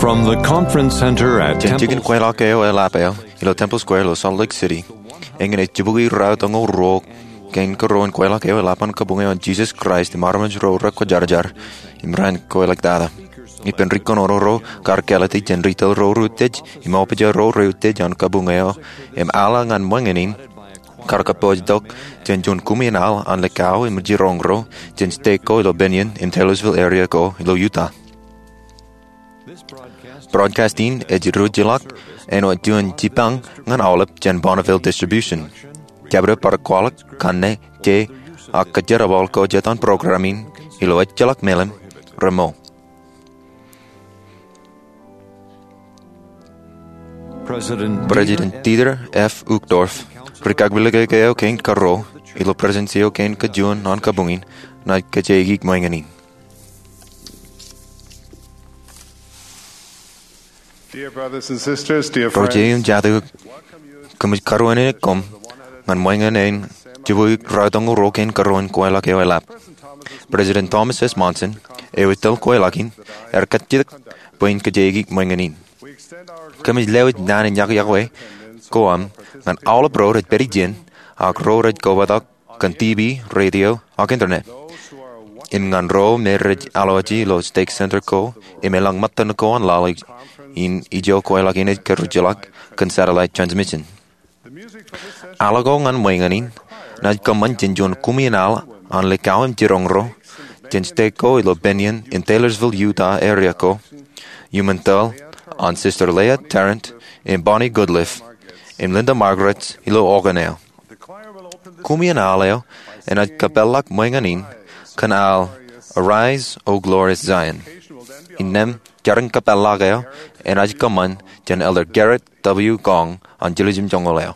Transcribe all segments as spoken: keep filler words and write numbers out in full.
From the conference center at Jān jikin Temple kweilọk eo eḷap eo ilo Temple Square ilo Salt Lake City, eñin ej jibukwi raotoñoul ruo kein kōrā in kweilọk eo eḷap an Kabuñ eo an Jesus Christ im Armej ro rekwōjarjar im raan kweilọktata. Ippān ri kōnono ro kar kāālōt jān ri tōl ro reutiej im opija ro reutiej an Kabuñ eo im aḷ ñan ṃōñā in kar kōpooj tok jān juon kumi in aḷ an likao im jiroñ ro jān state ko ilo Bennion im Taylorsville area ko ilo Utah. Broadcast in ej rujilọk āinwōt juon jipañ ñan aolep jān Bonneville Distribution. Jabdewōt bar kwaḷọk kanne, ke, ak kōjerbal ko jet an program in ilo ejjeḷọk meḷeḷe remoṇ. President Dieter F. Uchtdorf, ri kakpilōk eo kein kōrā ilo Presidency eo kein kajuon an Kabuñ in, naaj kōjeaikuj ṃōñā in. Dear brothers and sisters, dear friends, Ro jeiū im jatū, kōmij karuwainene koṃ ñan ṃōñā in jibukwi raotoñoul ruo kein kōrā in kweilọk eo eḷap. President Thomas S. Monson, eo ej tōl kweilọk in, ear kajjitōk bwe in kōjeaikuj ṃōñā in. Kōmij lewōj naan in yokwe ko aṃ ñan aolep ro rej pād ijin ak ro rej kobatok kōn T V, radio, ak internet. Im ñan ro me rej aloeje ilo stake center ko im elōñ ṃōttan ko an laḷ in ijo kweilọk in ej kōrujilọk kōn satellite transmission. Aḷ ko ñan ṃōñā in naaj kōṃṃan jān juon kumi in aḷ an likao im jiroñ ro jān state ko ilo Bennion im Taylorsville, Utah area ko, iuṃwin tōl an Sister Leah Tarrant im Bonnie Goodliff im Linda Margaret ilo organ eo. Kumi in aḷ eo enaaj kōpeḷḷọk ṃōñā in kōn aḷ Arise, O Glorious Zion. Innām, jarin kōpeḷḷọk eo enaaj kōṃṃan jān Elder Gerrit W. Gong an Jiljilimjuonñoul eo.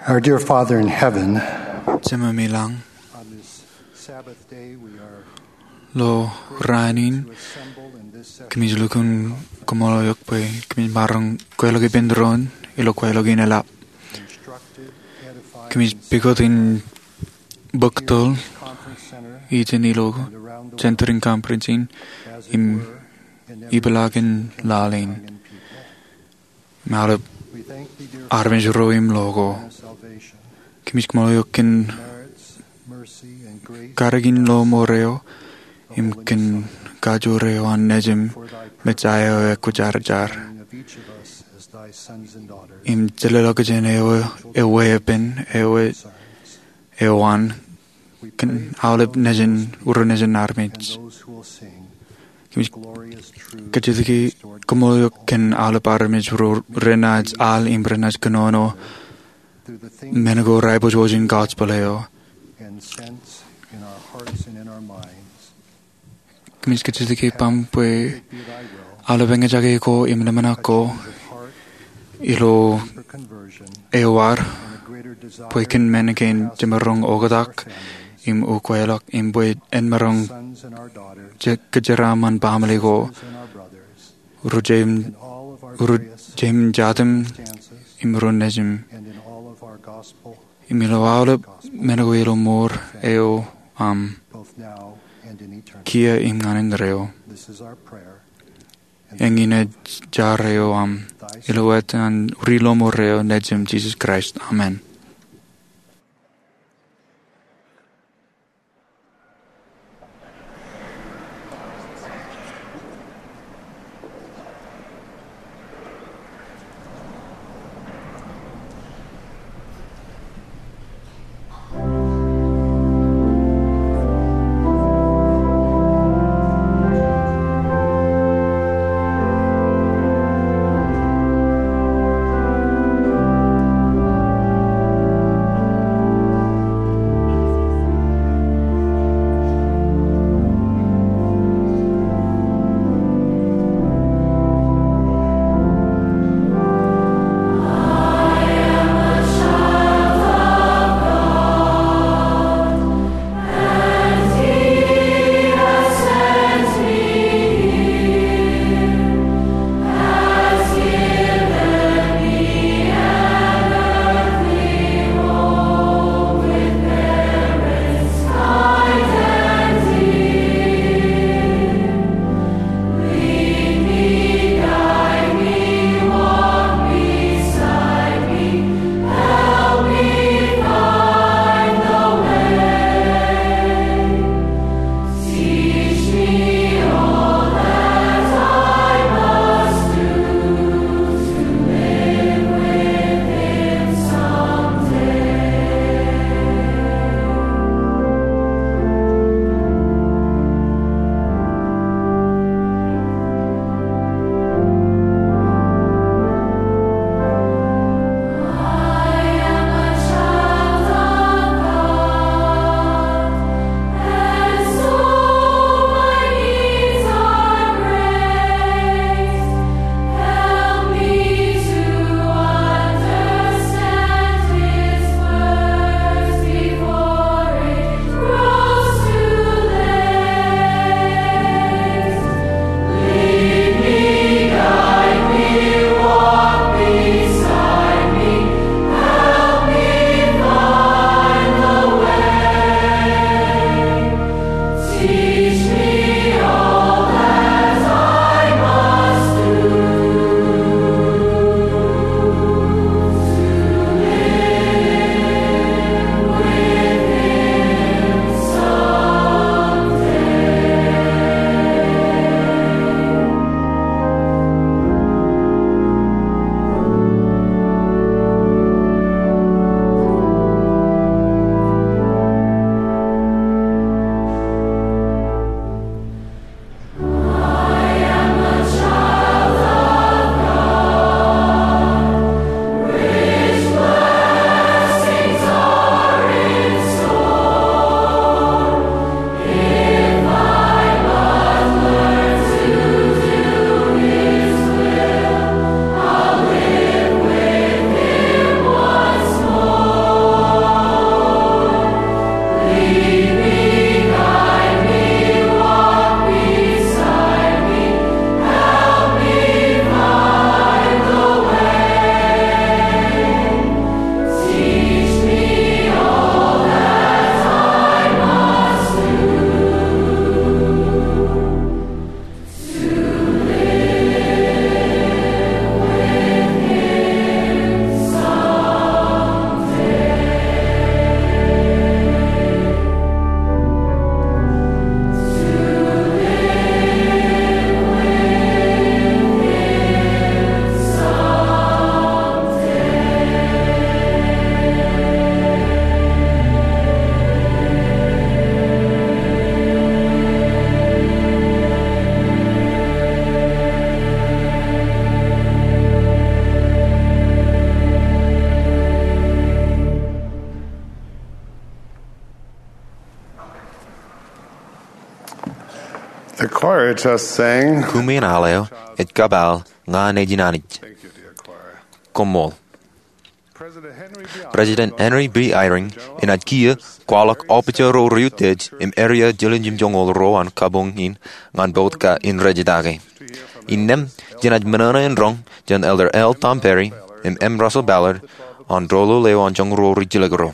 Our dear Father in heaven, Jemem ilañ, on this Sabbath day we are ilo raan in, assembled in this kōmij lukkuun koṃṃool eok bwe kōmij maroñ kweilọk ippān doon ilo kweilọk in eḷap. Instructed, edified, kōmij pukot in bōk toḷ conference center, ijin ilo and around the center in conference in, as it im were, in every ipeḷaakin laḷ in. Im aolep armej ro im lo ko. Kōmij koṃṃool eok kōn karikin lọmọọr eo im kōn kajoor eo an Nejiṃ, Messaia eo ekwōjarjar, im jelōḷọkjeṇ eo eweeppān, ewe eo an kōn aolep nejin, ro nejin armej. Kōmij kajjitōk im koṃṃool eok kōn aolep armej ro renaaj al im renaaj kōnono men ko raipojwōj in gospel eo. Kōmij kajjitōk im bwe aolep eñjake ko im ḷōmṇak ko ilo ewōr bwe kōn men kein jemaroñ oktak im ukweḷọk im bwe en maroñ kōjeraaṃṃan baaṃle ko, ro jeiṃ, ro jeiṃ jatūṃ im ro nejūṃ. Im ilo aolep men ko ilo mour eo aṃ, kiiō im ñan indeeo. Eñin ej jar eo aṃ, ilo etan Ri Lọmọọr eo Nejiṃ Jisōs Kraist. Amen. Choir just sang. Kume in al eo ej kapaal Ña Nejin Anij. Koṃṃool. President Henry B. Eyring enaaj kiiō kwaḷọk ọpijọ ro rej utiej im eria jiljilimjuonñoul ruo an kabuñ in ñan Bout in rej jetake. Innām jenaaj ṃōṇōṇō in roñ jān Elder L. Tom Perry im M. Russell Ballard an doulul eo an joñoul ruo rijjilōk ro.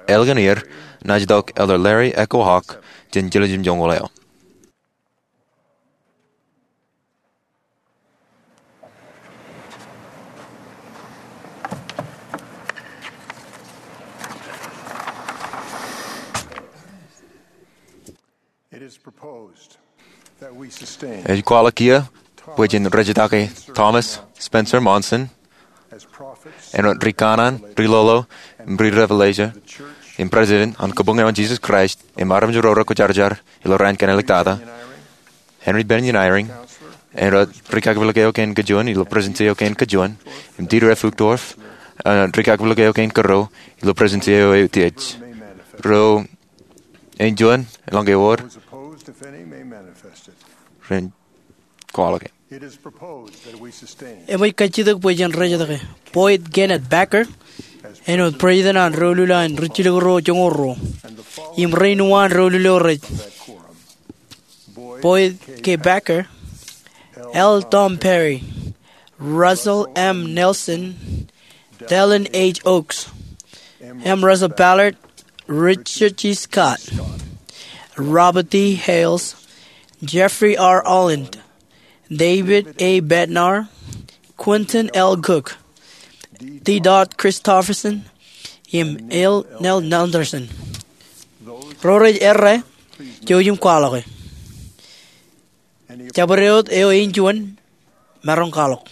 Ālikin er, naaj itok Elder Larry Echo Hawk jān jiljilimjuonñoul eo. Ej kwaḷọk kiiō bwe jen rej jetake Thomas Spencer Monson āinwōt ri-kanaan, ri-lolo, im ri-revelation, im President an Kabuñ eo an Jesus Christ im armej ro rekwōjarjar ilo raan kein āliktata, Henry Bennion Eyring āinwōt rikakpilōk eo kein kajuon ilo Presidensi eo kein kajuon, im Dieter F. Uchtdorf āinwōt rikakpilōk eo kein kōrā ilo Presidensi eo eutiej. Ro ej juon eḷaññe ewōr, ren kwaḷọk e. Eṃōj kajjitōk bwe jen rej jetōk Boyd Kenneth Packer āinwōt President an doulul an rijjilōk ro joñoul ruo im rein uwaan doulul eo rej: Boyd K. Packer, L. Tom Perry, Russell M. Nelson, Dallin H. Oaks, M. Russell Ballard, Richard G. Scott, Robert D. Hales, Jeffrey R. Holland, David A. Bednar, Quentin L. Cook, D. Todd Christofferson, im L. Neil Andersen. Ro rej errā, jouj im kwaḷọk e. Jabdewōt eo ej juon, maroñ kwaḷọk.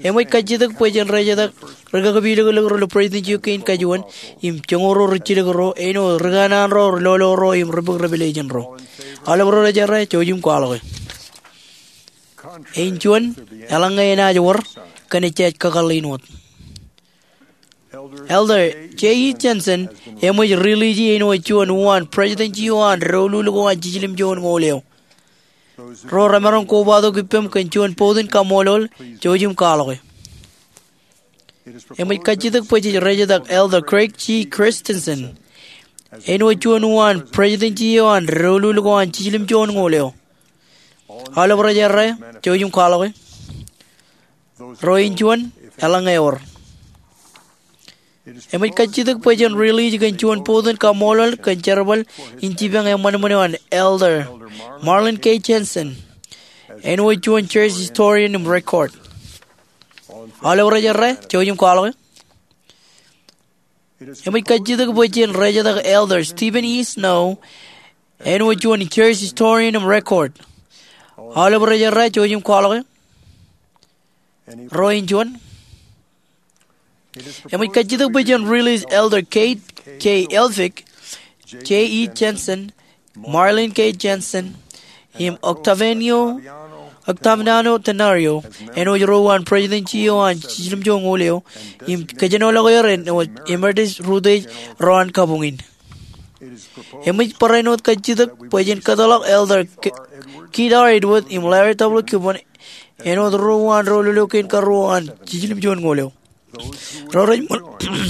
Eṃōj kajjitōk bwe jen rej jetōk rikakpilōklōk ro ilo Presidensi eo kein kajuon im joñoul ruo rijjilōk ro āinwōt ri-kanaan ro, ri-lolo ro, im ri-bōk revelation ro. Aolep ro rej errā, jouj im kwaḷọk e. Ej juon, eḷaññe enaaj wōr, kōn ejjab kakōḷḷe in wōt. Elder J. E. Jensen eṃōj release āinwōt juon uwaan Presidensi eo an doulul ko an jiljilimjuonñoul eo. Ro remaroñ kobatok ippaṃ kōn juon bōktok in kaṃṃoolol, jouj im kwaḷọk e. Eṃōj kajjitōk bwe jej rej jetōk Elder Craig G. Christensen āinwōt juon uwaan Presidensi eo an doulul ko an jiljilimjuonñoul eo. Aolep rej errā, jouj im kwaḷọk e. Ro ej juon, eḷaññe ewōr. Eṃōj kajjitōk bwe jen release kōn juon bōktok in kaṃṃoolol kōn jerbal in jipañ eṃṃanṃan eo an Elder Marlin K. Jensen āinwōt juon church historian im record. Aolep rej errā, jouj im kwaḷọk e. Eṃōj kajjitōk bwe jen rej jetōk Elder Stephen E. Snow āinwōt juon church historian im record. Aolep rej errā, jouj im kwaḷọk e. Ro ej juon. Eṃōj kajjitōk bwe jen release Elder Kate K. Elphick, J. E. Jensen, Marlin K. Jensen, im Octaviano, Octaviano Tenorio āinwōt ro uwaan Presidensi eo an jiljilimjuonñoul eo im kōjenolọk er āinwōt Emeritus Rutherford ro an kabuñ in. Eṃōj barāinwōt kajjitōk bwe jen kōtḷọk Elder K-, Keith R. Edwards im Larry W. Gibbons āinwōt ro uwaan doulul eo kein karuo an jiljilimjuonñoul eo. Ro rej ṃō-,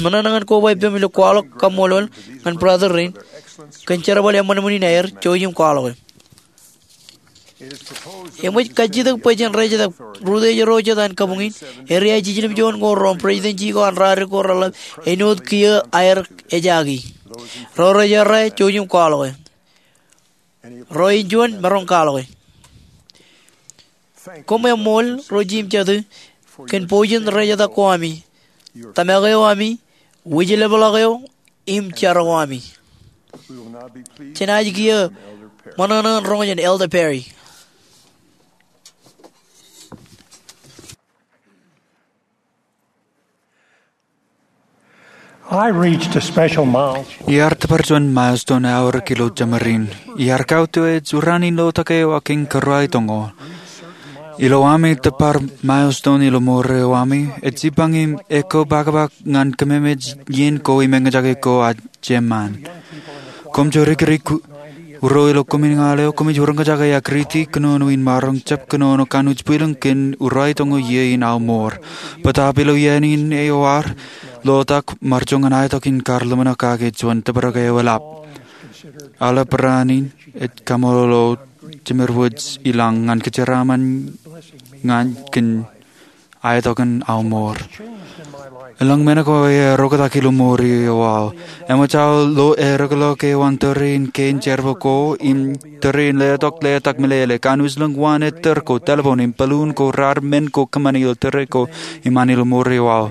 ṃōṇōṇō ñan koba ippaṃ ilo kwaḷọk kaṃṃoolol ñan brother rein kōn jerbal eṃṃanṃan in aer, jouj im kwaḷọk e. Eṃōj kajjitōk bwe jen rej jetōk Rutherford ro jet an kabuñ in, eria jiljilimjuonñoul ro im Presidensi ko an radik ko reḷap āinwōt kiiō aer ejaki. Ro rej errā, jouj im kwaḷọk e. Ro ej juon, maroñ kwaḷọk e. Koṃ eṃṃool, ro jimjatū, kōn bōjin rej etak ko ami, tōmak eo ami, wūjlepḷọk eo, im jar ko ami. Jenaaj kiiō ṃōṇōṇō in roñ jān Elder Perry. I reached a special milestone. Iar tōpar juon milestone aorōk ilo jemaroñ in. Iar kautiej uraṇ in ilo tōke eo aō kiiñ kōrā itoño. Ilo ami tōpar milestone ilo mour eo ami, ej jipañ im ekwe pakapak ñan kōmemej iien ko im eñjake ko ad jeṃṃan. Koṃ jorikrok ku-, Uro ilo koṃij ñan eo, koṃij uroñjake ak riiti kōnono in maroñ jab kōnono kanooj bwilōñ kōn uraitōño iiō in aō mour. Bōtaab ilo iien in eo ear lotak, ṃaar joñan aetok in kar ḷōmṇak kake juon tōprak eo eḷap. Aolep raan in ej kaṃṃoolol Jemed wōj ilañ ñan kōjeraaṃṃan ñan kōn aetok in aō mour. Eḷaññe men ko ear oktak ilo mour eo aō, eṃōj aō lo erōkḷọk eo an tōre in kein jerbal ko im tōre in letok letak meḷeḷe, kanooj lōñ waan ettōr ko telephone im balloon ko raar men ko kōṃṃani ilo tōre ko im an ilo mour eo aō.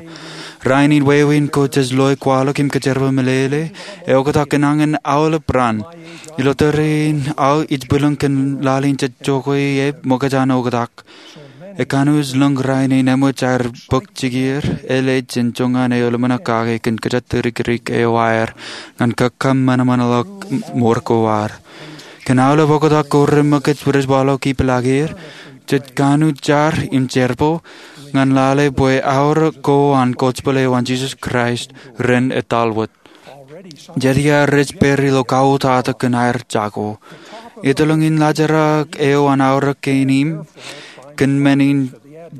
Rainin wāween ko jej loe kwaḷọk im kōjerbal meḷeḷe, eoktak kōn añin aolep raan. Ilo tōre in aō ij bwilōñ kōn lale in jej jokwe ie ṃōkaj an oktak. Ekanooj lōñ rainin eṃōj aer bōk jikier, elej jān joñan eo ḷōmṇak kake kōn kōjatdikdik eo aer ñan kakkōṃanṃanḷọk mour ko ad. Kōn aolep oktak ko reṃōkaj rej waḷọk ipeḷaakier, jej kanooj jar im jerbal ñan lale bwe aorōk ko an gospel eo an Jisōs Kraist ren etal wōt. Jet iar rej pād ilo kautata kōn aer jako. Ettoḷọk in laajrak eo an aorōk kein im kōn men in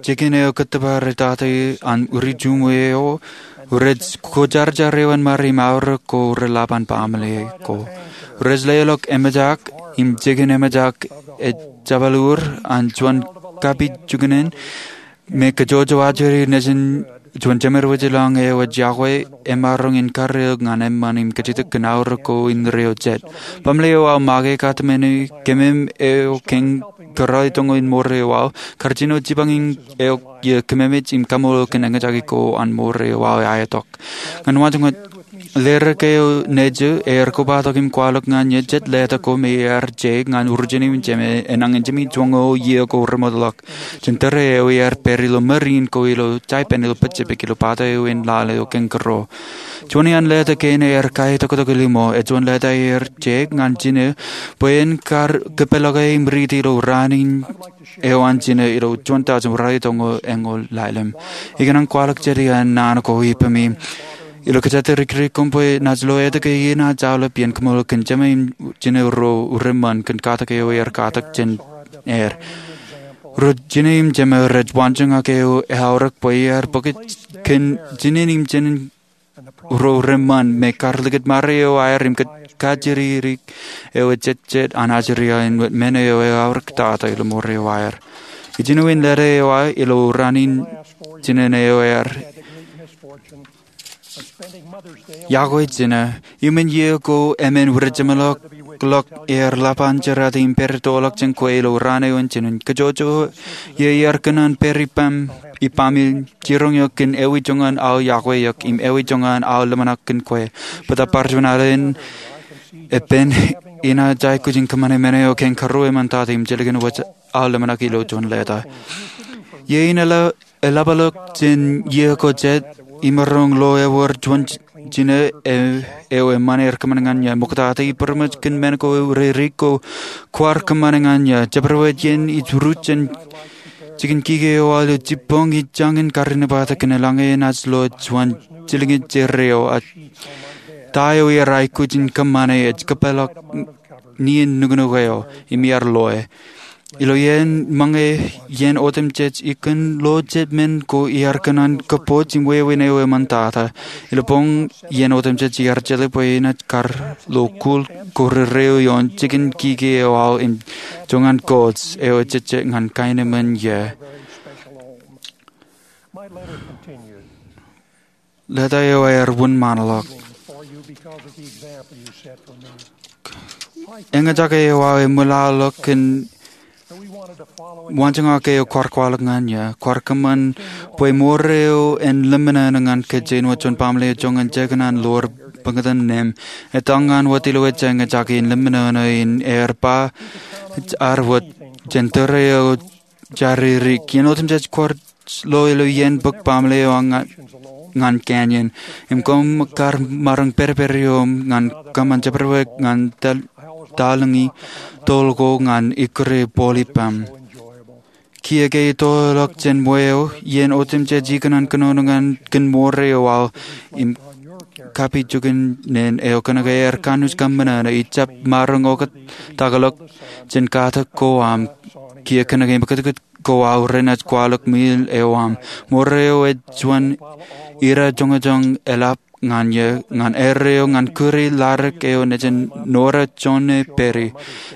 jikin eo kōttōpar etata an uri juṃwe eo, rej kwōjarjar eo an ṃare im aorōk ko relap an baaṃle ko. Rej leḷọk eṃōjak im jikin eṃōjak ejjabal ur an juon kapijuknen me kōjwōjwo ajri nejin juon jemed wōj ilañ eo ej yokwe emaroñ in karreoik ñan eṃṃan im kajjitōk kōn aorōk ko indeeo jet. Baaṃle eo aō make katemeni kemem eo kōn kōrā itoño in mour eo aō, kar jino jipañ in eok iiō kememej im kaṃṃoolol kōn eñjake ko an mour eo aō aetok. Ñan waanjoñak, ledik eo nejū ear kobatok im kwaḷọk ñan eō jet letak ko me ear je ñan urjene im jeme enañin jimein joñan iiō ko remootḷọk. Jān tōre eo ear pād ilo māriin ko ilo jaipen ilo Pacific ilo pata eo in lale eo kañkaro. Juon iaan letak kein ear kaitoktok ilo iṃō, ejuon letak ear je ñan jinō bwe en kar kōpeḷḷọke im riiti ilo raan in eo an jinō ilo juon taujin uraitoño eñoul ḷalem. Ikōṇaan kwaḷọk jet iaan naan ko ippaṃ im ilo kōjatdikdik koṃ bwe naaj lo etke iien naaj aolep iien kōṃṃool kōn jema im jinō ro reṃṃan kōn katak eo ear katak jān er. Ro jinō im jema rej waanjoñak eo eaorōk bwe iar bōk kōn jinen im jinen ro reṃṃan me kar likūt ṃare eo aer im kajjitōk eo ejejjet an ajri in wōt men eo eaorōk tata ilo mour eo aer. Ijin eo in leta eo aō ilo raan in jinen eo ear yokwe jinō. Iuṃwin iiō ko emān wūrejeṃḷọk ear ḷap an jerata im pād itoḷọk jān kwe ilo raan eo in jinen. Kōjwōjwo iiō ear kōṇaan pād ippaṃ, ippaṃ im jiroñ eok kōn ewi joñan aō yokwe eok im ewi joñan aō ḷōmṇak kōn kwe. Bōtaab bar juon alen epen, inaaj aikuj in kōṃṃane men eo kañkaro eṃṃantata im jilkinwōj aō ḷōmṇak ilo juon leta. Iiō in eḷap eḷapḷọk jān iiō ko jet imaroñ lo ewōr juon jinō eo eṃṃan er kōṃṃan ñan eō. Ṃoktata ippād ṃōj kōn men ko rerik ko kwaar kōṃṃane ñan eō. Jabdewōt iien ij ruj jān jikin kiki eo aō ilo jibboñ, ij jañin karinepatak kōn eḷaññe enaaj lo juon jilkinjet eo. Ta eo iar aikuj in kōṃṃane ej kōpeḷḷọk nien nuknuk eo im iar loe. Ilo iien ṃōñā, iien otemjej ikōṇaan lo jet men ko iar kōṇaan kōpooj im wāween eo eṃṃantata. Ilo boñ iien otemjej iar jeḷā bwe enaaj kar lo kul ko rerreo ioon jikin kiki eo aō im joñan kōj eo ejejjet ñan kaenōṃṃan eō. Leta eo ear wūnṃaanḷọk. Eñjake eo aō eṃwilaḷọk kōn waanjoñak eo kwaar kwaḷọk ñan eō. Kwaar kōṃṃan bwe mour eo en lemñoul ñan kōj āinwōt juon baaṃle eo joñan jekōṇaan ḷoor bōktan neeṃ. Etal ñan wōt ilo ejja eñjake in lemñoul in ear ba ad wōt jān tōre eo jaririk. Iien otemjej kwaar lo ilo iien bōk baaṃle eo ñan, ñan canyon. Im koṃ kar maroñ pedped ioō ñan kōṃṃan jabdewōt ñan tal, talōñi toḷ ko ñan ikkure bōl ippaṃ. Kiiō ke itoḷọk jān ṃweo, iien otemjej ikōṇaan kōnono ñan kōn mour eo aō im kapijukunen eo kōnke ear kanooj kōṃṃan eo, ij jab maroñ oktak ḷọk jān katak ko aṃ. Kiiō kōnke im kōtkōt ko aō renaaj kwaḷọk ṃwiil eo aṃ. Ṃoor eo ej juon ira joñojoñ eḷap ñan eō, ñan erreo ñan kūri ladik eo nejin Nora Jones Perry.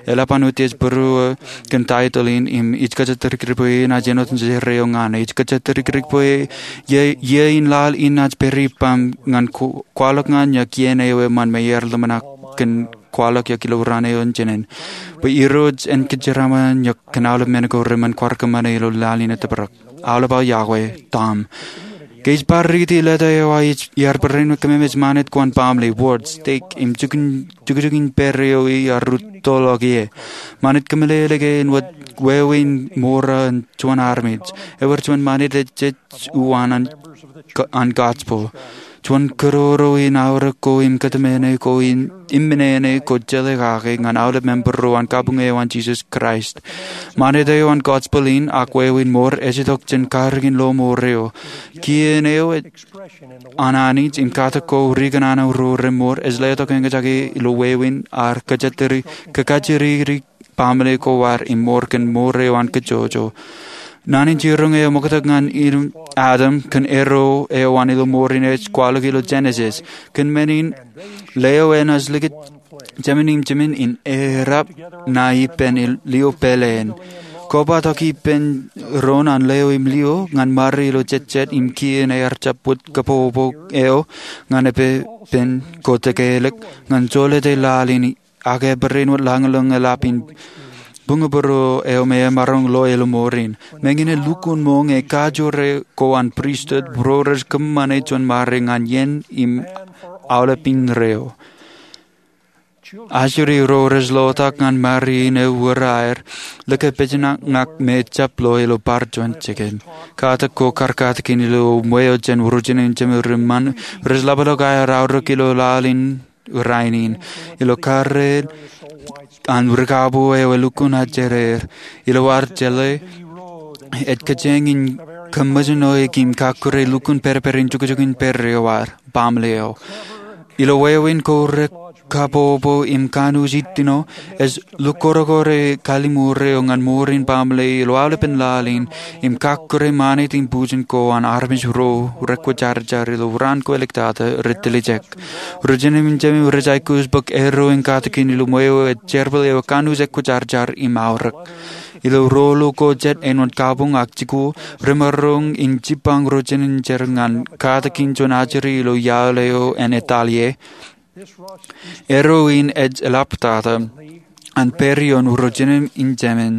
Eḷap an utiej būruō kōn taitōḷ in im ij kōjatdikdik bwe enaaj āinwōt nejin erreo ñan e. Ij kōjatdikdik bwe iiō in laḷ in enaaj pād ippaṃ ñan kwaḷọk ñan eō kien eo eṃṃan me iar ḷōmṇak kōn kwaḷọk eō ilo raan eo in jinen. Bwe Irooj en kōjeraaṃṃan eō kōn aolep men ko reṃṃan kwaar kōṃṃane ilo laḷ in etōprak. Aolep aō yokwe, Tom. Ke ij bar riiti leta eo aō, iar barāinwōt kōmemej ṃanit ko an baaṃle, wōj, steik, im jukjukin pād eo iar rūttoḷọk ie. Ṃanit kōmeḷeḷe ke āinwōt wāween ṃoor eo an juon armej. Ewōr juon ṃanit ej jej uwaan an gospel. Juon kōroro in aorōk ko im kōtmāne ko im ṃōṇōṇō ko jeḷā kake ñan aolep member ro an kabuñ eo an Jisōs Kraist. Ṃanit eo an gospel in ak wāween ṃoor ej itok jān karōkin lo ṃoor eo. Kien eo an Anij im katak ko ri kōṇaan ro reṃour ej letok eñjake ilo wāween ear kōkajjitōk baaṃle ko ad im ṃoor kōn ṃoor eo an kōjojō. Naan in jiroñ eo ṃoktak ñan Adam kōn erro eo an ilo ṃoor in ej kwaḷọk ilo Genesis. Kōn men in, leo enaaj likūt jemān im jemān in errā ṇae ippān lio pāleen. Koba tok ippān doon an leo im lio ñan ṃare ilo jejjet im kien ear jab wōt kabbokbok eo ñan epepen ko tekelik ñan jolōte laḷ in ak ebarāinwōt lañlōñ eḷap in buñbūruo eo me emaroñ lo ilo ṃoor in. Meñe in lukkuun ṃoñ e, kajoor ko an pristut ro rej kōṃṃane juon ṃare ñan iien im aolep indeeo. Ajri ro rej lotak ñan ṃare in ewōr aer likapejnañak me jab lo ilo bar juon jikin. Katak ko karkatakin ilo ṃweo jān ro jenejin jemān ri ṃan rej ḷapḷọk aer aorōk ilo laḷ in rainin. Ilo karreel an ri kabuñ eo elukkuun ajri er, ilo ad jeḷā, ej kōjeañ in kōṃṃool ṇe im kakkure lukkuun pedped in jukjuk in pād eo ad, baaṃle eo. Ilo wāween ko rekabbokbok im kanooj ittino, ej lukkuun kōrā kaliṃur eo ñan ṃoor in baaṃle ilo aolepen laḷ in, im kakkure ṃanit im bujen ko an armej ro rekwōjarjar ilo raan ko āliktata rej tiljek. Ro jenejin jemān rej aikuj bōk erro in katakin ilo ṃweo ej jerbal eo kanooj ekwōjarjar im aorōk. Ilo ruo ko jet āinwōt kabuñ ak jikuuḷ, remaroñ in jipañ ro jenejin jemān ñan katakin juon ajri ilo iaḷ eo an etal ie. Erro in ej eḷaptata an pād ioon ro jenejin jemān.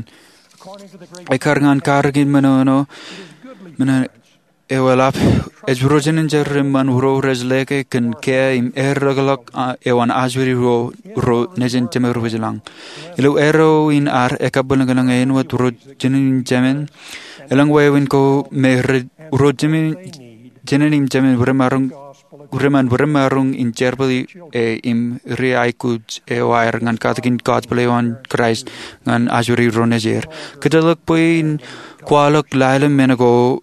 Ekkar ñan karōkin men eo eo eḷap, ej ro jenejin jemān ri ṃan ro rej lōke kōn kiiō im errōkḷọk eo an ajri ro nejin jemān ri wōjlañ. Ilo erro in ad ekabwilōñlōñ āinwōt ro jenejin jemān, elōñ wāween ko me ro jenejin jemān ri ṃan ri ṃan rej maroñ in jerbal e im ri aikuj eo aer ñan katakin gospel eo an Kraist ñan ajri ro nejid. Kōjatḷọk bwe in kwaḷọk lale men ko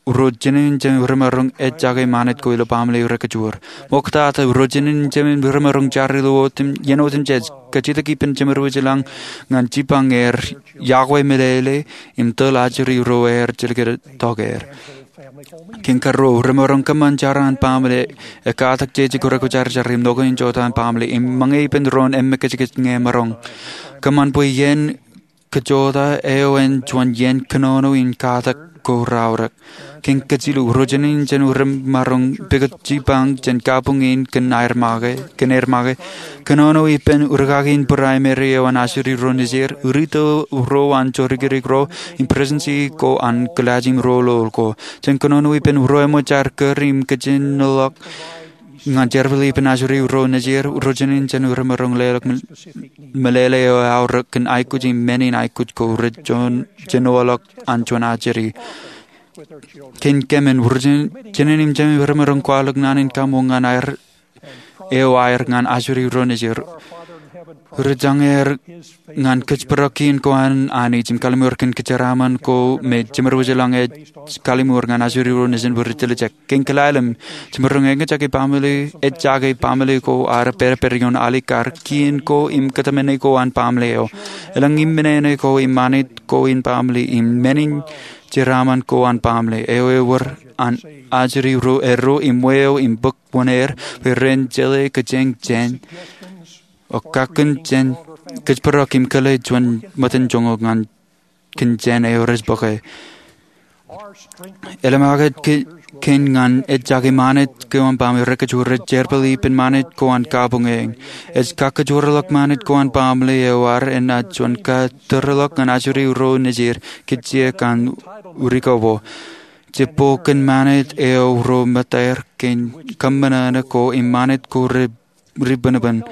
ro jenejin jemān ri ṃan rej jake ṃanit ko ilo baaṃle rej kajoor. Ṃoktata ro jenejin jemān ri ṃan rej jar ilo otemjej, ien otemjej, kajjitōk ippān jemān ri wōjlañ ñan jipañ er, yokwe meḷeḷe, im tōl ajri ro aer jilkintok er. Kōn karuo, remaroñ kōṃṃan jar an baaṃle, ekkatak jeje ko rekwōjarjar im ḷọk in jota an baaṃle, im ṃōñā ippān doon emmekajkaj ñe emaroñ. Kōṃṃan bwe iien kajota eo en juon iien kōnono in katak ko raorōk. Kōn kajilu, ro jenejin jemān ri ṃan rej pukot jipañ jān kabuñ in kōn aer make, kōn aer make. Kōnono ippān rūkaki in primary eo an ajri ro nejid, rūtto ro an jodikdik ro, im presidency ko an kilaaj im ro loḷ ko. Jān kōnono ippān ro eṃōj jar kūr im kajjitōkḷọk ñan jerbal ippān ajri ro nejid, ro jenejin jemān ri ṃan rej leḷọk meḷeḷe eo aorōk kōn aikuj im men in aikuj ko rej jenoḷọk an juon ajri. Kōn kōṃṃan, ro jenejin jemān ri ṃan rej kwaḷọk naan in kaṃṃoolol ñan aer eo aer ñan ajri ro nejid. Ri-jañe er ñan kōjparok kien ko an Anij im kalliṃur kōn kōjeraaṃṃan ko me jemed wōj eḷaññe ej kalliṃur ñan ajri ro nejin bwe rej tiljek. Kein kilale im jemaroñ eñjake baaṃle, eñjake baaṃle ko ad pād ippād ioon alikkar, kien ko im kōtmāne ko an baaṃle eo. Elōñ im men eo ko im ṃanit ko in baaṃle im men in jeraaṃṃan ko an baaṃle eo ewōr an ajri ro erro im wāween bōk wōṇāer bwe ren jeḷā kōjeañ jān okakōn jān kōjparok im kōḷḷā juon ṃōttan joñoul ñan kōn jān eo rej bōke. Elōñ aō kōn ñan eñjake ṃanit ko an baaṃle rej kōjro rej jerbal ippān ṃanit ko an kabuñ eñ. Ej kakōjparok ṃanit ko an baaṃle eo ad enaaj juon katorḷọk ñan ajri ro nejid kajjien an urikobo. Jibboñ kōn ṃanit eo ro ṃōttaer kōn kōṃṃan ko im ṃanit ko ri bōnbōn,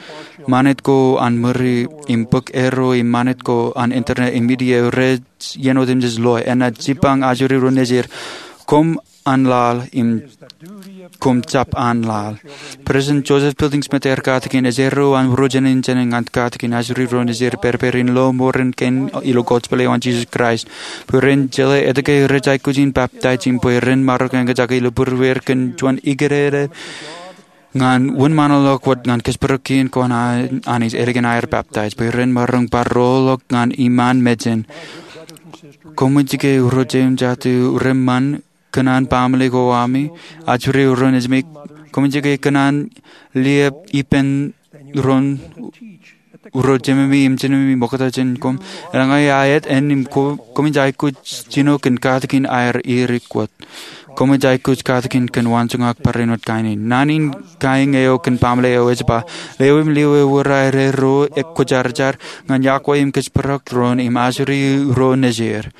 ṃanit ko an ṃuri im bōk erro im ṃanit ko an internet im media rej iien otemjej loe. Enaaj jipañ ajri ro nejid. Koṃ an laḷ im koṃ jab an laḷ. President Joseph Fielding Smith ear katakin, ej erro an ro jinen in jāmin ñan katakin ajri ro nejid pād ippād in lo mour in kein ilo gospel eo an Jesus Christ, bwe ren jeḷā etke rej aikuj in baptaij im bwe ren maroñ eñjake ilo būrueir kōn juon ikōṇaan ñan wōnṃaanḷọk wōt ñan kōjparok kien ko an Anij ālikin aer baptaij bwe ren maroñ bar roolḷọk ñan iṃaan mejān. Koṃij ke ro jeiū im jatū reṃṃan, kōṇaan baaṃle ko ami, ajri ro nejimi, koṃij ke kōṇaan liep ippān ro jememi im jinemi ṃokta jān koṃ. Eḷaññe aet āne im koṃij aikuj jino kōn katakin aer irik wōt, koṃij aikuj katakin kōn waanjoñak barāinwōt kain in. Naan in kain eo kōn baaṃle eo ej ba, lewōj im lewōj ewōr aer erro ekwōjarjar ñan yokwe im kōjparok doon im ajri ro nejid.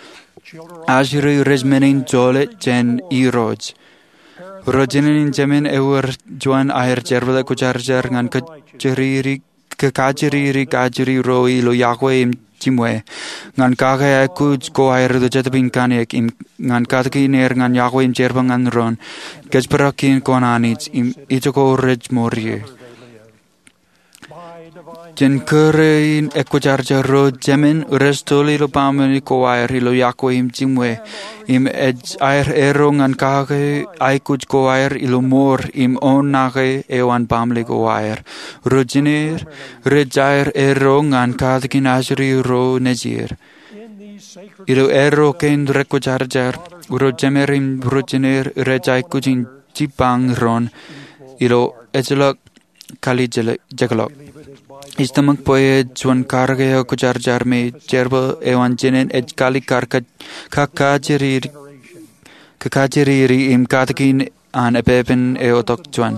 Ajri rej men in jolōt jān Irooj. Ro jinen in jāmin ewōr juon aer jerbal ekwōjarjar ñan kajjiriri kajjiriri ajri ro ilo yokwe im jimwe, ñan kake aikuj ko aer ilo Jetōb in Kaniōk im ñan katakin er ñan yokwe im jerbal ñan doon kōjparok kien ko an Anij im ijoko rej mour ie. Jān kōrā in ekwōjarjar, ro jāmin rej tōl ilo baaṃle ko aer ilo yokwe im jimwe, im ej aer erro ñan kake aikuj ko aer ilo mour im oṇaake eo an baaṃle ko aer. Ro jinen rej aer erro ñan katakin ajri ro nejid. Ilo erro kein rekwōjarjar, ro jāmin im ro jinen rej aikuj in jipañ doon ilo ejjeḷọk kalijekḷọk. Ij tōmak bwe ej juon karōk eo kwōjarjar me jerbal eo an jinen ej kalikkar kōj, kakajjiriri im katakin an epepen eo tok juon.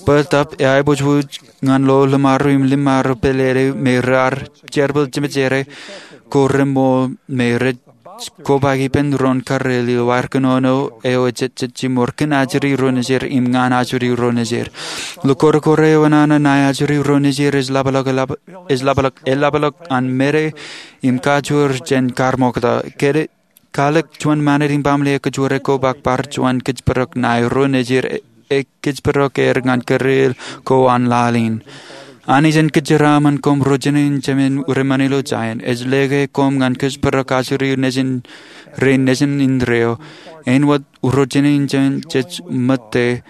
Bōtab eaiboojoj ñan lo ḷōṃaro im ḷōṃaro pālele me raar jerbal jemejere ko reṃool me rej kobaik ippān doon karreel ilo aer kōnono eo ejejjet jimor kōn ajri ro nejid im ñan ajri ro nejid. Ilo kōrā kōrā eo nana ṇae ajri ro nejid ej ḷapḷọk, ej ḷapḷọk, ej ḷapḷọk an mede im kajoor jān kar ṃokta. Kale, kalōk juon ṃanit in baaṃle eo kōjro kobaik bar juon kōjparok ṇae ro nejid e kōjparok er ñan karreel ko an laḷ in. Anij en kōjeraaṃṃan koṃ ro jinen in jāmin reṃṃan ilo Zaion. Ej lōke koṃ ñan kōjparok ajri nejin rein nejin indeeo. Āinwōt ro jinen in jāmin jej ṃōtte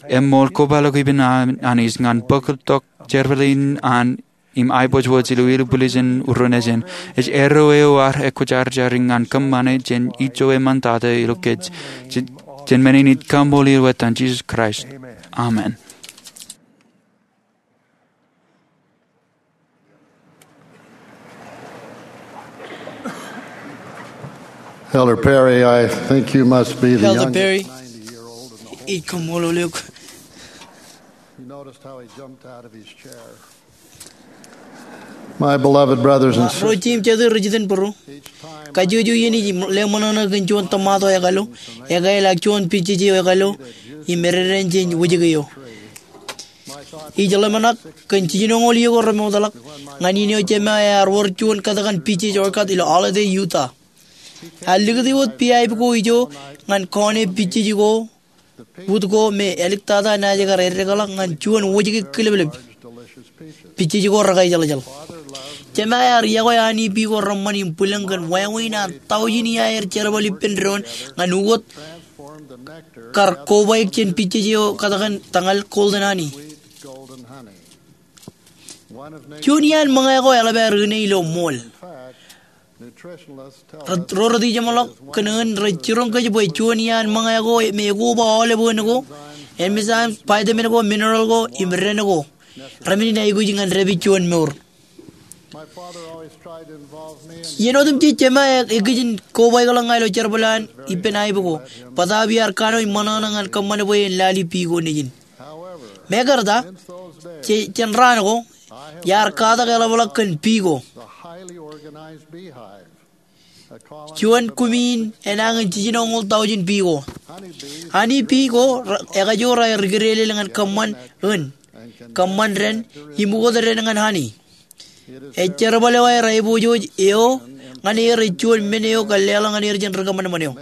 eṃṃool kobaḷọk ippān Anij ñan bōktok jerbal in an im aiboojoj ilo ilubwiljin ro nejin. Ej erro eo ad ekwōjarjar ñan kōṃṃane jān ijo eṃṃantata ilo kōj. Jān, jān men in ij kaṃṃoolol eok etan Jisōs Kraist. Amen. Elder Perry, I think you must be the Elder youngest Perry, ninety-year-old in the whole ij kaṃṃoolol eok. You noticed how he jumped out of his chair. My beloved brothers and sisters, ro jeiū im jatū rej iten būruō, kajjojo iien ij leṃōṇōṇō kōn juon tōmato ekalo, ekāāl ak juon pijej eo ekalo, im ededein jān wōjke eo. Ij ḷōmṇak kōn jijinoñoul iiō ko remootḷọk ñan iien eo jema ear wōr juon kōtkan pijej orchard ilo Alde, Utah. Ear likūti wōt pipe ko ijo ñan kọọne pijej ko, ut ko me āliktata naaj kar eddekḷọk ñan juon wōjke kileplep. pijej ko rekajeḷjeḷ. Jema ear yokwe anipi ko reṃṃan im bwilōñ kōn wāween an taujin iaer jerbal ippān doon ñan ukōt kar kobaik jān pijej eo katakin tañal golden honey. Juon iaan ṃōñā ko eḷap aer ine ilo ṃool. Ro retijeṃḷọk kōn eō rej jiroñ kōj bwe juon iaan ṃōñā ko me ekoba aolep eō ko, enzyme, vitamin ko, mineral ko im dān ko, remen in aikuj ñan dāpij juon mour. Iien otemjej jema e, ekijin kobaikḷọk ña ilo jerbal an ippān aip ko. Bōtaab iar kanooj ṃōṇōṇō ñan kōṃṃan bwe en lale pii ko nejin. Mekarta, jān raan ko, iar katak eḷapḷọk kōn pii ko. Juon kumi in enañin jiljinoñoul taujin pii ko. Anipi ko ekajoor aer ikrelel ñan kōṃṃan eō, kōṃṃan dān, im ukōt dān ñan honey. Ej jerbal eo aer aiboojoj eo ñan er, ej juon men eo kar leḷọk ñan er jān ri kōṃanṃan eo.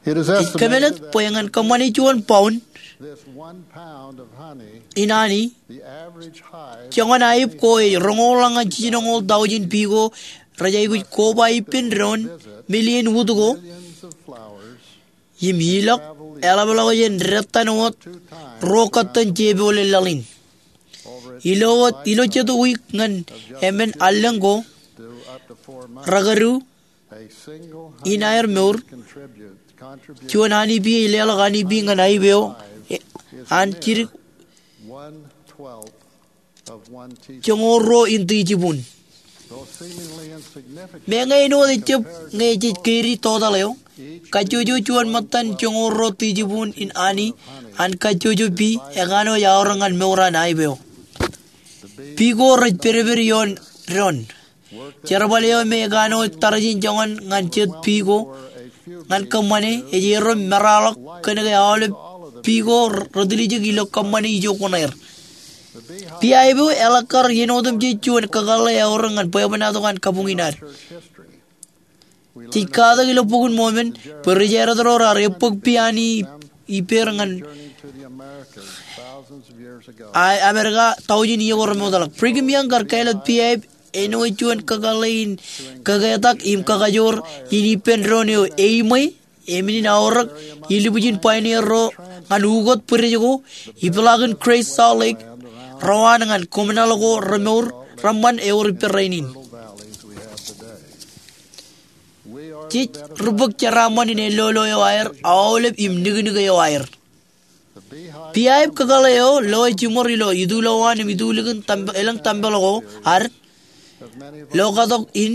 Ej kōmālōt bwe ñan kōṃṃane juon pound in honey, joñan aip ko ej roñoul ñan jiljinoñoul taujin pii ko rej aikuj koba ippān doon, million wūd ko, im ilọk eḷapḷọk jān detan wōt ruo kōttan jepooḷe laḷ in. Ilo wōt, ilo jet wiik ñan emān allōñ ko, rekadu in aer mour, juon anipi ej leḷọk anipi ñan aip eo an jidik joñoul ruo in tijibun. Meñe āinwōt ejjab ñe jej keri total eo, kajjojo juon ṃōttan joñoul ruo tijibun in honey an kajjojo pii ekanooj aorōk ñan mour an aip eo. Pii ko rej pedped ioon doon. Jerbal eo me ekanooj tarjin joñan ñan jet pii ko ñan kōṃṃane ej erom meraḷọk kōnke aolep pii ko retiljek ilo kōṃṃane ijo kuṇaer. Pii aip eo eḷak kar iien otemjej juon kakōḷḷe eaorōk ñan bwebwenato an kabuñ in ad. Jej katak ilo Bok in Mormon bwe ri-Jadid ro raar ebbōk pii honey ippāer ñan Amerika taujin iiō ko remootḷọk. Brigham Young kar kāālōt pii aip āinwōt juon kakōḷḷe in kaketak im kakajoor in ippān doon eo eimwe, emenin aorōk ilubujin pioneer ro ñan ukōt bwidej ko, ipeḷaakin Great Salt Lake, ro an ñan kōmnaḷ ko remour reṃṃan ewōr ippān rainin. Jej ri bōk jeraaṃṃan in ellolo eo aer, aolep im niknik eo aer. Pii aip kakōḷḷe eo lo e jiṃor ilo itulowaan im itulikin elōñ tempel ko ad, lo katok in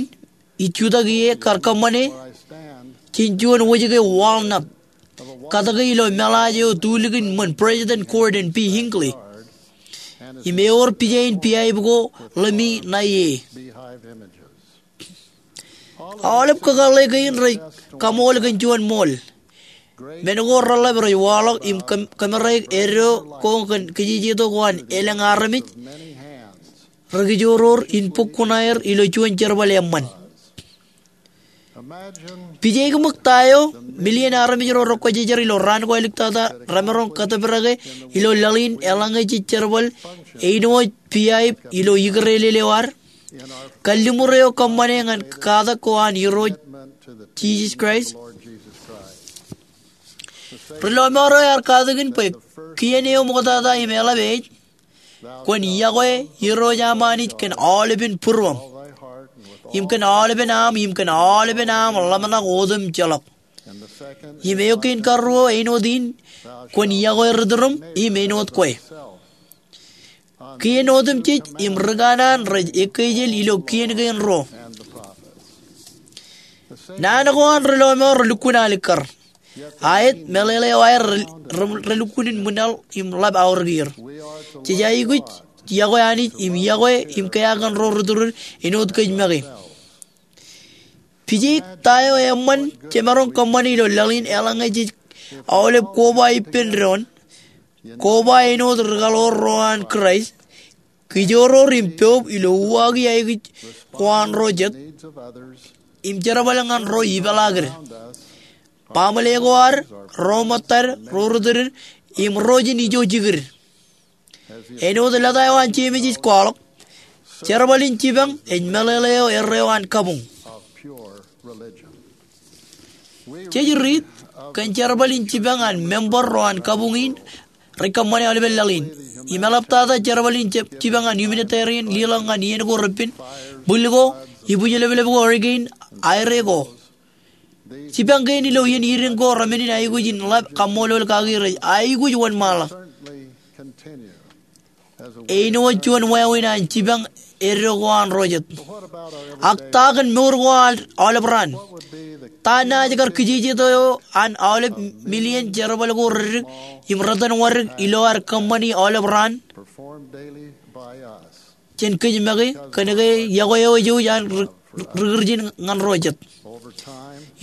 ij jutak ie kar kōṃṃane jān juon wōjke walnut, katōke ilo meḷaaj eo tulikin ṃōn President Gordon B. Hinckley. Im ewōr pija in pii aip ko ḷōmi ṇae e. Aolep kakōḷḷe kein rej kaṃool kōn juon ṃool. Men ko reḷap rej waḷọk im kōm-, kōmeraik eddo ko kōn kijejetok ko an elōñ armej ri kijoror in bōk kuṇaer ilo juon jerbal eṃṃan. Pije ṃōk ta eo, million armej ro rekwōjarjar ilo raan ko āliktata remaroñ kōtōprake ilo laḷ in eḷaññe jej jerbal āinwōt pii aip ilo ikrelel eo ad, kalliṃur eo kōṃṃane ñan katak ko an Irooj Jisōs Kraist. Ri lọmọọr eo ear katakin bwe kien eo ṃoktata im eḷap ej, kwōn yokwe Irooj aṃ Anij kōn aolepen būruōṃ, im kōn aolepen aṃ, im kōn aolepen aṃ ḷōmṇak otemjeḷọk. Im eo kein karuo āinwōt in, kwōn yokwe ri turuṃ im āinwōt kwe. Kien otemjej im ri kanaan rej ekkejel ilo kien kein ruo. Naan ko an ri lọmọọr relukkuun alikkar. Aet, meḷeḷe eo aer re, re, relukkuun in ṃwilaḷ im ḷap aorōk er. Jej aikuj yokwe Anij im yokwe im kea kōn ro ri turin āinwōt kōj make. Pije ta eo eṃṃan jemaroñ kōṃṃane ilo laḷ in eḷaññe jej aolep koba ippān doon, koba āinwōt ri kaḷoor ro an Kraist, kijoror im poub ilo uwaaki aikuj ko an ro jet, im jerbal ñan ro ipeḷaakid. Baaṃle ko ad, ro ṃōttad, ro ri turin, im ro ijin ijo jikid. Āinwōt lōta eo an Jemes ej kwaḷọk, jerbal in jipañ ej meḷeḷe eo erreo an kabuñ. Jej riit kōn jerbal in jipañ an member ro an kabuñ in rej kōṃṃane aolepen laḷ in. Im eḷaptata jerbal in jip-, jipañ an humanitarian, liḷọk ñan iien ko repen, bwil ko, ibwijleplep ko, hurricane, aire ko. Jipañ kein ilo iien idiñ ko remenin aikuj in ḷap kaṃṃoolol kaki rej aikuj wōnṃaanḷọk. Āinwōt juon wāween an jipañ eddo ko an ro jet. Ak ta kōn mour ko an aolep raan? Ta naaj kar kijejeto eo an aolep million jerbal ko reddik im retenwadik ilo ad kōṃṃani aolep raan? Jen kōj make kōnke yokwe eo ej jouj an ri-, ri-, rikirjin ñan ro jet.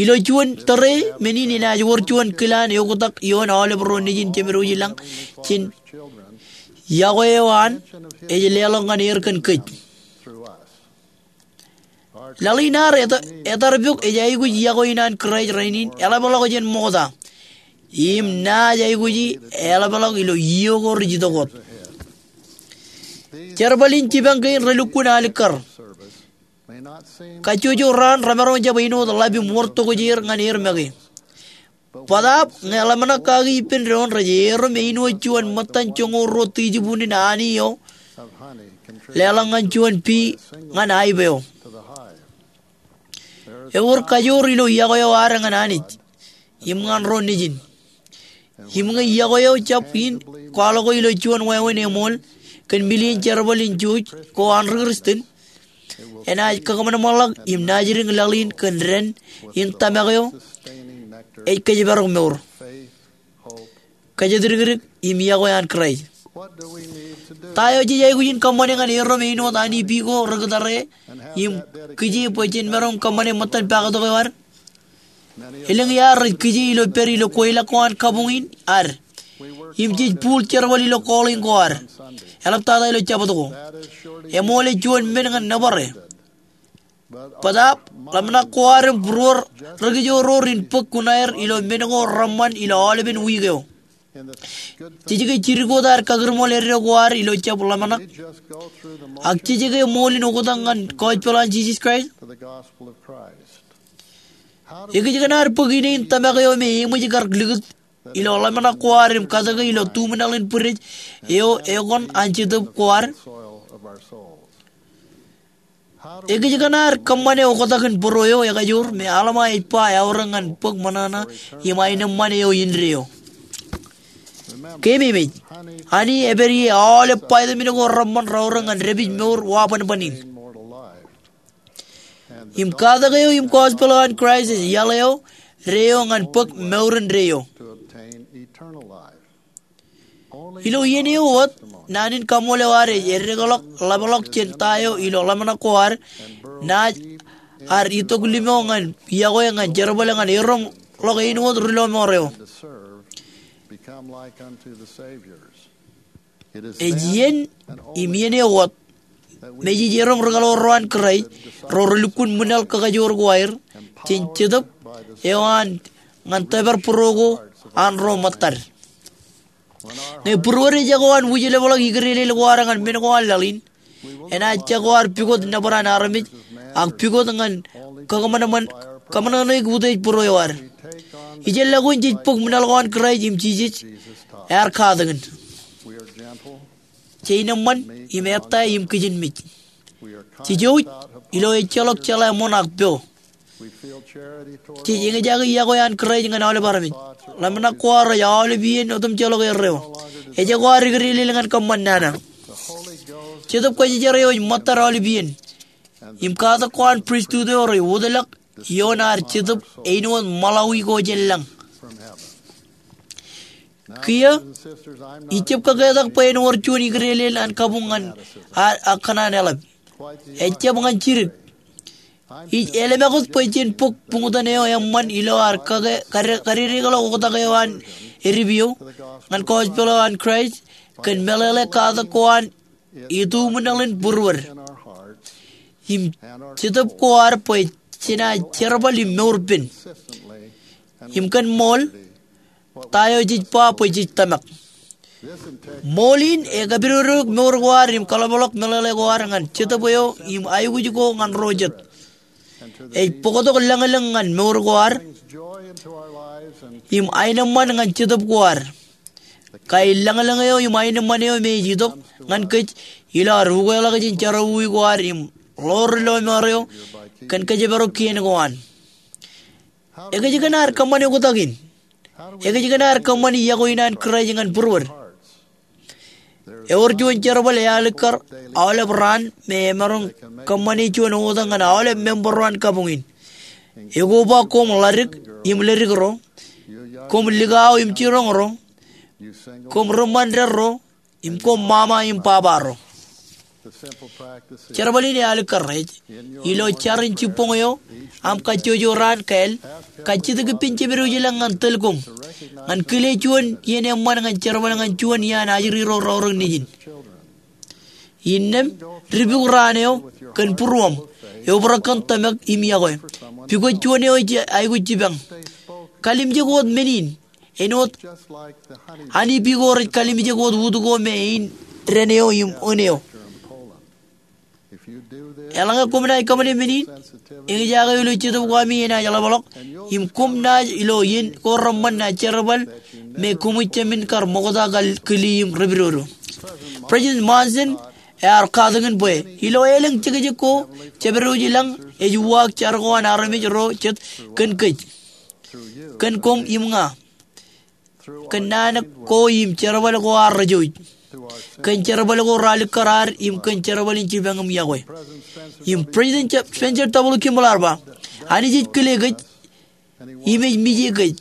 Ilo juon tōre, men in enaaj wōr juon kilaan eoktak ioon aolep ro nejin jemedwōj i lañ jān yokwe eo an ej leḷọk ñan er kōn kōj. Laḷ in ad eta-, etarpok ej aikuj yokwe in an Kraist rainin eḷapḷọk jān ṃokta. Im naaj aikuji eḷapḷọk ilo iiō ko rej itok wōt. Jerbal in jipañ kein relukkuun alikkar. Kajjojo raan remaroñ jab āinwōt ḷap im wōr tokjāer ñan er make. Bōtaab ñe ḷōmṇak kaki ippān doon rej erom āinwōt juon ṃōttan joñoul ruo tijibunin ani eo leḷọk ñan juon pea ñan hive eo. Ewōr kajoor ilo yokwe eo ad ñan Anij im ñan ro nejin. Im ñe yokwe eo jab in kwaḷọk ilo juon wāween eṃool kōn million jerbal in jouj ko an ri-Kristian, enaaj kakōṃanṃanḷọk im naajdik laḷ in kōn dān in tōmak eo ej kōjparok mour, kōjatdikdik im yokwe an Kraist. Ta eo jej aikuj in kōṃṃane ñan erom āinwōt ani pea ko ri-kitare im kije bwe jen maroñ kōṃṃane ṃōttan pakatok eo ad? Elōñ iaad rej kije ilo pād ilo kweilọk ko an kabuñ in ad im jej buul jerbal ilo calling ko ad, eḷaptata ilo Jabōt ko. Eṃool ej juon men ñan nōbare. Bōtaab ḷōmṇak ko ad im būruod ri-kijoor in bōk kuṇaer ilo men ko reṃṃan ilo aolepen wiik eo. Jej ke jidik wōt ad kakūrṃool eddo ko ad ilo jab ḷōmṇak, ak jej ke ṃool in oktak ñan gospel an Jisōs Kraist? Ekōjkan ad bōk ine in tōmak eo me eṃōj kar likūt ilo ḷōmṇak ko ad im katōke ilo tuṃnaḷ in bwidej eo ekōṇaan an jetōb ko ad? Ekōjkan ad kōṃṃane oktak in bōro eo ekajoor me Alma ej ba eaorōk ñan bōk ṃōṇōṇō im aenōṃṃan eo indeeo? Keememej, ani ej pād ie aolep vitamin ko reṃṃan reaorōk ñan dāpij mour wabanban in. Im katak eo im gospel eo an Kraist ej iaḷ eo deeo ñan bōk mour indeeo. Ilo iien eo wōt, naan in kaṃṃoolol eo ad ej eddekḷọk ḷapḷọk jān ta eo ilo ḷōmṇak ko ad naaj ad itok limo ñan yokwe ñan jerbal ñan erom ḷọk āinwōt ri-lọmọọr eo. Ej iien im iien eo wōt me jej erom ri-kaḷoor ro an Kraist, ro relukkuun ṃwilaḷ kakajoor ko aer, jān Jetōb eo an ñan tōpar būruō ko an ro ṃōttad. Ñe būruod ejako an wūjlepḷọk ikdeelel ko ad ñan men ko an laḷ in, enaaj jako ad pukot nōbar an armej, ak pukot ñan kōṃōṇōṇōik utiej būruō eo ad. Ijellọkuin jej bōk ṃwilaḷ ko an Kraist im Jisōs ear katakin. Jej nōṃṃan im ettā im kijenmej. Jej jouj ilo ejjeḷọk jeḷā ṃoṇ ak pio. Jej eñjake yokwe an Kraist ñan aolep armej. Ḷōmṇak ko ad rej aolep iien otemjeḷọk erreo. Ejako ad ikdeelel ñan kōṃṃan nana. Jetōb Kwōjarjar eo ej ṃōttad aolep iien. Im katak ko an pristut eo rej wōtlọk ioon ad jetōb āinwōt ṃaḷawi ko jān lañ. Kiiō, ij jab kaketak bwe en wōr juon ikdeelel an kabuñ ñan ad ak kōṇaan eḷap. Ejjab ñan jidik. Ij ālimakūt bwe jen bōk buñtōn eo eṃṃan ilo ad kake kade-, kadedekḷọk oktak eo an edip eo ñan gospel eo an Kraist kōn meḷeḷe katak ko an ituṃnaḷ in būruod im jetōb ko ad bwe jenaaj jerbal im mour pen. Im kōn ṃool, ta eo jej ba bwe jej tōmak. Ṃool in ekapidodoik mour ko ad im kaḷapḷọk meḷeḷe ko ad ñan Jetōb eo im aikuj ko ñan ro jet. Ej bōktok lōñlōñ ñan mour ko ad im aenōṃṃan ñan Jetōb ko ad. Kaelōñlōñ eo im aenōṃṃan eo me ej itok ñan kōj ilo ad ukeḷọk jān jerọwiwi ko ad im ḷoor lọmọọr eo kōn kōjparok kien ko an. Ekōjkan ad kōṃṃane oktak in? Ekōjkan ad kōṃṃane iọkwe in an Kraist ñan būruod? Ewōr juon jerbal ealikkar aolep raan me emaroñ kōṃṃane juon oktak ñan aolep member ro an kabuñ in. Ekoba koṃ ḷadik im ledik ro, koṃ likao im jiroñ ro, koṃ ri ṃandeḷ ro, im koṃ ṃaṃa im baba ro. Jerbal in ealikkar ej, ilo jar in jibboñ eo aṃ kajjojo raan kāāl, kajjitōk ippān jeped wōj ilañ ñan tōl koṃ ñan kile juon iien eṃṃan ñan jerbal ñan juon iaan ajri ro raorōk nejin. Innām dipuk raan eo kōn būruōṃ, eobrak kōn tōmak im iọkwe. Pukot juon eo ej aikuj jipañ. Kalimjek wōt men in, āinwōt āne biko rej kalimjek wōt ut ko me ein dān eo im ōn eo. Eḷaññe koṃ naaj kōṃṃane men in, eñjake ilo Jetōb ko ami enaaj ḷapḷọk, im koṃ naaj ilo iien ko reṃṃan naaj jerbal me koṃij jemān kar ṃokta kile im repidodo. President Monson ear katakin bwe ilo elōñ jekjek ko, jeped wōj ilañ ej uwaak jar ko an armej ro jet kōn kōj, kōn koṃ im ña, kōn naan ko im jerbal ko an ri jouj, kōn jerbal ko ralitōk ad im kōn jerbal in jipañ im iọkwe. Im President Spencer W. Kimball ear ba, Anij ej kile kōj im ej mije kōj.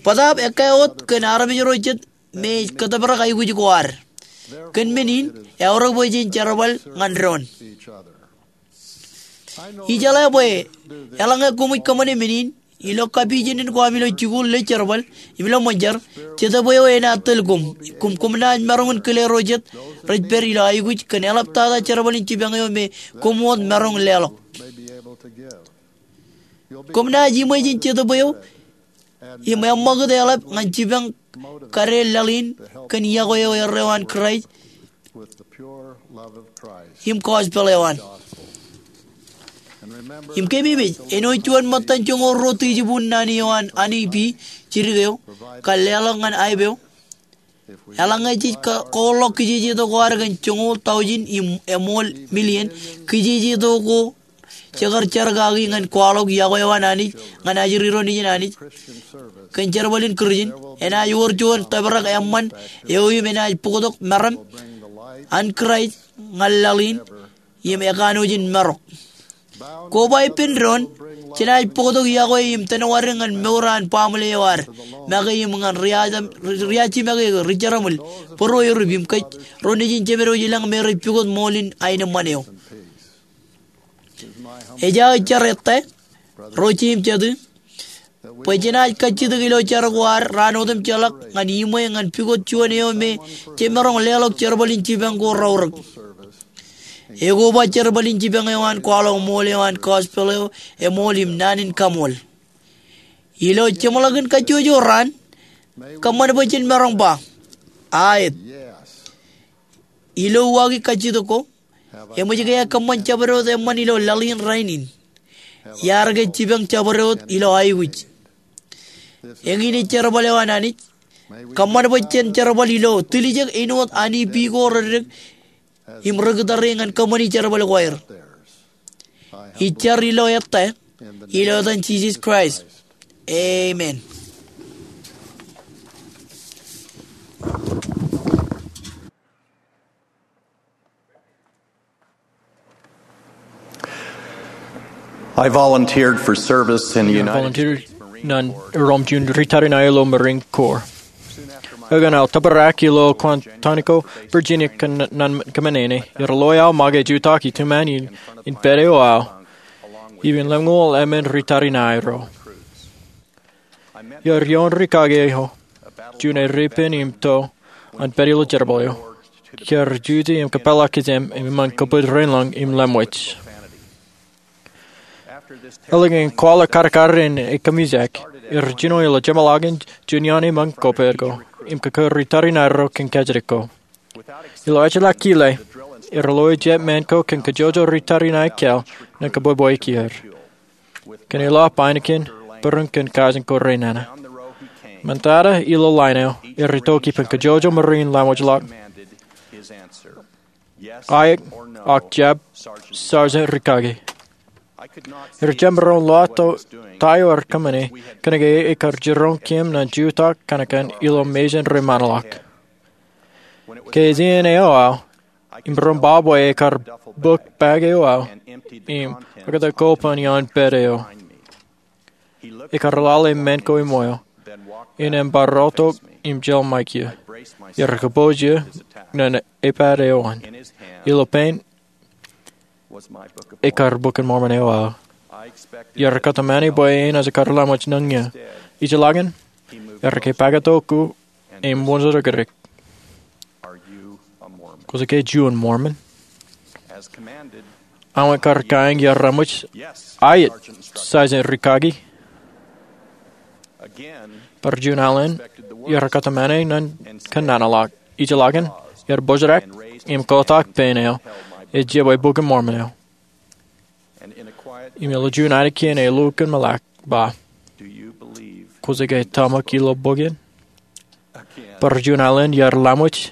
Bōtaab ekkā wōt kōn armej ro jet me ej kōtōprak aikuj ko ad. Kōn men in, eaorōk bwe jen jerbal ñan doon. Ijeḷā bwe eḷaññe koṃij kōṃṃane men in, ilo kapijenen ko ami ilo jikuuḷ, ilo jerbal, im ilo ṃōn jar, Jetōb eo enaaj tōl koṃ, im koṃ naaj maroñ in kile ro jet rej pād ilo aikuj kōn eḷaptata jerbal in jipañ eo me koṃ wōt maroñ leḷọk. Koṃ naaj iṃwe jān Jetōb eo im eṃṃakūt eḷap ñan jipañ kadeel laḷ in kōn iọkwe eo erreo an Kraist im gospel eo an. Im keememej, āinwōt juon ṃōttan joñoul ruo tejibun naan eo an Honeybee jidik eo kar leḷọk ñan aep eo, eḷaññe jej kōḷḷọk kijejeto ko ad kōn joñoul taujin im eṃool million, kijejeto ko jekar jar kaki ñan kwaḷọk iọkwe eo an Anij ñan ajri ro nejin Anij kōn jerbal in Kūrjin, enaaj wōr juon tōprak eṃṃan eo im enaaj bōktok meram an Kraist ñan laḷ in im ekanooj in marok. Koba ippān doon, jenaaj bōktok iọkwe im tōnwādik ñan mour an baaṃle eo ad make im ñan ri-ajimake, ri-jeraṃōl, būruerup im kōj ro nejin jeped wōj ilañ me rej pukot ṃool in aenōṃṃan eo. Ej aō jar ettā, ro jeiū im jatū, bwe jenaaj kajjitōk ilo jar ko ad raan otemjeḷọk ñan iṃwe ñan pukot juon eo me jemaroñ leḷọk jerbal in jipañ ko raorōk. Ekoba jerbal in jipañ eo an kwaḷọk ṃool eo an gospel eo eṃool im naan in kaṃool. Ilo jeṃḷọkin kajjojo raan, kōṃṃan bwe jen maroñ ba, aet. Ilo uwaaki kajjitōk ko, eṃōj ke ekōṃṃan jabdewōt eṃṃan ilo laḷ in rainin? Iar ke jipañ jabdewōt ilo aikuj? Eñin ej jerbal eo an Anij. Kōṃṃan bwe jen jerbal ilo tiljek āinwōt Honeybee ko reddik im ri-kūtare ñan kōṃṃani jerbal ko aer. Ij jar ilo ettā, ilo etan Jisōs Kraist. Amen. I volunteered for service in the United States Marine Corps. Volunteer ñan erom juon ri-tariṇae ilo Marine Corps. Ekōṇaan aō tōprak ilo Quantico, Virginia, kōn, ñan kōṃṃane ṇe. Iar loe aō make jutak ituṃaan in, in pād eo aō im in lemñoul emān ri-tariṇae ro. Iar ioon rikaki eo juon erepen im to an pād ilo jerbal eo. Kiar jutak im kōpeḷḷọk kōjām im eṃṃan kōpooje rein lañ im lemwōj. Eḷap an kwaḷọk karkar in e kōmijak, er jino ilo jeṃḷọkin juon iaan eṃṃan ko pād ko im kōkōrri tariṇae ro kōn kajjitōk ko. Ilo ejjeḷọk kile, er loe jet men ko kōn kajjojo ri tariṇae kāāl ñan kōbwebweik er kōn eḷap ainikien bōran kōn kajin ko rainana. Ṃōttata ilo lain eo, er itok ippān kajjojo Marine laṃōjḷọk, aet ak jab, Sergeant Rikaki. Er jab maroñ lowaan ta eo ear kōṃṃane kōnke ekar jiroñ kōm ñan jutak kōnke ilo mejān ri ṃaanḷọk. Ke ej iien eo aō, im maroñ ba bwe ekar bōk bag eo aō im ekkā ko pād iaan pād eo. Ekar lale men ko iṃweo im ebar rọọltok im jeḷ ṃaik eō. Iar kōpooj eō ñan epād eo an. Ilo pein ekar Bok in Mormon eo aō. Iar kōtmāne bwe enaaj kar laṃōj ñan eō. Ijeḷā ke, ear kōpaktok eō im wōnṃaanḷọk eō. Kwōj ke juon Mormon? Aō kar kaeñ iar laṃōj, aet, Sergeant Rikaki. Bar juon alen, iar kōtmāne ñan kōnnaan ḷọk. Ijeḷā ke, iar bōjrak im kotak pein eo ej jebwe Bok in Mormon eo. Im ilo juon ainikien elukkuun meḷak, ba, kwōj ke tōmak ilo bok in? Bar juon alen iar laṃōj,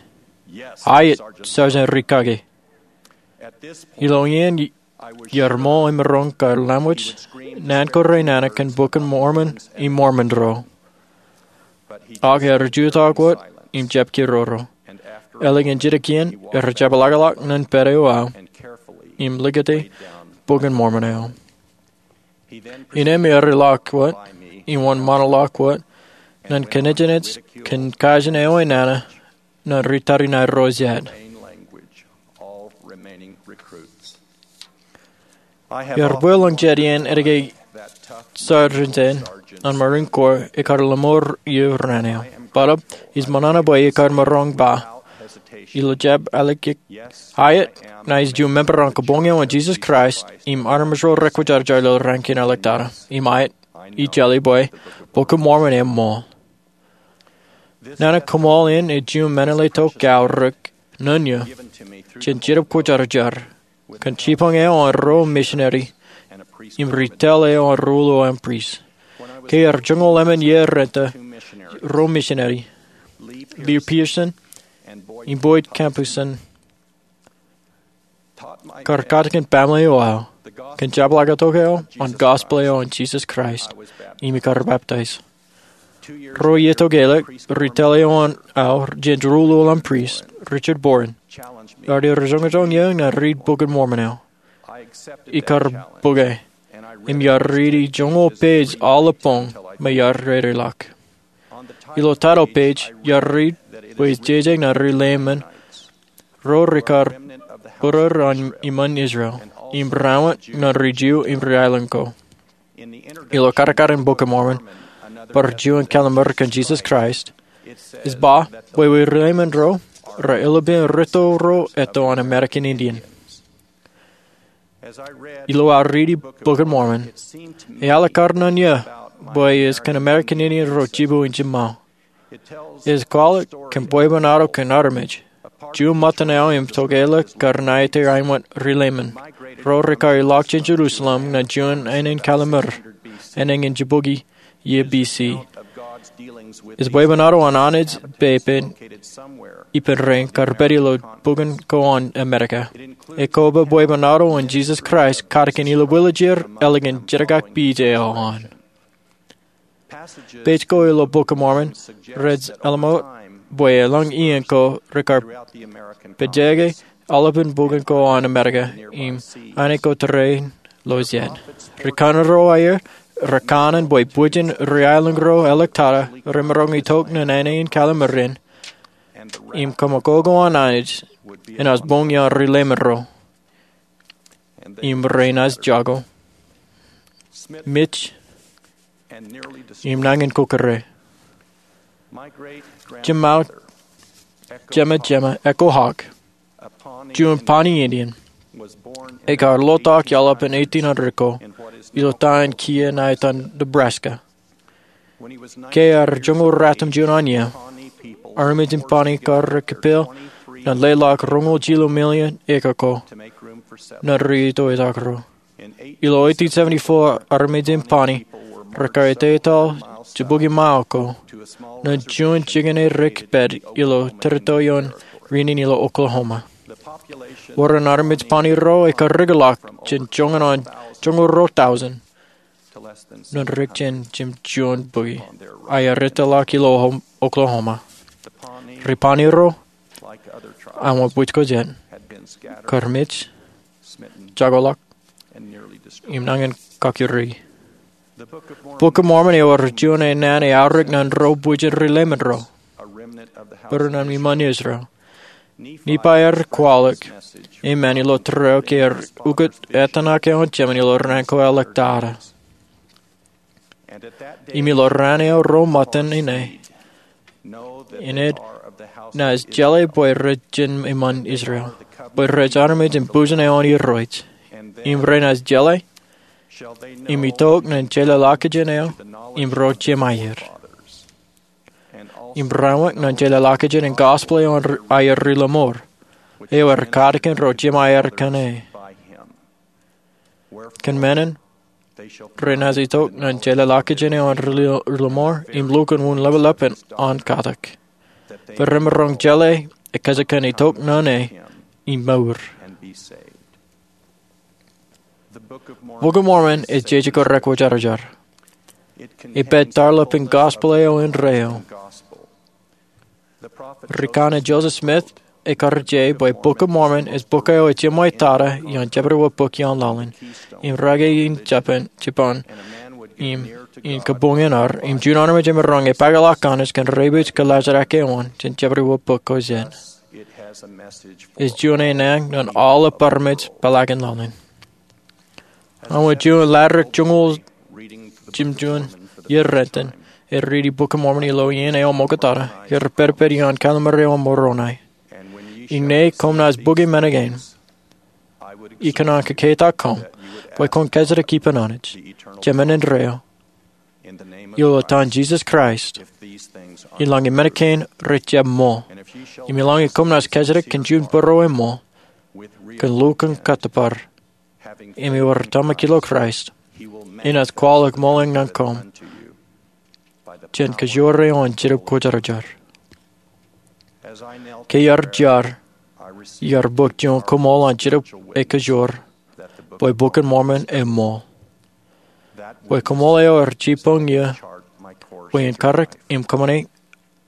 aet, Sergeant Rikaki. Ilo iien, iar ṃool im maroñ kar laṃōj naan ko rainana kōn Bok in Mormon im Mormon ro. Ak ear jutak wōt im jab kiroro. Ālikin jidik iien, ear jepḷaakḷọk ñan pād eo aō im likūti Bok in Mormon eo. Innām ear ilọk wōt im wōnṃaanḷọk wōt ñan kōnejnej kōn kajin eo enana ñan ri tariṇae ro jet. Iar bwilōñ jet iien etke sergeant in an Marine Corps ekar lōṃoor eō raan eo. Bōtab, ij ṃōṇōṇō bwe ekar maroñ ba, ilo jab ālikin, aet, ña ij juon member an kabuñ eo an Jesus Christ im armej ro rekwōjarjar ilo raan kein āliktata. Im aet, ij jeḷā bwe Bok in Mormon eṃṃool. Nana koṃṃool in ej juon meḷeḷe tok aorōk ñan eō jān Jetōb Kwōjarjar kōn jibboñ eo an ruo missionary im ri tōl eo an ruo ḷọk aṃ priest. Ke ear joñoul emān iiō renta, ruo missionary, Lew Pearson im Boyd Campusen, kar katakin baaṃle eo aō kōn jepḷaaktok eo an gospel eo an Jesus Christ, im ikar baptize. Ruo iiō tok ālikin, ri tōl eo aō jān ruo ḷọk aṃ priest, Richard Boren, ear joñoul eō ñan riit Bok in Mormon eo. Ikar bōke, im iar riiti joñoul page aolep boñ me iar dedeḷọk. Ilo title page, iar riit bwe ej jeje ñan ri Leiman ro rekar būruod an iṃaan Israel, im raṇ ñan ri Ju im ri aelōñ ko. Ilo kadkadin Bok in Mormon, bar juon kallimur kōn Jesus Christ, ej ba bwe ri Leiman ro, rej ilubin rūtto ro etto an American Indian. Ilo aō riiti Bok in Mormon, ealikkar ñan eō bwe ej kōn American Indian ro jibboñ in jiṃṃaō. Ej kwaḷọk kōn bwebwenato kōn armej, juon ṃōttan eo im tokālik kar ṇa etaer āinwōt ri Leiman, ro rekar ilọk jān Jerusalem ñan juon ānen kallimur, ānen in jibukwi iiō B C. Ej bwebwenato an Anij pepe ippān rein kar pād ilo bukwōn ko an Amerika. Ekoba bwebwenato an Jesus Christ katakin ilubwiljir ālikin jenkak page eo an. Page ko ilo Bok in Mormon rej ḷōmṇak bwe elōñ iien ko rekar pejeke aolepān bukwōn ko an Amerika im āne ko tōre in lo jet. Ri kanaan ro aer rekanooj bwe bwijin ri aelōñ ro āliktata remaroñ itok ñan āne in kallimur in, im kaṃakoko an Anij enaaj boñ iaan ri Leiman ro, im renaaj jako, mej, im nañin kōkkure. Jeṃae, jeṃae, jeṃae Echo Hawk, juon Pawnee Indian, ekar ḷotak iaḷap in eighteen hundred ko ilo town kiiō ṇa etan Nebraska. Ke ear joñoul ratimjuon an iiō, armej in Pawnee kar kipel ñan leḷọk roñoul jilu million acre ko ñan ri ito etaak ro. Ilo eighteen seventy-four, armej in Pawnee rekar etetal jibukwi mile ko ñan juon jikin erik pād ilo territory eo an Reunion ilo Oklahoma. Wōr an armej Pawnee ro ekar rūkaki ḷọk jān joñan an joñoul ruo thousand ñan ri jān jimjuon bukwi, ak ear eteḷọk ilo Oklahoma. Ri Pawnee ro, ak bwij ko jet, kar mej, jakoḷọk, im nañin kakuri. Bok in Mormon ewōr juon naan eaorōk ñan ro bwijin ri Leiman ro, bōran an iṃaan Israel. Nephi ear kwaḷọk e men ilo tōre eo ke ear ukōt etan ak eo an Jemān ilo raan ko ḷọk tata. Im ilo raan eo ro ṃōttan ṇe, innem naaj jeḷā bwe rej jān iṃaan Israel, bwe rej armej in bujen eo an Irooj. Im renaaj jeḷā im itok ñan jeḷāḷọkjeṇ eo im ro jemāer, im raorōk ñan jeḷāḷọkjeṇ in gospel eo an aer ri Lamor, eo ear katakin ro jemāer kōn e. Kōn menin, renaaj itok ñan jeḷāḷọkjeṇ eo an ri Lamor im lukkuun wūn ḷapḷap an katak, bwe remaroñ jeḷā ekōjkan itok ñan e im mour. Bok in Mormon ej jeje ko rekwōjarjar. Ej pād tarḷọk in gospel eo indeeo. Ri kanaan Joseph Smith ekar je bwe Bok in Mormon ej bok eo ej jeṃwe tata ioon jebdewōt bok ioon laḷ in, im rake in Japan, Japan, im in kabuñ in ad, im juon armej emaroñ epaakḷọk Anij kōn rej bwij kōḷaajrak eo an jān jebdewōt bok ko jet. Ej juon naan ñan aolep armej peḷaakin laḷ in. Aṃ wōt juon latdikdik joñoul jimjuon iiō rot in, eo riiti Bok in Mormon ilo iien eo ṃoktata, eo rej pād ippān iaan Kallim̧ur eo an Moronai. Iññā koṃ naaj bōki men kein, ikōṇaan kōkketak koṃ bwe kwōn kōjatdikdik ippān Anij, Jemān indeeo. Ilo etan Jisōs Kraist, eḷaññe men kein rej jab ṃool. Im eḷaññe koṃ naaj kōjatdikdik kōn juon bōro eṃṃool, kōn lukkuun kōttōpar, im ewōr tōmak ilo Kraist, enaaj kwaḷọk ṃool in ñan koṃ jān kajoor eo an Jetōb Kwōjarjar. Ke iar jar, iar bōk juon koṃṃool an Jetōb eo Kajoor, bwe Bok in Mormon eṃṃool, bwe koṃṃool eo ej jibboñ iiō bwe en karōk im kōṃṃane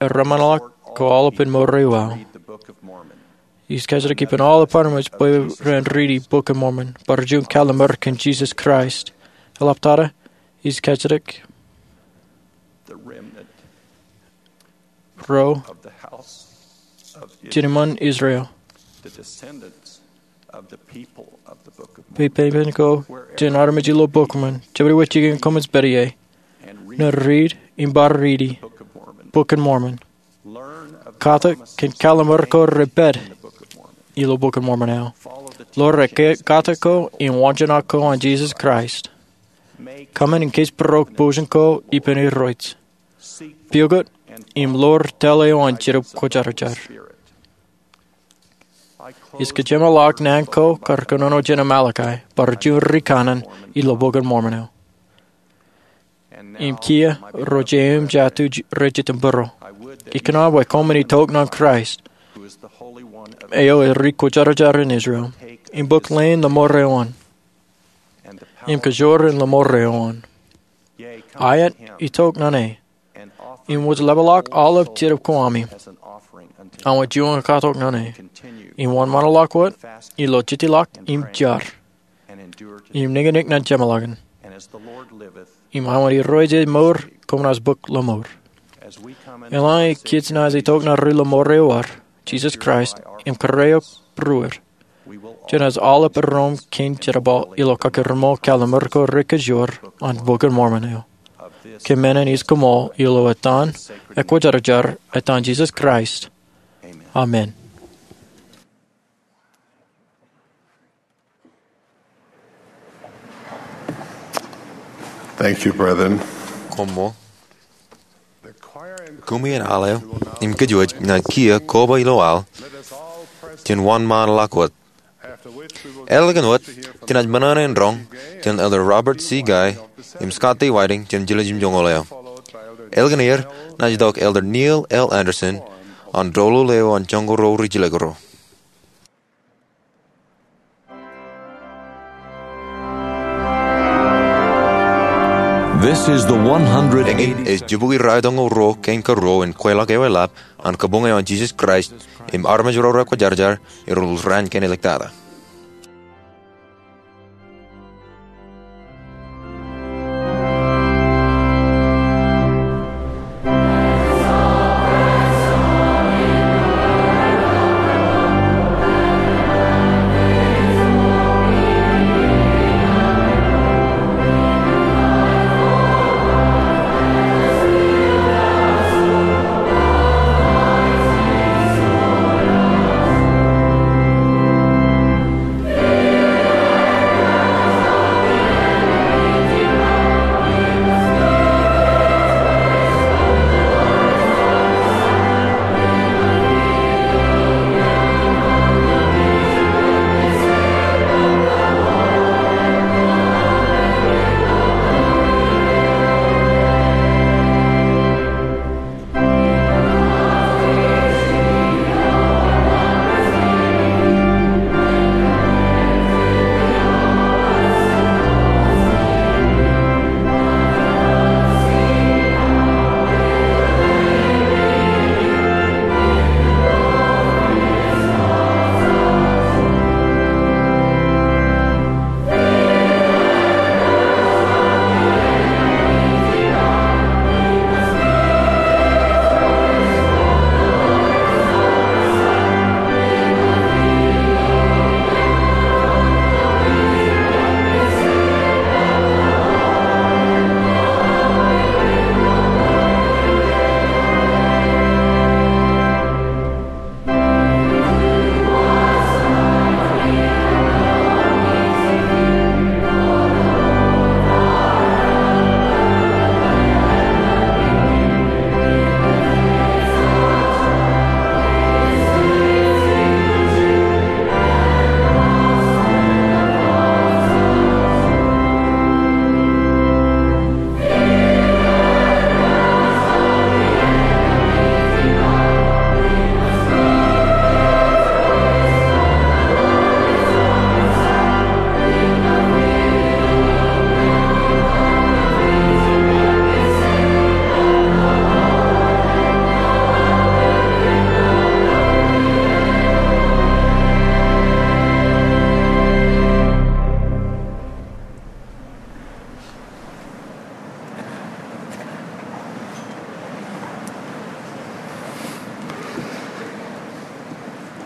eṃṃanḷọk ko aolepān mour eo aō. Ij kōjatdikdik ippān aolep armej bwe ren riiti Bok in Mormon, bar juon kallim̧ur kōn Jisōs Kraist. Eḷaptata, ij kōjatdikdik ro jān iṃaan Israel, pepen ko jān armej ilo Bok in Mormon, jebdewōt jikin koṃij pād ie, ñan riit im bar riiti Bok in Mormon. Katak kōn kallim̧ur ko rej pād ilo Bok in Mormon eo. Ḷoor katak ko im waanjoñak ko an Jisōs Kraist. Kōṃṃan in kōjparok bujen ko ippān Irooj. Piukot im ḷoor tōl eo an Jetōb Kwōjarjar. Ij kōjeṃḷọk naan ko kar kōnono jān Amalekai, bar juon ri kanaan ilo Bok in Mormon eo. Im kiiō ro jeiū im jatū rej jitōnbōro, ikōṇaan bwe koṃwin itok ñan Kraist, eo ej Ri Kwōjarjar in Israel, im bōk leen Lamor eo an, im kajoor in Lamor eo an. Aet, itok ñan e, im wōj ḷapḷọk aolep jetōb ko ami, aṃ wōt juon katok ñan e, im wōnṃaanḷọk wōt ilo jejjeḷọk im jar, im niñniñ ñan jeṃḷọkin. Im aṃ wōt Irooj ej mour, koṃ naaj bōk Lamor. Eḷaññe kōj naaj itok ñan ri Lamor eo ad, Jisōs Kraist, im kōrā eok būruod, jenaaj aolep erom kein jerbal ilo kakūrṃo kallim̧ur ko rekajoor an Bok in Mormon eo. Kōn menin ij koṃṃool ilo etan ekwōjarjar etan Jisōs Kraist. Amen. Thank you, brethren. Koṃṃool. Kumi in al eo im kōjwōj ñan kiiō koba ilo al jān wōnṃaanḷọk wōt. Ālikin wōt, jenaaj ṃōṇōṇō in roñ jān Elder Robert C. Guy im Scott D. Whiting jān jiljilimjuonñoul eo. Ālikin er, naaj itok Elder Neil L. Andersen an doulul eo an Joñoul Ruo Rijjilōk Ruo. This is the one hundred eighty. Eñin ej jibukwi raelōñ eo ruo kein karuo in kweilọk ewi lab an Kabuñ eo an Jisōs Kraist im armej ro rekwōjarjar erro raan kein iliktata.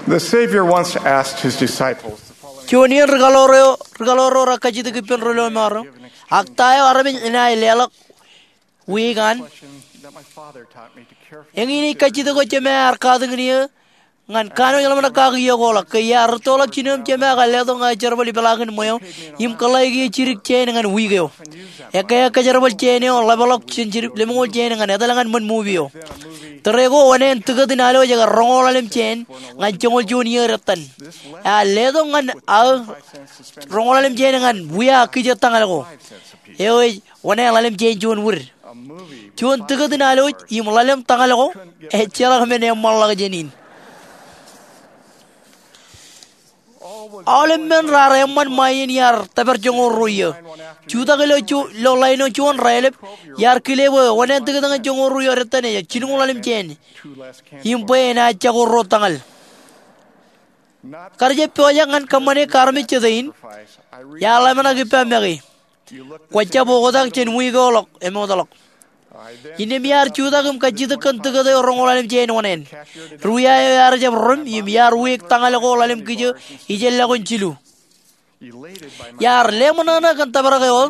The Savior once asked his disciples the following. Juon iien ri kaḷoor eo, ri kaḷoor ro rej kajjitōk ippān ri lọmọọr eo, ak ta eo armej enaaj leḷọk wiik an? Eñin ej kajjitōk eo Jema ear katakin eō ñan kanooj ḷōmṇak kaki eo kwaḷọk, ke iar rūttoḷọk jino im Jema kar letok ña ej jerbal ipeḷaakin ṃweo im kōḷḷāik eō jidik jāān ñan wiik eo. Ekkā eo kōjerbal jāān eo ḷapḷọk jān jidik lemñoul jāān ñan etal ñan ṃōn movie eo. Tōre ko oṇāān tikōt in alwōj ekar roñoul ḷalem jāān ñan joñoul juon iiō dettan. Ear letok ñan aō roñoul ḷalem jāān ñan wia kijo tañal ko. Eo ej oṇāān ḷalem jāān juon wūd. Juon tikōt in alwōj im ḷalem tañal ko ejjeḷọk men eṃṃanḷọk jān in. Aolep men raar eṃṃan ṃae iien iar tōpar joñoul ruo iiō. Jutak ilo ju-, ilo ḷain eo juon raelep, iar kile bwe oṇāān tikōt ñan joñoul ruo iiō dettan ej jilñuul ḷalem jāān im bwe enaaj jako ruo tañal. Kar jab pojak ñan kōṃṃane kōṃṃan eo armej jete in, iar ḷōmṇak ippa make. Kwōjab oktak jān wiik eo ḷọk emootḷọk. Innām iar jutak im kajjitōk kōn tikōt eo roñoul ḷalem jāān oṇāān. Ri wia eo ear jab rim im iar wiik tañal ko ḷalem kijo ijellọkin jilu. Iar leṃōṇōṇō kōn tōprak eo aō,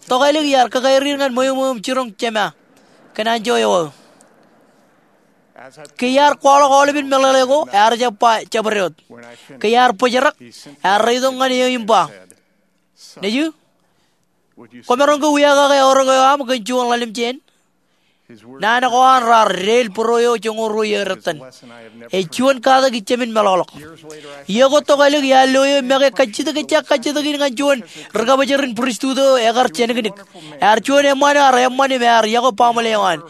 tokālik iar kakaeriir ñan ṃweo ṃweo im jiroñ Jema kōn anjọ eo aō. Ke iar kwaḷọk aolepen meḷeḷe ko, ear jab ba jabdewōt. Ke iar bōjrak, ear reitok ñan eō im ba, nejū, Kwōmaroñ ke wiakake aorōk eo aṃ kōn juon ḷalem jāān? Naan ko an raar deel būruō eo joñoul ruo iiō ettan. Ej juon katak ijjāmin meḷọkḷọk. Iiō ko tok ālik iar lo eō make kajjitōk, ejja kajjitōk in ñan juon ri-kabōjrak in pristut eo ekar jānōknōk. Ear juon eṃṃaan eo ear eṃṃan im ear yokwe baaṃle eo an.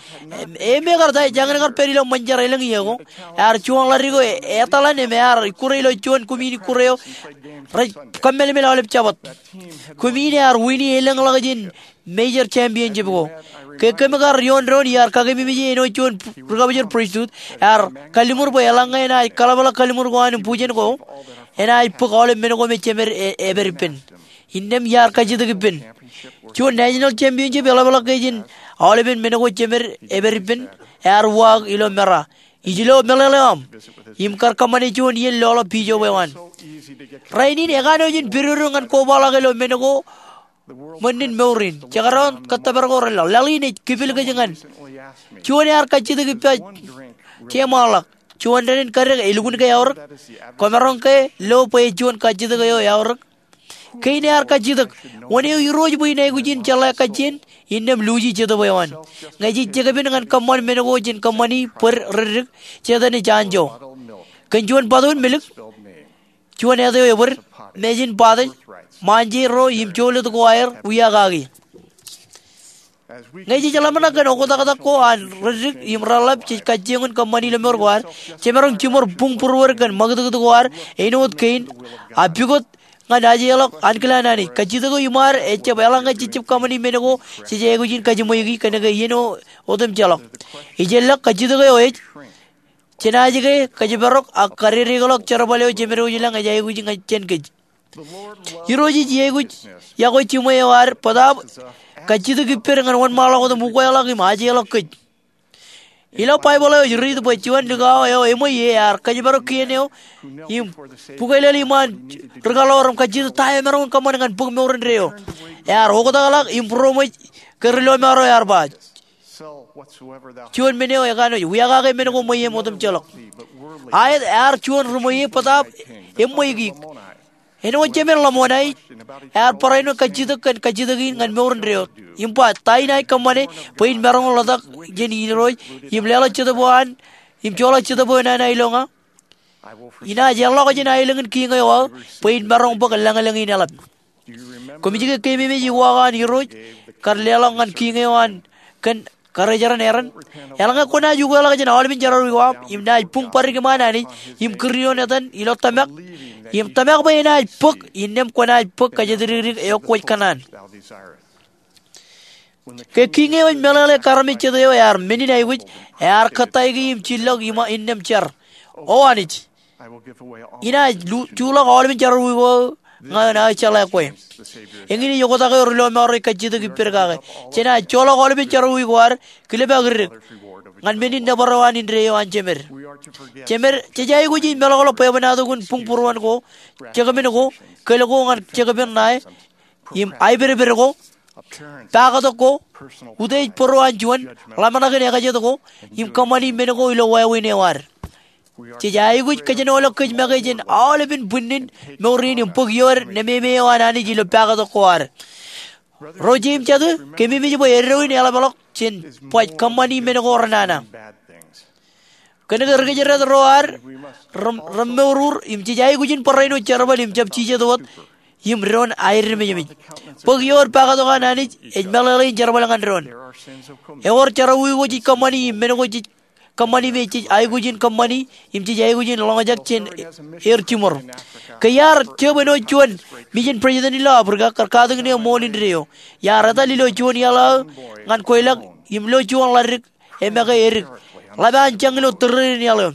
Im ekar ta, ejjañin kar pād ilo ṃōn jar elōñ iiō ko. Ear juon ḷadik eo e, etal an im ear ikkure ilo juon kumi in ikkure eo rej kōmmeḷeḷe aolep Jabōt. Kumi in ear wini elōñḷọk jān major championship ko. Ke kōm kar ioon doon iar kakememej āinwōt juon ri-kabōjrak pristut, ear kalliṃur bwe eḷaññe enaaj kaḷapḷọk kalliṃur ko an im bujen ko, enaaj bōk aolep men ko me jemed e, epād ippān. Innām iar kajjitōk ippān. Juon national championship eḷapḷọk ke jān aolepen men ko jemed epād ippān, ear uwaak ilo mera. Ij lo meḷeḷe eo aṃ. Im kar kōṃṃane juon iien loḷọk bishop eo an. Rainin ekanooj in pidodo ñan kobaḷọk ilo men ko ṃōnnin mour in. Jekdọọn kōttōpar ko reḷọk. Laḷ in ej kipil kōj ñan. Juon ear kajjitōk ippa jeṃaanḷọk. Juon dān in kadek elukkuun ke aorōk. Kwōmaroñ ke lo bwe juon kajjitōk eo eaorōk. Kein ear kajjitōk. Wōn eo Irooj bwe in aikuj in jeḷā kajjien? Innām luuji jetōb eo an. Ñe jej jekpen ñan kōṃṃan men ko jān kōṃṃani bōd reddik, Setan ej anjọ. Kōn juon bōtōn milk, juon āt eo ebōd, mejin bōtōj, ṃaanje ro im jolōt ko aer wiakaki. Ñe jej ḷōmṇak kōn oktaktak ko an reddik im reḷap jej kajjioñ in kōṃṃani ilo mour ko ad, jemaroñ jiṃor buñ būruod kōn ṃakūtkūt ko ad āinwōt kein, a pukot ñan ajeḷọk ankilaan Anij. Kajjitōk eo iṃaad ejjab eḷaññe jej jab kōṃṃani men ko jej aikuj in kajiṃweiki kōnke iien eo otemjeḷọk. Ijellọk kajjitōk eo ej jenaaj ke kōjparok ak kadedeḷọk jerbal eo jemed eo ilañ ej aikuj ñan jān kōj. Irooj ej aikuj iọkwe jiṃwe eo ad bōtaab kajjitōk ippād ñan wōnṃaanḷọk otem ukweḷọk im ajeḷọk kōj. Ilo Baibōḷ eo ej riit bwe juon likao eo eṃweiie ear kōjparok kien eo im bukweilel iṃaan rikaḷoor im kajjitōk ta emaroñ in kōṃṃan ñan bōk mour indeeo. Ear oktakḷọk im būroṃōj ke ri-lọmọọr eo ear ba, juon men eo ekanooj, wiakake men ko ṃweiem otemjeḷọk. Aet, ear juon ri-ṃweiie bōtaab eṃweik. Āinwōt jemed Lamonai, ear barāinwōt kajjitōk kōn kajjitōk in ñan mour indeeo. Im ba, ta inaaj kōṃṃane bwe in maroñ in ḷotak jān Irooj im leḷọk jetōb eo an im joḷọk jetōb eo nana ilo ña? Inaaj eḷḷọk jān aelōñ in kiiñ eo aō bwe in maroñ bōk lañlōñ in eḷap. Koṃij ke keememej uwaak an Irooj kar leḷọk ñan kiiñ eo an kōn karijeran Eran? Eḷaññe kwōnaaj ukweḷọk jān aolepen jerọwiwi ko aṃ im naaj buñ bōd ri-kōṃṃan Anij im kūr ioon etan ilo tōmak, im tōmak bwe enaaj bōk, innām kwōnaaj bōk kōjatdikdik eo kwōj kōṇaan. Ke kiiñ eo ej meḷeḷe kar armej jet eo ear men in aikuj, ear kōttāik im jillọk iṃaan innām jar, O Anij, inaaj juḷọk aolepen jerọwiwi ko ñan aō jeḷā kwe. Eñin ej oktak eo ri-lọmọọr eo ej kajjitōk ippād kake. Jenaaj joḷọk aolepen jerọwiwi ko ad, kilpaak idik ñan men in nōbar eo an indeeo an jemed. Jemed, jej aikuj in meḷọkḷọk bwebwenato kōn buñ būruon ko, jekpen ko, kōl ko ñan jekpen ṇae, im aipedped ko, pakatok ko, utiej bōro an juon, ḷōmṇak in ekajet ko, im kōṃṃani men ko ilo wāween eo ad. Jej aikuj kōjenolọk kōj make jān aolepen bwinnin mour in im bōk iood nememe eo an Anij ilo pakatok ko ad. Ro jeiū im jatū, keememej bwe eddo in eḷapḷọk jān baj kōṃṃani men ko renana. Kōnke ri-kōjdat ro ad remour im jej aikuj in barāinwōt jerbal im jab jijet wōt im doon aedmejmej. Bōk iood pakatok an Anij ej meḷeḷein jerbal ñan doon. Ewōr jerọwiwi ko jej kōṃṃani im men ko jej kōṃṃani me jej aikuj in kōṃṃani im jej aikuj in lọñjak jān er jiṃor. Ke iar jab āinwōt juon mission president ilo Africa kar katakin eo ṃool indeeo. Iar etal ilo juon iaḷ aō ñan kweilọk im lo juon ḷadik emake edik ḷap an jañ ilo tōre in iaḷ eo.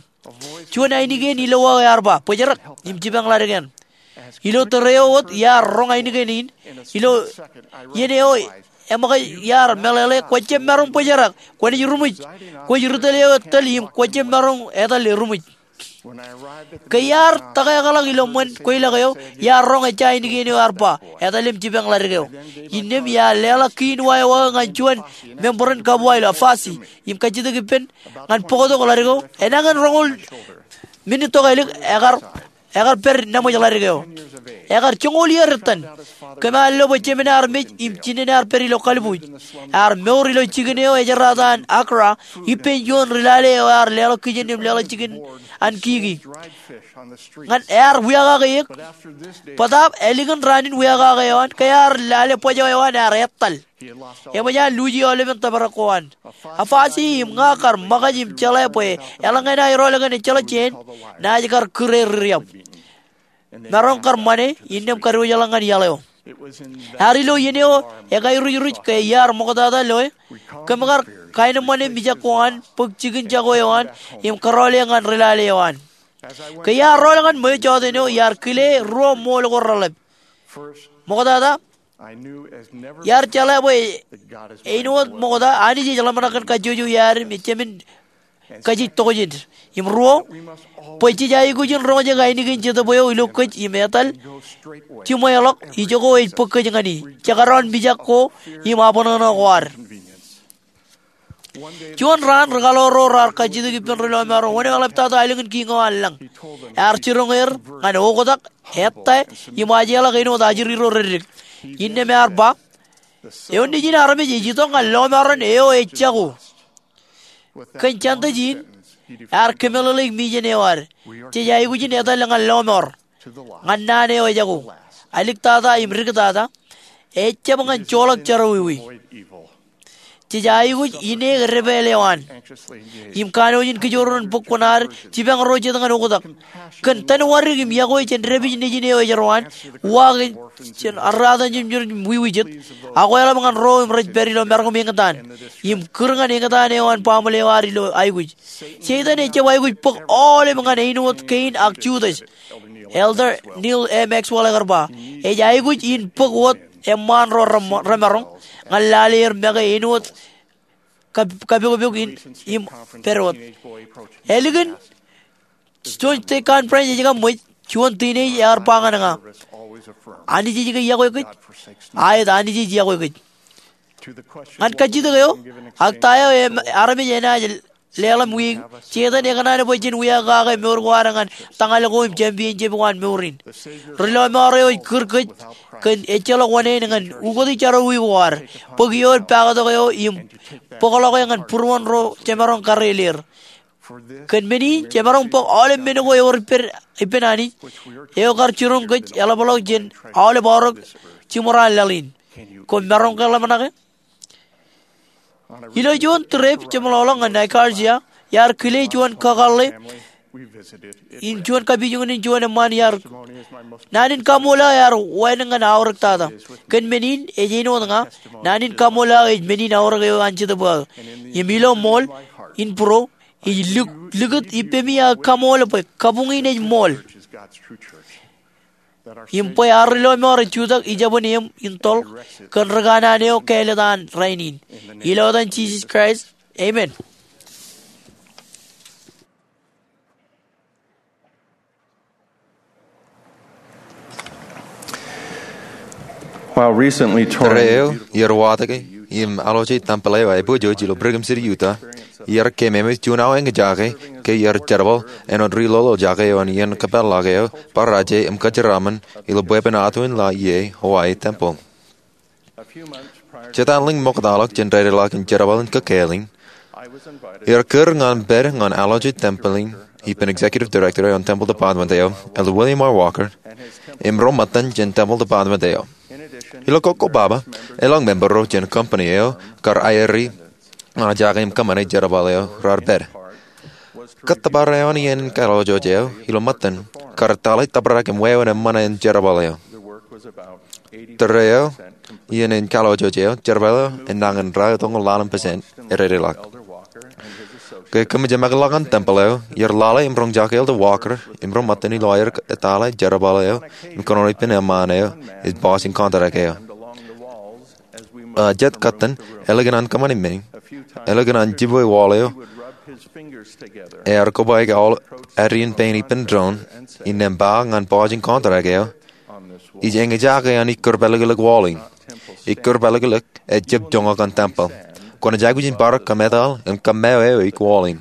Juon ainikien ilowā eo ear ba, Bōjrak im jipañ ḷadik eṇ. Ilo tōre eo wōt iar roñ ainikien in. Ilo iien eo eṃōkaj iar meḷeḷe, Kwōjjab maroñ bōjrak. Kwōnaaj ruṃwij. Kwōj ri tōl eo etal im kwōjjab maroñ etal eruṃwij. Ke iar tōkeakḷọk ilo ṃōn kweilọk eo, iar roñ ejja ainikien eo ear ba, Etal im jipañ ḷadik eo. Innām iar leḷọk kiin wa eo aō ñan juon member in kabwa ilo Afasi im kajjitōk ippān ñan bōktok ḷadik eo. Enañin roñoul minit tok ālik ekar ekar pād nabōj ḷaddik eo. Ekar joñoul iiō ettan. Kōm ar lo bwe jemān armej im jinen ear pād ilo kalbuuj. Ear mour ilo jikin eo ejerata an Accra, ippān juon ri lale eo ear leḷọk kijen im leḷọk jikin an kiki. Ñan ear wiakake eō, bōtaab ālikin raan in wiakake eo an, ke ear lale bōjọ eo an ear ettal. Eṃōj an luuji aolepen tōprak ko an. Afasi im ña kar ṃōkaj im jeḷā bwe eḷaññe enaaj rool kōn ejjeḷọk jāān, naaj kar kūr er riab. Maroñ kar ṃane, innām kadiwōjḷọk ñan iaḷ eo. Ear ilo iien eo ekairujuruj ke iar ṃoktata loe, kōm kar kaenōṃṃane mijak ko an, bōk jikin jako eo an, im kōrọọl eō ñan ri lale eo an. Ke iar rool ñan ṃweo jọteen eo, iar kile ruo ṃool ko reḷap. Ṃoktata, iar jeḷā bwe āinwōt ṃokta, Anij ej ḷōmṇak kōn kajjojo iaad im ejāmin kajjitōk jān. Im ruo, bwe jej aikuj in roñjake ainikien Jetōb eo ilo kōj im etal jiṃweḷọk, ijoko ej bōk kōj ñan e. Jekdọọn mijak ko im abṇōṇō ko ad. Juon raan, ri kaḷoor ro raar kajjitōk ippān ri lọmọọr ro wōn eo eḷaptata aelōñ in kiiñ eo an lañ. Ear jiroñ er ñan oktak, ettā, im ajeḷọk āinwōt ajri ro reddik. Innām ear ba, Eo nejin armej ej itok ñan lọmọọren eo ej jako. Kōn jantōj in, ear kōmeḷeḷeik mijen eo ad. Jej aikuj in etal ñan lọmọọr, ñan naan eo ejako, aliktata im diktata, ejab ñan joḷọk jerọwiwi. Jej aikuj in eō depāāl eo an im kanooj in kijoor ren bōk kuṇaad jipañ ro jet ñan oktak. Kōn tōn wadik im yokwe jān dāpij nejin eo ej ro an, uwaak jān arraatan jemjerbal im wiwijet, akweḷap ñan ro im rej pād ilo maroñ im eñtaan, im kūr ñan eñtaan eo an baaṃle eo ad ilo aikuj. Setan ejab aikuj bōk aolep ñan āinwōt Kein ak Judas. Elder Neal A. Maxwell ekar ba, ej aikuj in bōk wōt eṃṃaan ro remaroñ ñan lale er make āinwōt kapokpok in im pād wōt. Ālikin juon state conference ej kaṃṃool, juon teenage ear ba ñan ña, Anij ej ke yokwe kōj? Aet, Anij ej yokwe kōj. Ñan kajjitōk eo, ak ta eo armej enaaj leḷọk wiik, Setan ekōṇaan bwe jen wiakake mour ko ad ñan tōñal ko im championship ko an mour in. Ri lọmọọr eo ej kūr kōj kōn ejjeḷọk wōṇāān ñan ukōte jerọwiwi ko ad, bōk ioon paaktok eo im bōkḷọke ñan būruon ro jemaroñ kareel er. Kōn men in, jemaroñ bōk aolep men ko ewōr ippān Anij, eo kar jiroñ kōj eḷapḷọk jān aolep aorōk jiṃor an laḷ in. Koṃ maroñ ke ḷōmṇake? Ilo juon trip jeṃḷọkḷọk ñan Nicaragua, iar kile juon kakōḷḷe in juon kapijuknen juon eṃṃaan iar, naan in kaṃool aō ear wānōk ñan aorōk tata. Kōn men in, ej āinwōt ña, naan in kaṃool aō ej men in aorōk eo an Jetōb aō. Im ilo ṃool in būro, ij likūt ippemi aō kaṃool bwe kabuñ in ej ṃool. Im bwe ad ri lọmọọr rej jutak ijabōn eṃ in toḷ kōn rikanaan eo kāālōt an rainin. Ilo etan Jisōs Kraist, amen. Tōre eo, iar watōke im alwōje tempel eo aepojoj ilo Brigham City, Utah, iar kememej juon aō eñjake ke iar jerbal āinwōt ri lolo jake eo an iien kōpeḷḷọk eo, bar aje im kōjeraaṃṃan ilo bwebwenato in la ie Hawaii Tempel. Jet alen ṃoktaḷọk jān dedeḷọk in jerbal in kōkāāl in, iar kūr ñan pād ñan alwōje tempel in ippān executive director eo an temple department eo, Elder William R. Walker, im ro ṃōttan jān temple department eo. Ilo kōkkobaba, elōñ member ro jān company eo kar aeri ña jake im kōṃṃane jerbal eo raar pād. Kōttōpar eo an iien in kaloojoj eo ilo ṃōttan kar tōḷe tōprak im wāween eṃṃan an jerbal eo. Tōre eo, iien in kaloojoj eo, jerbal eo enañin raar tok ñan ḷalem percent ededeḷọk. Ke kōmij jemākḷọk ñan tempel eo, iar lale im roñjake Elder Walker im ro ṃōttan ilo aer etale jerbal eo im kōnono ippān eṃṃaan eo ej pojak in contract eo. Jet kōttan, ālikin an kōṃṃani men in, ālikin an jibwe wall eo, ear kobaik aolep addiin pein ippān doon, innām ba ñan pojak in contract eo, ij eñjake an ikkūr pālōklōk wall in, ikkūr pālōklōk ejjab joñak an tempel. Kwōnaaj aikuj in bar kōmetal im kōmmao eo eik wall in.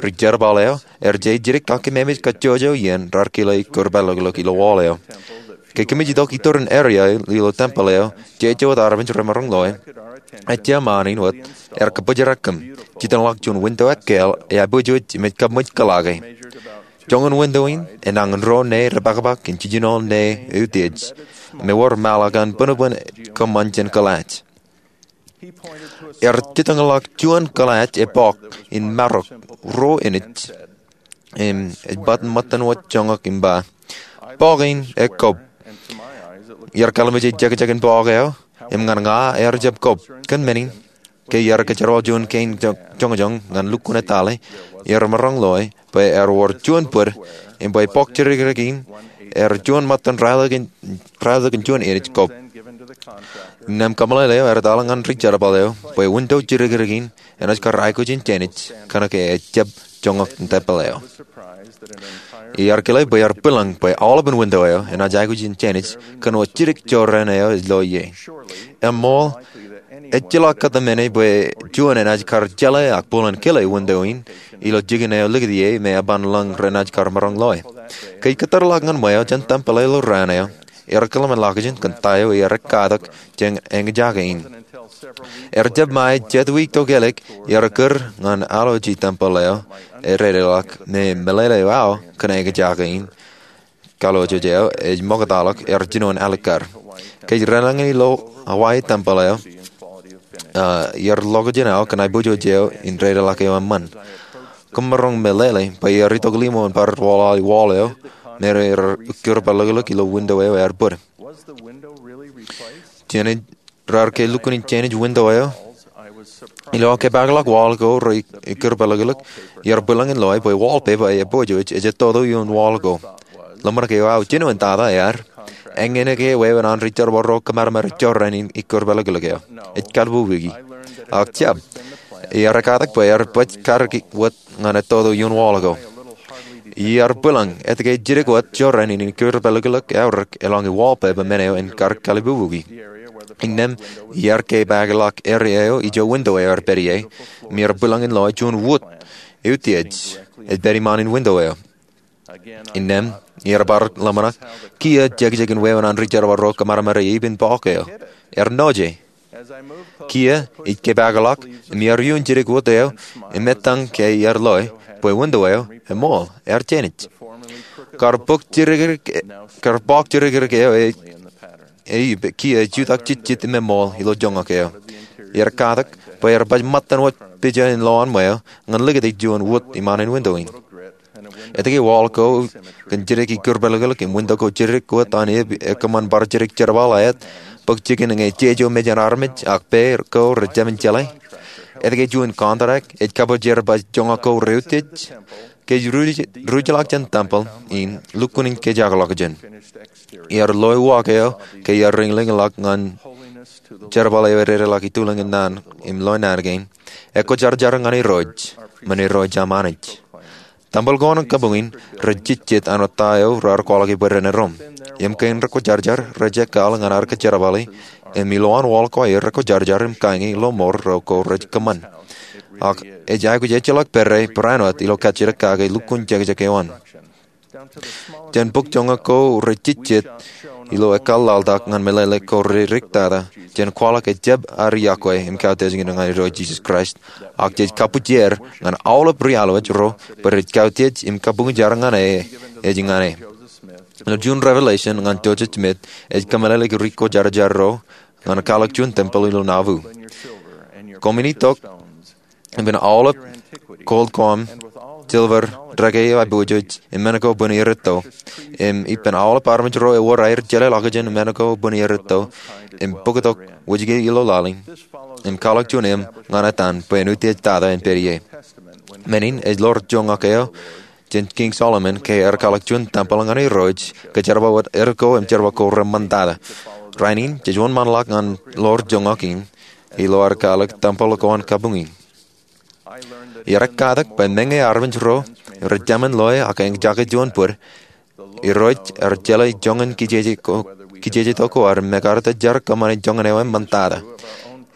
Ri jerbal eo er je jidik kakkememej kajjojo iien raar kile ikkūr pālōklōk ilo wall eo. Ke kōmij itok itōrin area ilo tempeḷ eo, jeje wōt armej remaroñ loe, ejja ṃaan in wōt er kōbōjrak kōm. Jitōñḷọk juon window ekkāāl eaiboojoj im ej kab ṃōj kōḷaake. Joñan window in enañin ruo ṇe repakpak im jijino ṇe eutiej, im ewōr māḷọk an bōnbōn kōṃṃan jān kōḷaaj. Er jitōñḷọk juon kōḷaaj epok in marok ruo inch im ej bōk ṃōttan wōt joñak im ba, "Pok in ekkob." Iar kalimjek jekjek in pok eo, im ñan ña er jab kob. Kōn men in, ke iar kōjerbal juon kein joñjoñ ñan lukkuun etale, iar maroñ loe bwe ewōr juon bōd, im bwe pok jidikdik in er juon ṃōttan raelōkin juon inch kob. Innām kōmeḷeḷe eo ear etal ñan ri jerbal eo bwe window jidikdik in enaaj kar aikuj in jānij kōnke ejjab joñak in tempeḷ eo. Iar kile bwe ear bwilōñ bwe aolepān window eo enaaj aikuj in jānij kōn wōt jidik jorrāān eo ej lo ie. Eṃṃool, ejjeḷọk kōtmāne bwe juon enaaj kar jeḷā ak bōlen kile window in ilo jikin eo likūt ie me eban lōñ renaaj kar maroñ loe. Ke ij kōttarḷọk ñan ṃweo jān tempeḷ eo ilo raan eo, iar kōḷmānḷọkjeṇ kōn ta eo iar ekkatak jān eñjake in. Er jab ṃae jet wiik tokālik iar kūr ñan aloji tempeḷ eo ededeḷọk me meḷeḷe eo aō kōn eñjake in. Kalooj eo ej ṃoktaḷọk er jinoin alikkar. Ke ij renañin ilo Hawaii tempeḷ eo, iar ḷokjān aō kōn aiboojoj eo im dedeḷọk eo eṃṃan. Koṃ maroñ meḷeḷe bwe iar itok limo in bar wall eo me er ikkūr pālōklōk ilo window eo ear bōd. Jān ej raar ke lukkuun in jānij window eo, ilo aō kōpeakḷọk wall ko rej ikkūr pālōklōk, iar bwilōñ in loe bwe wallpaper eo aiboojoj ej ettoto ioon wall ko. Ḷōmṇak eo aō jinoin tata ear, eñin ke wāween an ri jerbal ro kōmāmāri jorrāān in ikkūr pālōklōk eo. Ej kalbubuki. Ak jab, iar ekkatak bwe ear baj kariki wōt ñan ettoto ioon wall ko. Iar bwilōñ etke jidik wōt jorrāān in ikkūr pālōklōk eaorōk eḷaññe wallpaper men eo en kar kalbubuki. Innām iar kōpeakḷọk area eo ijo window eo ear pād ie, im iar bwilōñ in loe juon wōt eutiej ej pād iṃaan in window eo. Innām iar bar ḷōmṇak, kiiō jekjek in wāween an ri jerbal ro kōmāmāri epen pok eo. Ear noje. Kiiō ij kōpeakḷọk im iar iuun jidik wōt eo im etan ke iar loe bwe window eo eṃool ear jānij. Kar pok jidikdik eo, kiiō ej jutak jitjit im eṃool ilo joñak eo. Iar katak bwe ear baj ṃōttan wōt pija in lowaan ṃweo ñan likūt juon wōt iṃaan in window in. Etke wall ko kōn jidik ikkūr pālōklōk im window ko jidik wōt an eb ekōṃṃan bar jidik jerbal aet bōk jikin ñe jeje eo mejān armej ak pā ko rejāmin jeḷā? Etke juon contract ej kabōjrak bwe joñak ko reutiej? Ke ij ruj-, ruj ḷọk jān tempeḷ in, lukkuun in kōjakḷọkjeṇ. Iar loe uwaak eo ke iar riñlōñḷọk ñan jerbal eo ededeḷọk itulōñ in naan im loe naan kein, ekwōjarjar ñan Irooj, men Irooj am Anij. Tempeḷ ko an kabuñ in rej jejjet an wōt ta eo raar kwaḷọk bwe ren erom. Im kein rekwōjarjar rej ekkaḷ ñan ad kōjerbale, im ilowaan wall ko aer rekwōjarjar im kañi ḷōṃor ro ko rej kōṃṃan. Ak ej aikuj ejjeḷọk pere barāinwōt ilo kajjitōk kake lukkuun jekjek eo an. Jān bōk joñak ko rej jejjet ilo ekkar ḷaltak ñan meḷeḷe ko rej riktata jān kwaḷọk ejjab ad yokwe im kautiej ñan Irooj Jisōs Kraist, ak jej kabbokbok ñan aolep ri-alwōj ro bwe rej kautiej im kabuñjar ñan e, ej ñan e. Ilo juon Revelation ñan Joseph Smith ej kōmeḷeḷeik ri kwōjarjar ro ñan kwaḷọk juon tempeḷ ilo Nauvoo. Koṃwin itok ippān aolep gold ko aṃ, silver, dekā eo aiboojoj, im men ko bōn iiō rūtto. Im ippān aolep armej ro ewōr aer jeḷāḷọkjeṇ men ko bōn iiō rūtto, im bōktok wōjke ilo laḷ in, im kwaḷọk juon im ñan etan bwe en utiej tata en pād ie. Men in ej ḷoor joñak eo jān Kiiñ Solomon ke ear kwaḷọk juon tempeḷ ñan Irooj, kōjerbal wōt er ko im jerbal ko reṃṃan tata. Rainin jej wōnṃaanḷọk ñan ḷoor joñak in ilo ad kwaḷọk tempeḷ ko an kabuñ in. Iar ekkatak bwe meñe armej ro rej jāmin loe ak eñjake juon bōd, Irooj ear jeḷā joñan kijeje tok ko ad im ekar jar kōṃṃani joñan eo eṃṃan tata.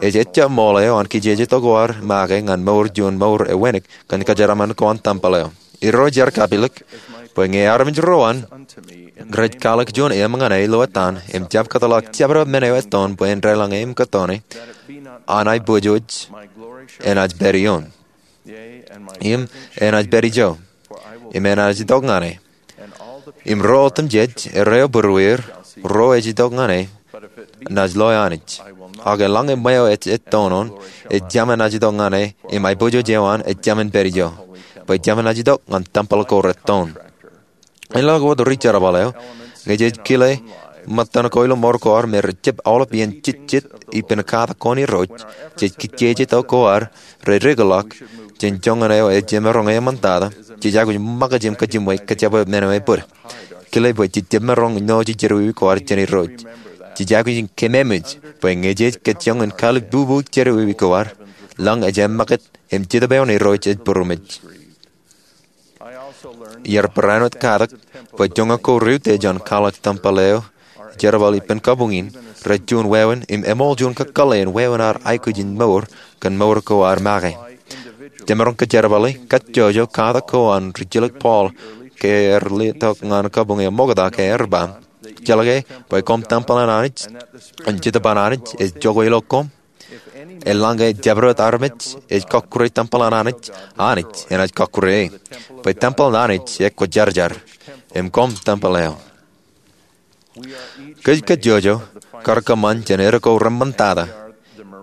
Ej ejja ṃool eo an kijeje tok ko ad make ñan mour juon mour ewōṇōṇō kōn kōjeraṃṃan ko an tempel eo. Irooj ear kapilōk bwe ñe armej ro an rej kwaḷọk juon eṃ ñan e ilo ettaan im jab kōtḷọk jabdewōt men eo ettoon bwe en deḷọñ e im kōttoon e, an aiboojoj enaaj pād ioon, im enaaj pād ijo, im enaaj itok ñan e. Im ro otemjej ereo būrueir ro ej itok ñan e naaj loe Anij. Ak eḷaññe ṃweo ej ettoon, ejjab enaaj itok ñan e, im aiboojoj eo an ejjab en pād ijo, bwe ejjab enaaj itok ñan tempel ko rettoon. Āinwōt ri jerbal eo, ñe jej kile ṃōttan ko ilo mour ko ad me rejjab aolep iien jejjet ippān katak ko an Irooj, jej kijeje tok ko ad rej dikḷọk jān joñan eo ej jemaroñ e eṃṃantata, jej aikuj ṃōkaj im kajimwe kōjepwe men eo ebōd. Kile bwe jej jemaroñ ṇooji jerọwiwi ko ad jān Irooj. Jej aikuj in kememej bwe ñe jej kajjioñ in kalōk bubu jerọwiwi ko ad, lañ ej ṃōkaj im Jetōb eo an Irooj ej būroṃōj. Iar barāinwōt katak bwe joñak ko reutiej an kwaḷọk tempel eo jerbal ippān kabuñ in rej juon wāween im eṃool juon kakōḷḷe in wāween ad aikuj in mour kōn mour ko ad make. Jemaroñ kōjerbale, kajjojo katak ko an rijjilōk Paul ke ear letok ñan kabuñ eo ṃokta ke ear ba, Jeḷā ke bwe koṃ tempel an Anij, im Jetōb an Anij ej jokwe ilo koṃ. Eḷaññe jabdewōt armej ej kọkkure tempel an Anij, Anij enaaj kọkkure e. Bwe tempel an Anij ekwōjarjar, im koṃ tempel eo. Kōj kajjojo kar kōṃṃan jān eddo ko reṃṃantata,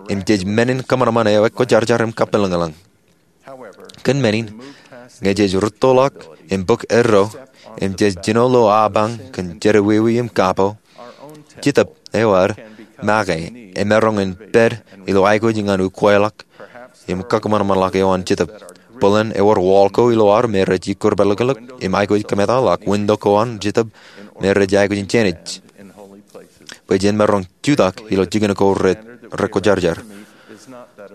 im jej men in kōṃanṃan eo ekwōjarjar im kapilōñlōñ. Kōn men in, ñe jej rūttoḷọk im bōk eddo, im jej jino ilo apañ kōn jerọwiwi im kapo, Jetōb eo ad make emaroñ in pād ilo aikuj ñan ukweḷọk im kakōṃanṃanḷọk eo an Jetōb. Bōlen ewōr wall ko ilo ad me rej ikūrpeḷḷọk im aikuj kōmeḷeḷọk window ko an Jetōb me rej aikuj in jenaaj, bwe jen maroñ jutak ilo jikin ko rekwōjarjar.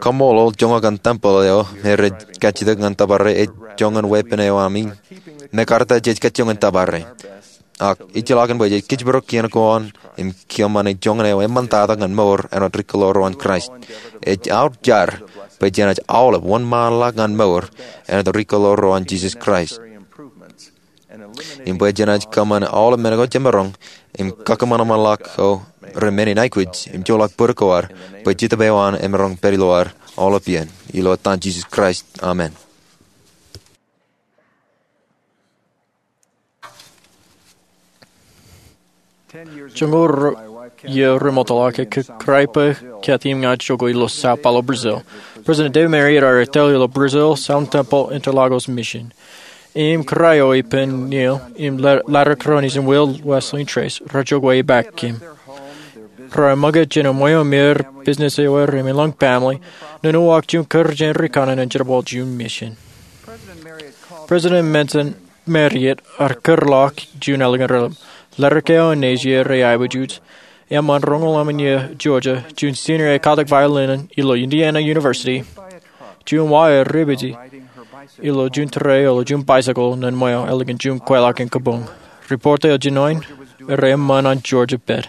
Kaṃṃoolol joñak an tempel eo me rej kajjitōk ñan tōpar e ej joñan weeppān eo ami, mekarta jej kajjioñ in tōpar e. Ak ejjeḷọkin bwe jej kōjparok kien ko an im kōṃṃane joñan eo eṃṃantata ñan mour āinwōt ri kōḷḷaḷḷaḷ ro an Kraist. Ej aor jar bwe jenaaj aolep wōnṃaanḷọk ñan mour āinwōt ri kōḷḷaḷ ro an Jisōs Kraist, im bwe jenaaj kōṃṃane aolep men ko jemaroñ im kakōṃanṃanḷọk ko rein men in aikuj im joḷọk bōd ko ad, bwe Jetōb eo an emaroñ pād ilo ad aolep iien. Ilo etan Jisōs Kraist, amen. Joñoul iiō remootḷọk, ekkā kōrā ippān Kathy im ña jokwe ilo Sao Paulo, Brazil. President David Marriott ear etale ilo Brazil Southern Temple Interlagos Mission. Im kōrā eo ippān Neil im Larry Cronise im Will Wesley Trace rej jokwe ippān kōm. Raar ṃōkaj jān ṃweo im er, business eo er, im elōñ family, nōn uwaak juon kūr jān ri kanaan in jerbal juon mission. President Marriott ear kūrḷọk juon ālikin raelep. Ledik eo an Asia rej aiboojoj. Eṃṃan roñoul emān iiō Georgia, juon senior ekkatak violin in ilo Indiana University. Juon wa ear ippaṃ ilo juon tōre ilo juon bicycle nōn ṃweo ālikin juon kweilọk in kabuñ. Report eo jinoin, ear eṃṃan an Georgia pād.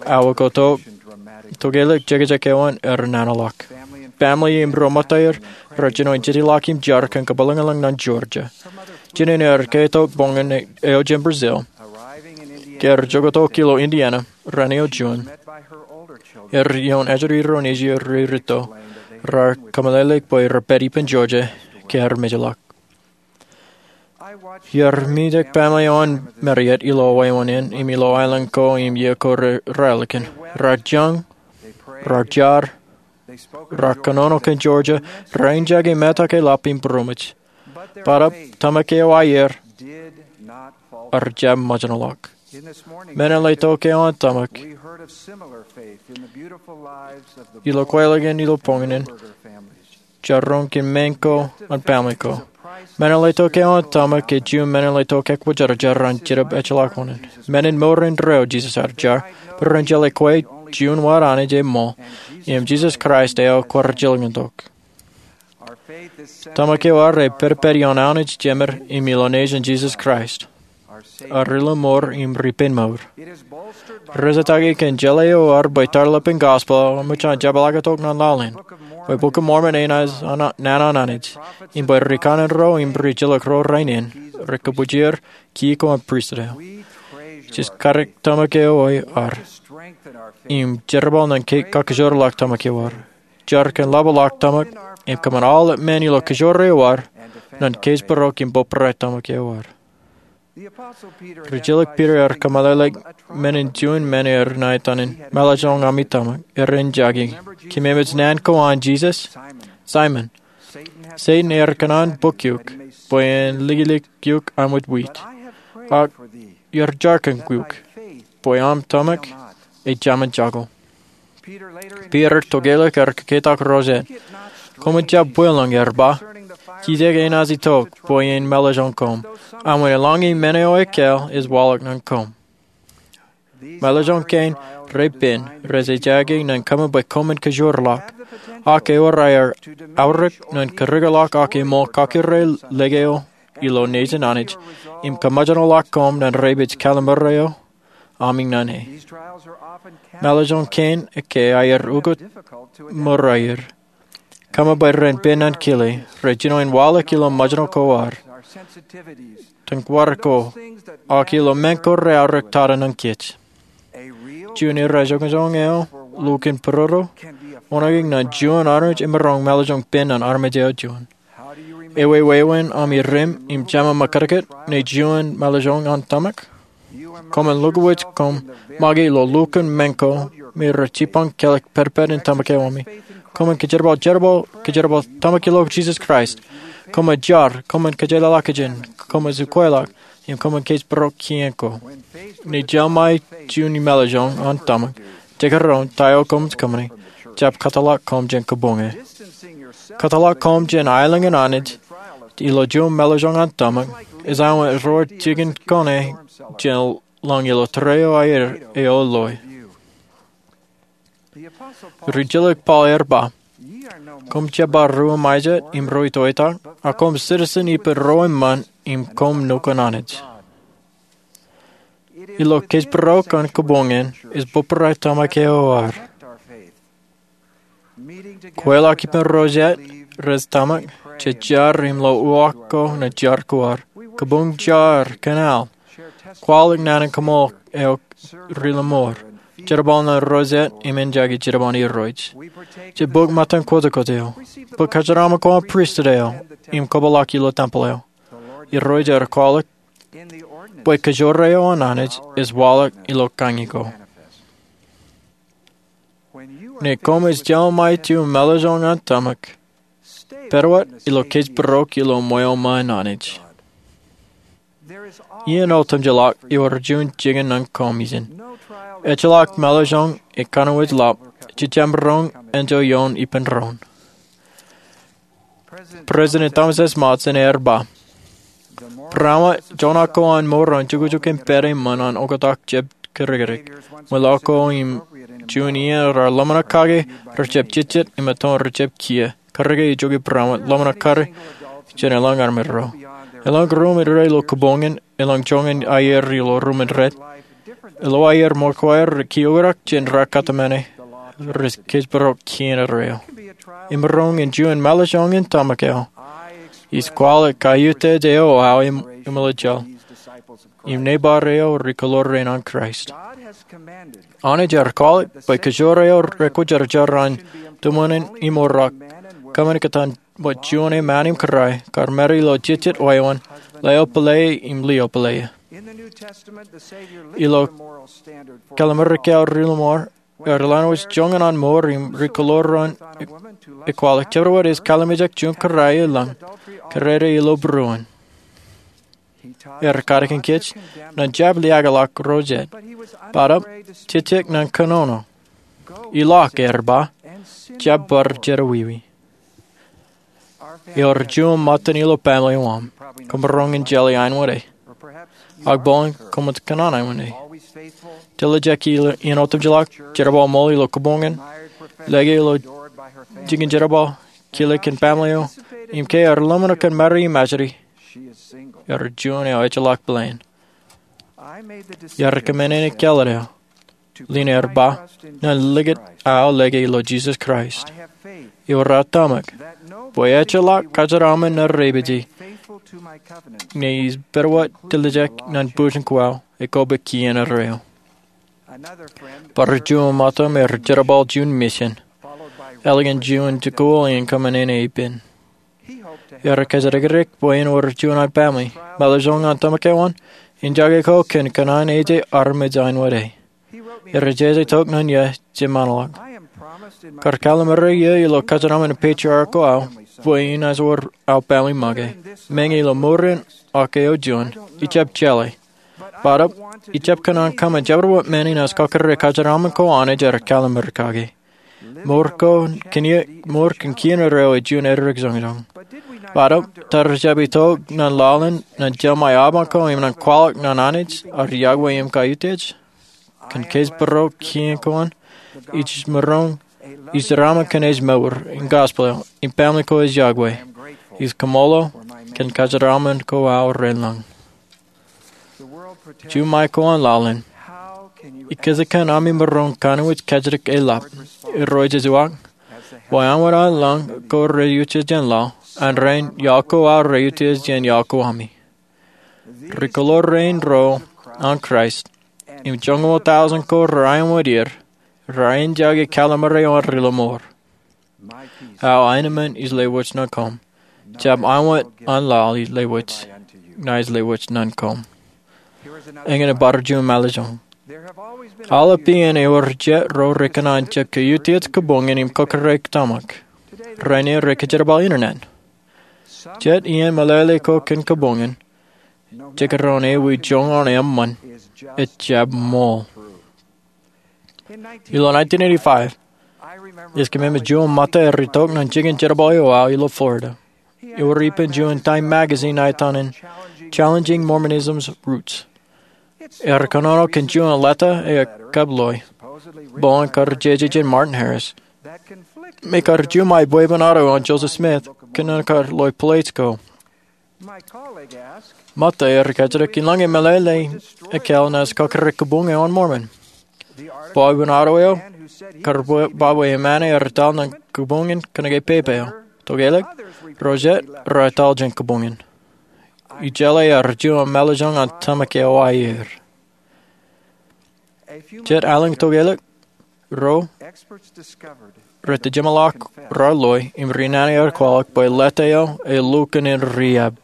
Awa ko tok, tokālik jekjek eo an ear nanaḷọk. Family im ro ṃōttaer rej jino in jitḷọk im jar kōn kapilōñlōñ ñan Georgia. Jinen ear ketok boñōn eo jān Brazil. Ke ear jokwe tok ilo Indiana, raan eo juon, ear ioon ajri ro nejū ri rūtto, raar kōmeḷeḷeik bwe repād ippān Georgia ke ear mejḷọk. Iar mijak family eo an Marriott ilo wāween in im ilo aelōñ ko im iiō ko raelepen. Raar jañ, raar jar, raar kōnono kōn Georgia, raar injake metak eḷap im būroṃōj. Bōtaab tōmak eo aer ear jab ṃōjṇọḷọk. Men in letok eo an tōmak ilo kweilọk in ilo boñōn in, jar roñ kōn men ko an family ko. Men in letok eo an tōmak ej juon men in letok ekwōjarjar an Jetōb ejjeḷọk oṇān. Men in mour indeeo Jisōs ear jar, bwe ren jeḷā kwe juon wōt Anij eṃṃan, im Jisōs Kraist eo kwaar jilkintok. Tōmak eo ad ej pedped ioon Anij Jemed im ilo nejin Jisōs Kraist. ak ri-lọmọọr im ri-pein mour. Rej jatake kōn jeḷā eo ad bwe tarlepen gospel ej ṃōj an jepḷaaktok ñan laḷ in, bwe Bok in Mormon enaaj nana an Anij, im bwe ri-kanaan ro im ri-jilkinḷọk ro rainin rekabwijer kiiō an pristut eo. Jej kadik tōmak eo ad im jerbal ñan kakkōjorḷọk tōmak eo ad. Jar kōn ḷapḷọk tōmak im kōṃṃan aolep men ilo kōjro eo ad ñan kōjparok im bōbrae tōmak eo ad. Rijilōk Piter ear kōmeḷeḷeik men in juon men er ṇa etan in Mālōtlōñ ami tōmak. Ear jake, Keememej naan ko an Jisōs? Saimōn, Setan ear kōṇaan bōk eok bwe en likūlik eok aṃ wōt wit. Ak iar jar kōn eok bwe aṃ tōmak ejāmin jako. Piter tokālik ear kōketak Rosette, Koṃwin jab bwilōñ, ear ba. Kijek enaaj itok bwe en mālōtlōñ koṃ. Aṃ wōn eḷaññe men eo ekkā ej waḷọk ñan koṃ. Mālōtlōñ kein repen rej ejjake ñan kōṃṃan bwe koṃwin kōjorḷọk. Ak ewōr aer aorōk ñan kūrōkḷọk ak eṃool kakōrā leg eo ilo nejin Anij im kōṃōjṇọḷọk koṃ ñan repeej kallim̧ur eo aṃ iññān e. Mālōtlōñ kein ekkā aer ukōt ṃōrā er. Kōṃṃan bwe ren pen ñan kile, rej jino en waḷọk ilo ṃōjṇọ ko ad, tōñkwōj ko, ak ilo men ko rej aorōk tata ñan kōj. Juon irra joñojoño eo, lukkuun būrodo, onañik ñan juon armej emaroñ mālōtlōñ pen ñan armej eo juon. Ewi wāween aṃ ireṃ im jema ṃōkātkāt ñe juon mālōtlōñ an tōmak? Koṃwin lukkuun wōj koṃ make ilo lukkuun men ko me rej jipañ kelọk pedped in tōmak eo ami. Koṃwin kōjerbal, jerbal, kōjerbal tōmak ilo Jisōs Kraist. Koṃwin jar, koṃwin kōjeḷāḷọkjeṇ, koṃwin ukweḷọk, im koṃwin kōjparok kien ko. Ñe jeḷā ṃae juon mālōtlōñ an tōmak, jekdọọn ta eo koṃij kōṃṃane, jab kōtḷọk koṃ jān kabuñe. Kōtḷọk koṃ jān aelōñ in Anij ilo juon mālōtlōñ an tōmak ej awa ro jikin kōṇe jān lañ ilo tōre eo aer eo loe. Rijilōk Paul ear ba, Koṃ jab ba ruo ṃae jet im ro itoitak, a koṃ citizen ippān ro eṃṃan im koṃ nukun Anij. Ilo kōjparok an kabuñ in ej bōbrae tōmak eo ad. Kweilọk ippān Rosette rej tōmak, jej jar im lo uwaak ko ñan jar ko ad. Kabuñ jar, kōṇaan, kwaḷọk naan in kaṃool eo ri-lọmọọr, jerbal ñan Rosette im en jake jidiṃaan Irooj. Jej bōk ṃōttan kwotokwot eo, bōk kōjeraaṃṃan ko an pristut eo, im kōpeḷḷọk ilo tempel eo. Irooj ear kwaḷọk bwe kōjro eo an Anij ej waḷọk ilo kañi ko. Ñe koṃij jeḷā ṃae juon mālōtlōñ an tōmak, pād wōt ilo kōjparok ilo ṃweo ṃōn Anij. Iien otemjeḷọk ewōr juon jikin ñan koṃ ijin. Ejjeḷọk mālōtlōñ ekanooj ḷap, jej jab maroñ enjeḷ ioon ippān doon. President Thomas S. Monson ear ba, Būraṃōt joñak ko an mour an jukjuk im pād eṃṃan an oktak jab kūrōkrōk. Ṃweo ko im juon iien raar ḷōmṇak kake rejjab jejjet im etoon rejjab kiiō. Kūrōke ijoko būraṃōt ḷōmṇak kake jān elōñ armej ro. Elōñ ruo im rej ilo kabuñ in, elōñ joñan aier ilo ruo im rej ilo aier ṃōk ko aer rej kiiō oktak jān raar kōtmāne, rej kōjparok kien arro eo. Emaroñ in juon mālōtlōñ an tōmak eo ej kwaḷọk kaiutiej eo aō im, im ilo jeḷā im neighbor eo rej kōḷoor rein an Kraist. Anij ear kwaḷọk bwe kōjro eo rekwōjarjar an tuṃwin in im orak, kōmān kōttan wōt juon eṃṃan im kūrae, kar made ilo jejjet wāween, leo pālle im lio pālle. Ilo Kallim̧ur Ekāāl Ri-lọmọọr, ear lewōj joñan an mour im ri-kōḷoor ro an ekwaḷọk. Jabdewōt ej kallim̧ur ijin juon kūrae elōñ, kōrā ilo būruon. Ear kadik kōj ñan jab liaakḷọk Rosette, butnot, jejjet ñan kōnono. Ilọk, ear ba, jab bar jedewiwi. Ewōr juon ṃōttan ilo baaṃle eo aṃ, koṃ maroñ in jeḷā aenwōt e. Ak bōlen koṃij kōṇaan aenwōt e. Teḷōjake ilo iien otemjeḷọk, jerbal ṃool ilo kabuñ in, lōke ilo jikin jerbal, kile kōn baaṃle eo, im ke ear ḷōmṇak kōn Mari im ajri, ear juon eo ejjeḷọk bōlen. Iar kōṃṃane kāālōt eo, ḷein aer ba, ñan likūt aō lōke ilo Jisōs Kraist. Ewōr aō tōmak bwe ejjeḷọk kōjeraṃōn ṇe repeje, ñe ij pād wōt tiljek ñan bwij ko aō, ekwe bwe kien erreo. Bar juon ṃōttan me rej jerbal juon misin, ālikin juon jikuuḷ in kōṃṃane ippān. Ear kōjatdikdik bwe en wōr juon an family, mālōtlōt ñan tōmak eo an, in jake ko kōn kōṇaan eo ej armej āinwōt e. Ear jeje tok ñan iiō jemānḷọk. Kar kallim̧ur iiō ilo kōjeraṃōn in patriarch ko aō, bwe inaaj wōr aō family make. Meñe ilo ṃour in ak eo juon, ij jab jeḷā. Bōtaab, ij jab kōṇaan kōṃṃan jabdewōt men inaaj kọkkure kōjeraṃōn ko Anij ear kallim̧ur kake. Ṃour ko kōn iiō, ṃour kōn kien erreo ej juon edik joñjoñ. Bōtaab, ta rijjab itok ñan laḷ in ñan jeṃae aban ko im ñan kwaḷọk ñan Anij, ad yokwe im kaiutiej? Kōn kōjparok kien ko an, ij maroñ, ij jeraaṃṃan kōn ej mour in gospel eo, im family ko ej yokwe. Ij kaṃṃoolol kōn kōjeraṃōn ko aō raelōñ. Juṃae ko an laḷ in. Ikōjkan ami maroñ kanooj kajjitōk eḷap? Irooj ej wōt, bwe āinwōt an laḷ ko reiutiej jān laḷ, an rainin iaḷ ko aō reiutiej jān iaḷ ko ami. Ri-kōḷḷā rein ro an Kraist, im joñoul tọujin ko raar āinwōt er, raar jake kallim̧ur eo an ri-lọmọọr. Aō aenōṃṃan ij lewōj ñan koṃ. Jab āinwōt an laḷ ij lewōj, ña ij lewōj ñan koṃ. Eñin bar juon mālejñoñ. Aolep iien ewōr jet ro rekōṇaan jab kaiutiej kabuñin im kọkkure tōmak. Rainin rekōjerbal internet. Jet iien meḷeḷe ko kōn kabuñin, jekdọọn ewi joñan eṃṃan, ejjab ṃool. Ilo nineteen eighty-five, ij kōṃṃan juon ṃōtta ear itok ñan jikin jerbal eo aō ilo Florida. Ewōr ippān juon Time magazine eo etan in Challenging Mormonism's Roots. Ear kōnono kōn juon leta eo ekab loe, bwe en kar jeje jān Martin Harris, me kar juṃae bwebwenato eo an Joseph Smith kōn an kar loe plates ko. Ṃōtta eo ri-kajjitōk in lañe meḷeḷe ekāāl naaj kọkkure kabuñ eo an Mormon. Bwebwenato eo, kar ba bwe eṃṃan ear etal ñan kabuñ in kōnke pepe eo. Tokālik, ro jet, raar etal jān kabuñ in. Ij jeḷā ear juon mālejñoñ an tōmak eo aer. Jet alen tokālik, ro rej jeṃḷọk raar loe im ri-nana ear kwaḷọk bwe leta eo elukkuun in riab.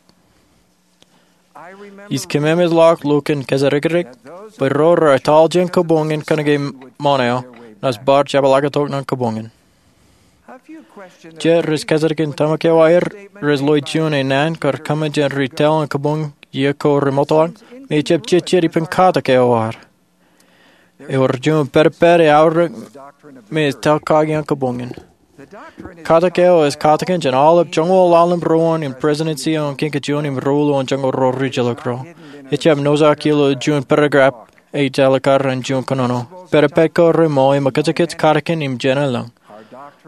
Ij kōṃṃan ḷọk lukkuun kōjatdikdik bwe ro raar etal jān kabuñ in kōnke ṃōṇōṇō eo, naaj bar jepḷaaktok ñan kabuñ in. Jet rej kajjitōk in tōmak eo aer rej loe juon enaan kar kōṃṃan jān ri-tōl in kabuñ iiō ko remootḷọk, me ejjab jejjet ippān katak eo ad. Ewōr juon pedped eaorōk me ej tōl kaki an kabuñ in. Katak eo ej katakin jān aolep joñoul ḷalem ruo in Presidency eo an Kiiñ Kajjojo im ruo ḷalem joñoul ruo rijjilōk ro. Ejjab nōjrak ilo juon paragraph ej āliktata in juon kōnono. Pedped ko reṃool im kōjkōj katakin im jenaaj lañ.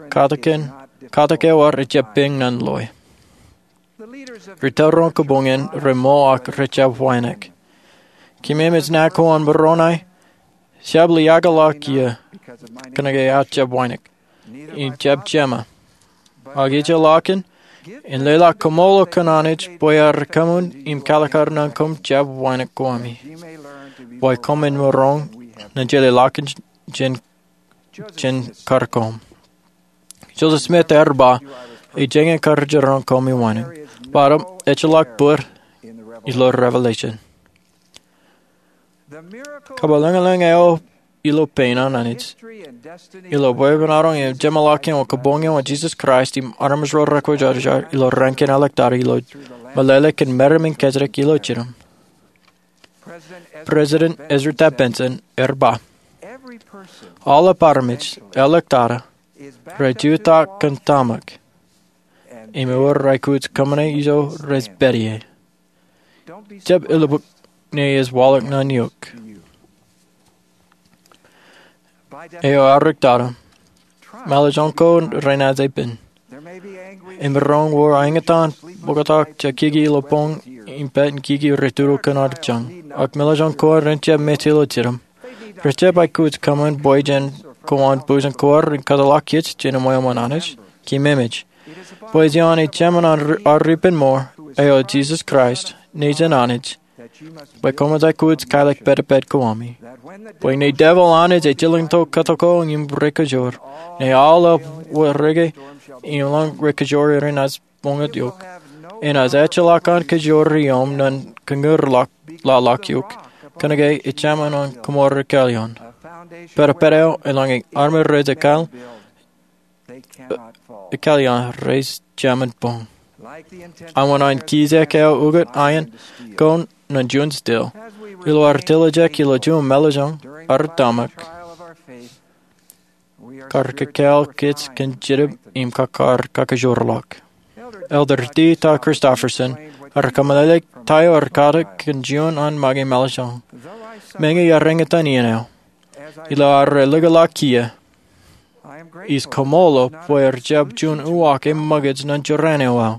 Katakin, katak eo ad ejjab peñ ñan loe. Ri-tōl ro an kabuñ in reṃool ak rejjab wānōk. Kōmemej naan ko an Moroni, jab liaakḷọk iiō kōnke aō jab wānōk. Im jab jeṃa. Ak ijellọkin, in leḷọk kaṃṃoolol kōn Anij bwe ear kōṃṃan im kaalikkar ñan koṃ jab wānōk ko ami, bwe koṃwin maroñ in jeḷā ḷọk jān, jān kar koṃ. Joseph Smith ear ba, ij jañin kar jeroñ koṃ iwānōk. Bōtaab, ejjeḷọk bōd ilo Revelation. Kabwilōñlōñ eo ilo pein an Anij, ilo bwebwenato im jeṃḷọkin kabuñ eo an Jisōs Kraist im armej ro rekwōjarjar ilo raan kein āliktata ilo meḷeḷe kōn meram in kajjitōk ilo jinem. President Ezra Taft Benson ear ba, aolep armej āliktata rej jutak kōn tōmak, im ewōr aikuj kōṃṃane ijo rej pād ie. Jab elukkuun ej waḷọk ñan eok. Eo āliktata, mālejñoñ ko renaaj epen. Im maroñ wōr eñtaan bōktok jekiki ilo boñ im pād in kiki rej tudu kōn ad jañ. Ak meḷeḷein ko ad ren jab mejād ilo jidem. Rej jab aikuj kōṃṃan bwe jen kōṃṃan bōjjān ko ad ren kōtḷọk kōj jān eṃṃan Anij. Keememej bwe ej ioon ejāmin ad ippān mour, eo Jisōs Kraist, nejin Anij, bwe koṃij aikuj kailọk pād ippād ko ami, bwe ñe devil Anij ejjeḷọk to kōtḷọk ko im rekajoor, ñe aolep warrāke im lañ rekajoor eo enaaj ṃōñā eok, enaaj ejjeḷọk an kajoor ioṃ ñan kōñūr laḷ ḷọk eok. Kōnke ejāmin an kōṃṃool ri kāāl ioon. Pād ippād eo eḷaññe armej rej ekāāl, ekāāl ioon rej jāmin boñ. Awa an kijeek eo ukōt aien ko ñan juon steel, ilo ad tiljek ilo juon meḷeḷein ad tōmak, kar kōkāāl kōj kōn jidip im kar kakajoor ḷọk. Elder D. Todd Christofferson ear kōmeḷeḷeik ta eo ear katak kōn juon an make meḷeḷein. Meñe iar eñtaan iien eo, ilo ad ri lukkuun kiiō, ij kaṃṃoolol bwe ear jab juon uwaak im ṃōkaj ñan jorrāān eo aō.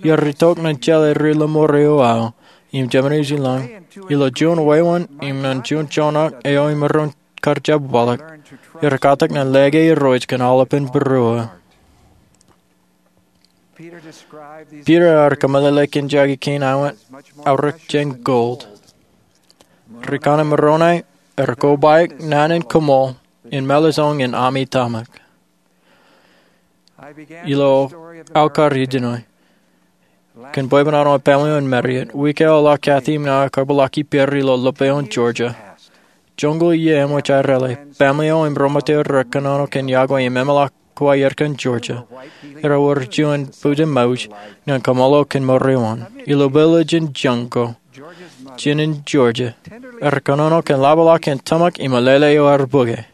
Iar itok ñan jeḷā ri lọmọọr eo aō im jeṃḷọkin lañ ilo juon wāween im ñan juon joñak eo imaroñ kar jab waḷọk. Iar katak ñan leḷọk Irooj kōn aolepān būruō. Peter ear kōmeḷeḷeik jake kein aorōk jān gold. Ri kanaan Moronai ear kobaik naan in kaṃṃool in meḷeḷein ami tōmak. Ilo aō kar ijeṇe, kōn bwebwenato an family eo in Marriott, wiik eo ḷọk Kathy im ña kar bar lale ippāer ilo Lopeohn, Georgia. Joñoul iiō eṃōj aō rāle, family eo im ri-ṃōttan eo rekōnono kōn yokwe im eṃōḷọk kōn aer kōn Georgia. Erewōr juon bōjjān ṃouj ñan kaṃṃoolol kōn mour eo an. Ilo village in Junko, jān in Georgia, ear kōnono kōn ḷapḷọk an tōmak im alele eo ear bōke.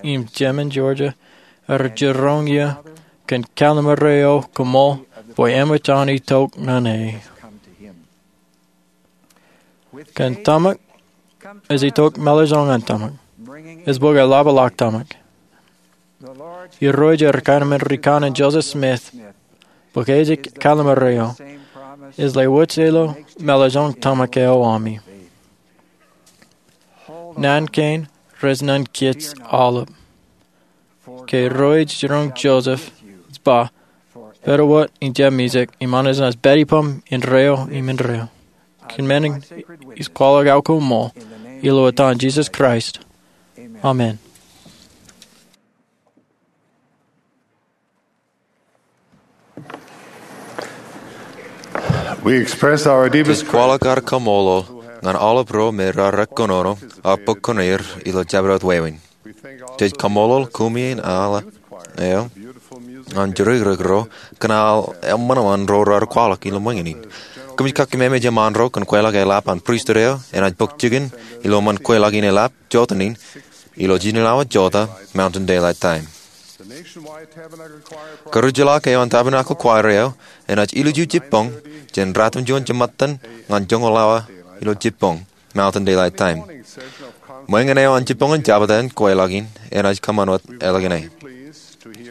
Im jemān Georgia ear jiroñ iiō kōn kallim̧ur eo kaṃṃool bwe eṃōj an itok ñan e. Kōn tōmak ej itok meḷeḷein tōmak. Ej bōke ḷapḷọk tōmak. Irooj ear kōṇaan ri kanaan Joseph Smith bwe ke ej kallim̧ur eo, ej lewōj ilo meḷeḷein tōmak eo ami. Naan kein rej ñan kōj aolep. Ke Irooj jiroñ Joseph, ej ba, pād wōt im jab mijak, im Anij enaaj pād ippaṃ indeeo im indeeo. Kōn men in ij kwaḷọk aō koṃṃool ilo etan Jisōs Kraist. Amen. We express our deepest Jej kwaḷọk ad kaṃṃoolol ñan aolep ro me raar kōnono ak bōk kuṇeir ilo jabdewōt wāween. Jej kaṃṃoolol kumi in aḷ eo an jurikrikro kōn aḷ eṃṃanṃan ro raar kwaḷọk ilo ṃōñā in. Kōmij kakkememej eṃṃaan ro kōn kweilọk eḷap an pristut eo enaaj bōk jikin ilo ṃōn kweilọk in eḷap jotenin ilo jinōḷọk jota Mountain Daylight Time. Kūrijḷọk eo an Tabernacle Choir eo enaaj ilju jibboñ jān ratimjuon jiṃṃadtan ñan joñoul awa ilo jibboñ Mountain Daylight Time. Ṃōñā eo an jibboñ in jabta in kweilọk in enaaj kōṃṃan wōt ālikin e.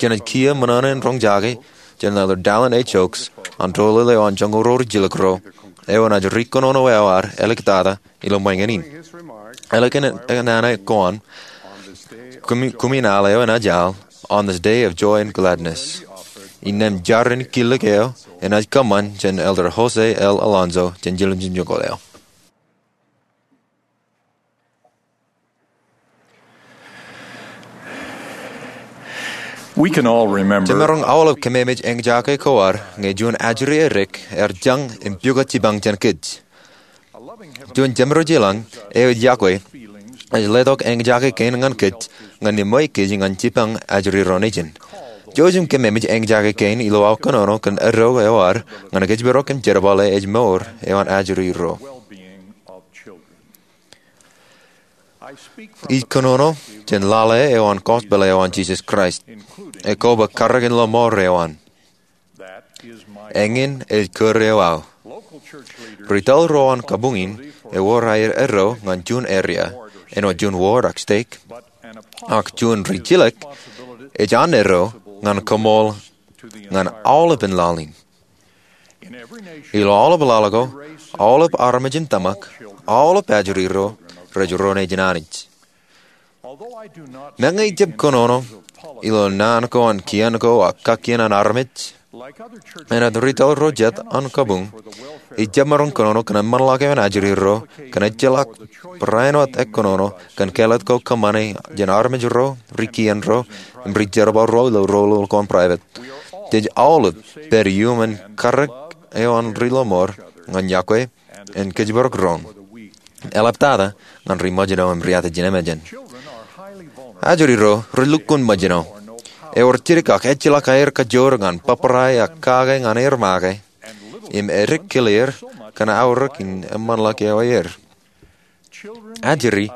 Jenaaj kiiō ṃōṇōṇō in roñjake jān Elder Dallin H. Oaks an doulul eo an joñoul ro rijjilōk ro eo enaaj ri kōnono eo ad āliktata ilo ṃōñā in. Ālikin naan ko an, kumi in aḷ eo enaaj aḷ On This Day of Joy and Gladness. Innām jar in killik eo enaaj kōṃṃan jān Elder Jose L. Alonso jān jiljilimjuonñoul eo. Jemaroñ aolep kememej eñjake ko ad ñe juon ajri edik ear jañ im pukot jipañ jān kōj. Juon Jemedwōj i lañ eo ej yokwe ej letok eñjake kein ñan kōj ñan ṃweiuk kōj ñan jipañ ajri ro nejin. Jouj im kememej eñjake kein ilo aō kōnono kōn eddo eo ad ñan kōjparok im jerbale ej mour eo an ajri ro. Ij kōnono jān lale eo an gospel eo an Jisōs Kraist, ekwe bwe karreoin lọmọọr eo an. Eñin ej kūr eo aō. Ri tōl ro an kabuñ in ewōr aer eddo ñan juon area, āinwōt juon ward ak stake, ak juon rijjilōk ej an eddo ñan kaṃool ñan aolepān laḷ in. Ilo aolep laḷ ko, aolep armej in tōmak, aolep ajri ro rej ro nejin Anij. Meñe ij jab kōnono ilo naan ko an kien ko ak kakkien an armej, āinwōt retail ro jet an kabuñ, ij jab maroñ kōnono kōn eṃṃanḷọk eo an ajri ro kōn ejjeḷọk barāinwōt ekkōnono kōn kāālōt ko kōṃṃane jān armej ro, ri kien ro, im ri jerbal ro ilo roñoul ko an private. Jej aolep pād iuṃwin karōk eo an ri lọmọọr ñan yokwe im kōjparok doon, eḷaptata ñan ri ṃōjṇọ im ri Atachin emān. Ajri ro relukkuun ṃōjṇọ. Ewōr jidik ak ejjeḷọk aer kajoor ñan bōbrae ak kake ñan aer make im edik kile er kōn aorōk in eṃṃanḷọk eo aer. Ajri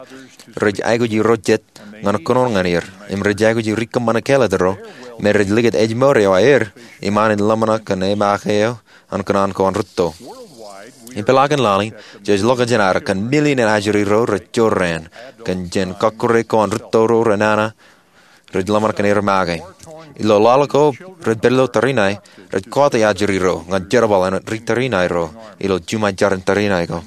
rej aikuji ro jet ñan kōnono ñan er im rej aikuji ri kōṃṃane kāālōt ro me rej likūt ejmour eo aer iṃaan in ḷōmṇak kōn emake eo an kōṇaan ko an rūtto. Ipeḷaakin laḷ in jej ḷọk jān ad kōn million in ajri ro rej jorrāān kōn jān kọkkure ko an rūtto ro renana rej ḷōmṇak kōn er make. Ilo laḷ ko rej pād ilo tariṇae, rej kọọte ajri ro ñan jerbal āinwōt ri tariṇae ro ilo juṃae jar in tariṇae ko.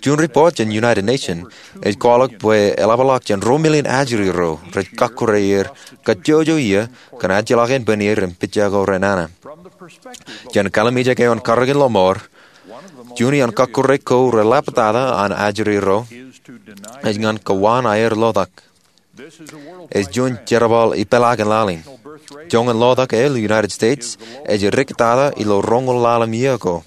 Juon ripoot jān United Nation ej kwaḷọk bwe eḷapḷọk jān ruo million ajri ro rej kọkkure er kajjojo iiō kōn ajjeḷọk ānbwin er im pija ko renana. Jān kallimjek eo an karōk in lọmọọr, juon iaan kọkkure ko reḷaptata an ajri ro ej ñan kowaan aer lotak. Ej juon jerbal ipeḷaakin laḷ in. Joñan lotak eo ilo United States ej diktata ilo roñoul ḷalem iiō ko.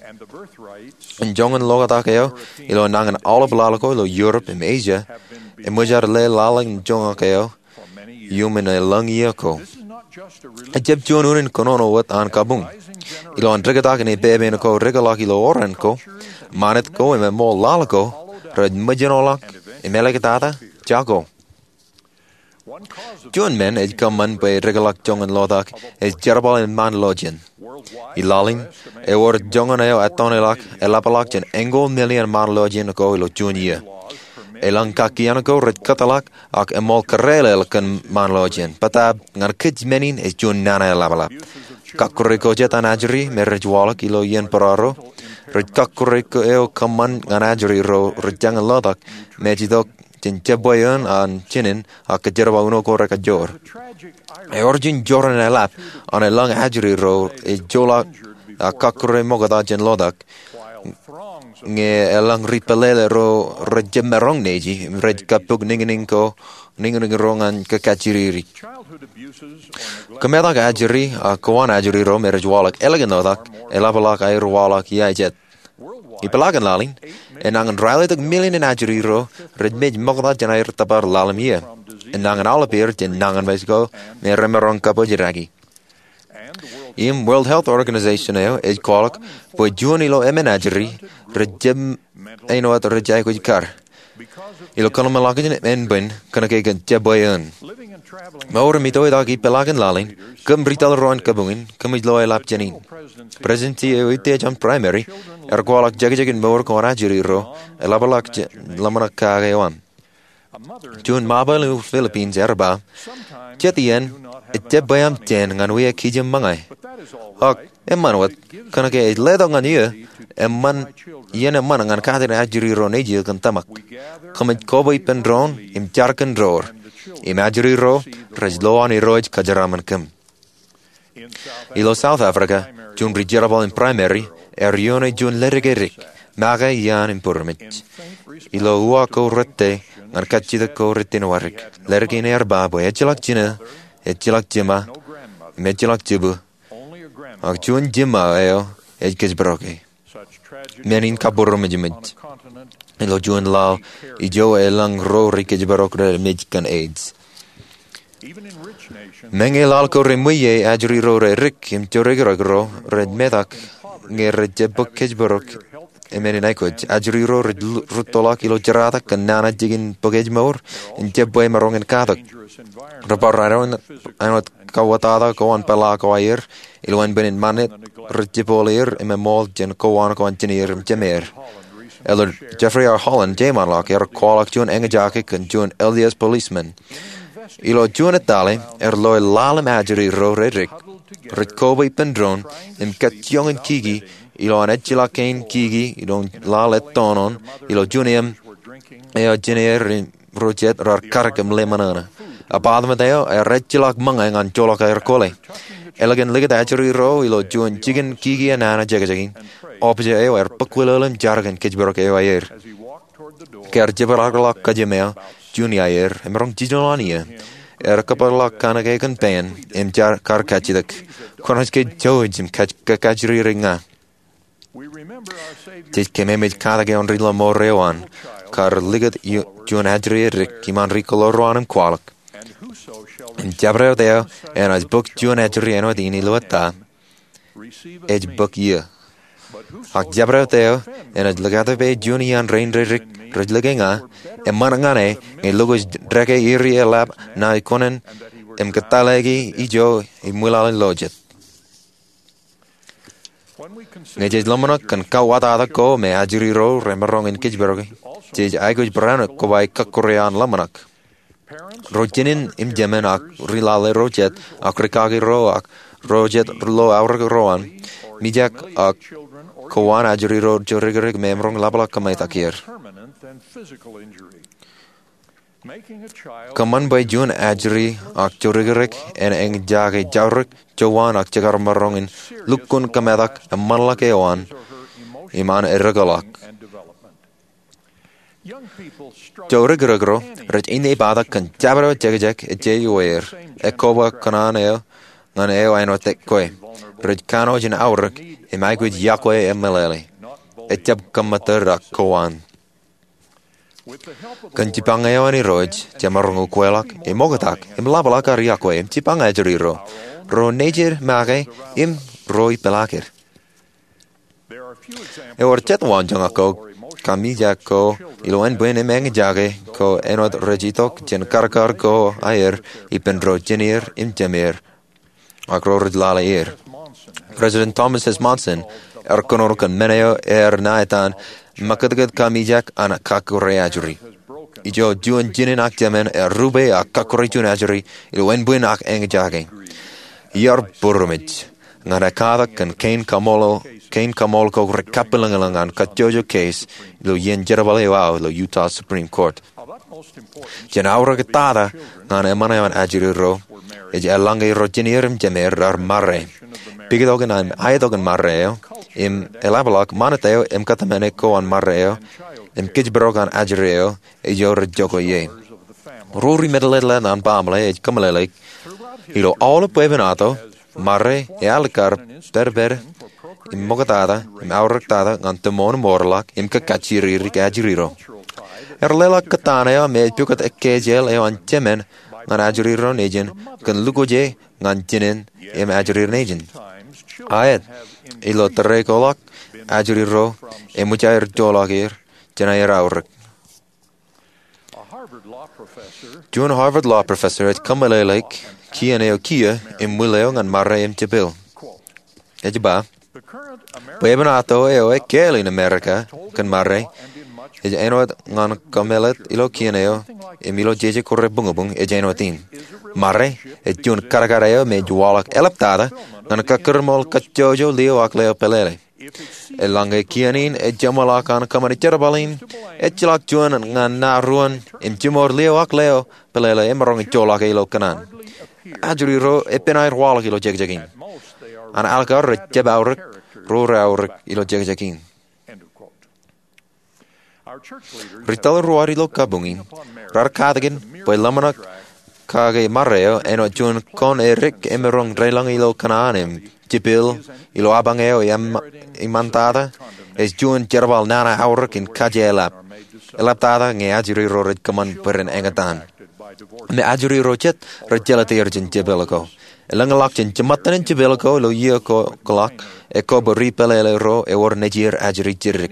Im joñan lotak eo ilo nañin aolep laḷ ko ilo Europe im Asia eṃōj ad lale laḷ in joñak eo iuṃwin elōñ iiō ko. Ejjab juon unin kōnono wōt an kabuñ. Ilo an diktak in epepen ko dikḷọk ilo oran ko, ṃanit ko im eṃool laḷ ko rej ṃōjṇọḷọk im āliktata jako. Juon men ej kōṃṃan bwe dikḷọk joñan lotak ej jerbal in ṃaan lọjien. Ilaḷ in, ewōr joñan eo ettoṇeḷọk eḷapḷọk jān eñoul million ṃaan lọjien ko ilo juon iiō. Elōñ kakkien ko rej kōtḷọk ak eṃool kōrālel kōn ṃaan lọjien, bōtaab ñan kōj men in ej juon nana eḷapḷap. Kọkkure ko jet an ajri me rej waḷọk ilo iien būraro, rej kọkkure eo kōṃṃan ñan ajri ro rej joñan lotak me ej itok jān jebwāān an jinen ak kōjerbal uno ko rekajoor. Ewōr juon jorrāān eḷap an elōñ ajri ro ej joḷọk ak kọkkure ṃokta jān lotak, ñe elōñ ri pālele ro rej jab maroñ neji im rej kappok niñniñ ro ñan kōkajjidikdik. Kōmetak ajri ak kowaan ajri ro me rej waḷọk ālikin lotak eḷapḷọk aer waḷọk iiō jet. Ipeḷaakin laḷ in, enañin ralitōk million in ajri ro rej mej ṃokta jān aer tōpar ḷalem iiō. Enañin aolepāer jān nañinmej ko me remaroñ kabōjrak ie. Im World Health Organization eo ej kwaḷọk bwe juon ilo emān ajri rej jab āinwōt rej aikuj kar ilo kōḷmānḷọkjeṇ ānbwin kōnke kōn jebwāān. Mour im itoitak ipeḷaakin laḷ in, kōm retail ro an kabuñ in, kōmij lo eḷap jān in. Presidency eo Utiej an Primary ear kwaḷọk jekjekin mour ko an ajri ro eḷapḷọk jān ḷōmṇak kake eo aṃ. Juon ṃapail ilo Philippines ear ba, jet iien ejjab bwe aṃ jān ñan wia kijem ṃōñā. Ak eṃṃan wōt, kōnke ej letok ñan iiō, eṃṃan, iien eṃṃan ñan kate ajri ro nejū kōn tōmak. Kōmij kobwe ippān doon im jar kōn door, im ajri ro rej lo an Irooj kōjeraaṃṃan kōm. Ilo South Africa, juon ri jerbal in primary ear ioone juon ledik edik, make iaan im būrmej. Ilo uwaak ko rūtto ñan kajjitōk ko rej tōn wōdik, ledik in ear ba bwe ejjeḷọk jino, ejjeḷọk jiṃa, im ejjeḷọk jibwin, ak juon jiṃa eo ej kōjparoke. Men in kabūroṃōjmōj ilo juon laḷ ijo elōñ ro rej kōjparok rej mej kōn AIDS. Meñe laḷ ko remwiie, ajri ro redik im jodikdik ro rej metak ñe rej jab bōk kōjparok im men in aikuj. Ajri ro rej rūttoḷọk ilo jeraatak kōn nana jikin bōk ejmour im jebwāān maroñ in katak. Rebar āinwōt kauwōtata ko an peḷaakin aer ilo ānbwin in ṃanit rej jepooḷ er im eṃool jān kowaan ko an jineer im jemeer. Elder Jeffrey R. Holland jeṃaanḷọk, ear kwaḷọk juon eñjake kōn juon L D S policeman. Ilo juon ettale ear loe ḷalem ajri ro redik Rej kobwe ippān doon im kajjioñ in kiki ilo an ejjeḷọk kein kiki ilo laḷ ettoon ilo juon iiō eo jenier im ro jet raar karōk im lemṇōṇō. Apartment eo ear ejjeḷọk ṃōñā ñan joḷọk aer kole. Ālikin likūt ajri ro ilo juon jikin kiki enana jekjekin, officer eo ear bōkwilōlō im jar kōn kōjparok eo aer. Ke ear jepḷaakḷọk kōjām eo, Junie aer, emaroñ jiljino an iiō. Ear kōpeḷḷọk kanōk eo kōn pein im jar kar kajjitōk, Kwōnaaj ke jouj im kajjirere ña. Jej kememej katak eo an ri-lọmọọr eo an kar likūt juon ajri edik iṃaan ri-kōḷḷā ro an im kwaḷọk, im jabdewōt eo enaaj bōk juon ajri āinwōt in ilo ettā, ej bōk iiō. Ak jabdewōt eo enaaj likatōpe juon iaan rein redik rej lōke ña, eṃṃan ñan e ñe lukkuun dāke eri eḷap ṇae kuṇāān im kōttālōki ijo imwilaḷ in lo jet. Ñe jej ḷōmṇak kōn kauwōtata ko me ajri ro remaroñ in kōjparoki, jej aikuj barāinwōt koba kọkkure an ḷōmṇak. Ro jinen im jemān ak ri-lale ro jet ak ri-kaki ro ak ro jet lo aorōk ro an, mijak ak kowaan ajri ro jorikrek me emaroñ ḷapḷọk kōmetak er. Kōṃṃan bwe juon ajri ak jorikrek en eñjake jaurōk, jowaan ak jekar maroñ in lukkuun kōmetak eṃṃanḷọk eo an im an edekḷọk. Jorikrek ro rej inneipatak kōn jabdewōt jekjek ej ioer, ekoba kōṇaan eo ñan eo āinwōt kwe. Rej kanooj in aorōk im aikuj iọkwe im meḷeḷe. Ejjab kōṃṃan tōre ak kowaan. Kōn jipañ eo an Irooj, jemaroñ ukweḷọk im oktak im ḷapḷọk ad iọkwe im jipañ ajri ro, ro nejid make im ro ipeḷaaked. Ewōr jet waanjoñak ko ka mijak ko ilo ānbwin im eñjake ko āinwōt rej itok jān karkar ko aer ippān ro jenier im jemer ak ro rej lale er. President Thomas S. Monson ear kōnono kōn men eo ear ṇa etan ṃakūtkūt kamijak an kọkkure ajri. Ijo juon jinen ak jemān ear rupe ak kọkkure juon ajri ilo ānbwin ak eñjake. Iar būroṃōj ñan ekkatak kōn kein kaṃool ko rej kapilōñlōñ an kajjojo keis ilo iien jerbal eo aō ilo Utah Supreme Court. Jān aorōk tata ñan eṃṃan eo an ajri ro, ej eḷaññe ro jenier im jemer raar marre. Pikitok in aetok in marre eo im eḷapḷọk ṃanit eo im kōtmāne ko an marre eo im kōjparok an ajri eo ijo rej jokwe ie. Ro ri-medlōtlōt an baaṃle ej kōmeḷeḷeik, ilo aolep bwebwenato, marre ealikkar pedped im ṃoktata im aorōktata ñan tōṃoon im orḷọk im kōkajjirere ajri ro. Ear leḷọk kōttan eo me ej pukot ekkejel eo an jemān ñan ajri ro nejin kōn lukwōje ñan jinen im ajri nejin. Aet, ilo tōre ko ḷọk, ajri ro eṃōj aer joḷọk er jān aer aorōk. Juon Harvard law professor ej kōmeḷeḷeik kien eo kiiō im ṃwiin eo ñan marre im jepel. Ej ba, bwebwenato eo ekkāāl in Amerika kōn marre, ej āinwōt ñan kōmeḷeḷe ilo kien eo im ilo jeje ko rebuñbuñ, ej āinwōt in. Marre ej juon kadkad eo me ej waḷọk eḷaptata ñan kakkūrṃool kajjojo lio ak leo pālele. Eḷaññe kien in ej jeṃḷọk an kōṃṃane jerbal in, ejjeḷọk juon ñan ṇa ruon im jimour lio ak leo pālele emaroñ in joḷọk e ilo kōṇaan. Ajri ro epen aer waḷọk ilo jekjek in. An alikkar rej jab aorōk ro reaorōk ilo jekjek in. Ri tōl ro ad ilo kabuñ in raar katakin bwe ḷōmṇak kake marre eo āinwōt juon kōn edik emaroñ deḷọñ ilo kōṇaan im jepel ilo apañ eo eṃṃantata ej juon jerbal nana aorōk in kajeḷap. Eḷaptata ñe ajri ro rej kōṃṃan bwe ren eñtaan im ajri ro jet rej jelōt er jān jepel ko. Elōñḷọk jān jiṃṃan in jepel ko ilo iiō ko ḷọk, ekwe bwe ri pālele ro ewōr nejier ajri jidik.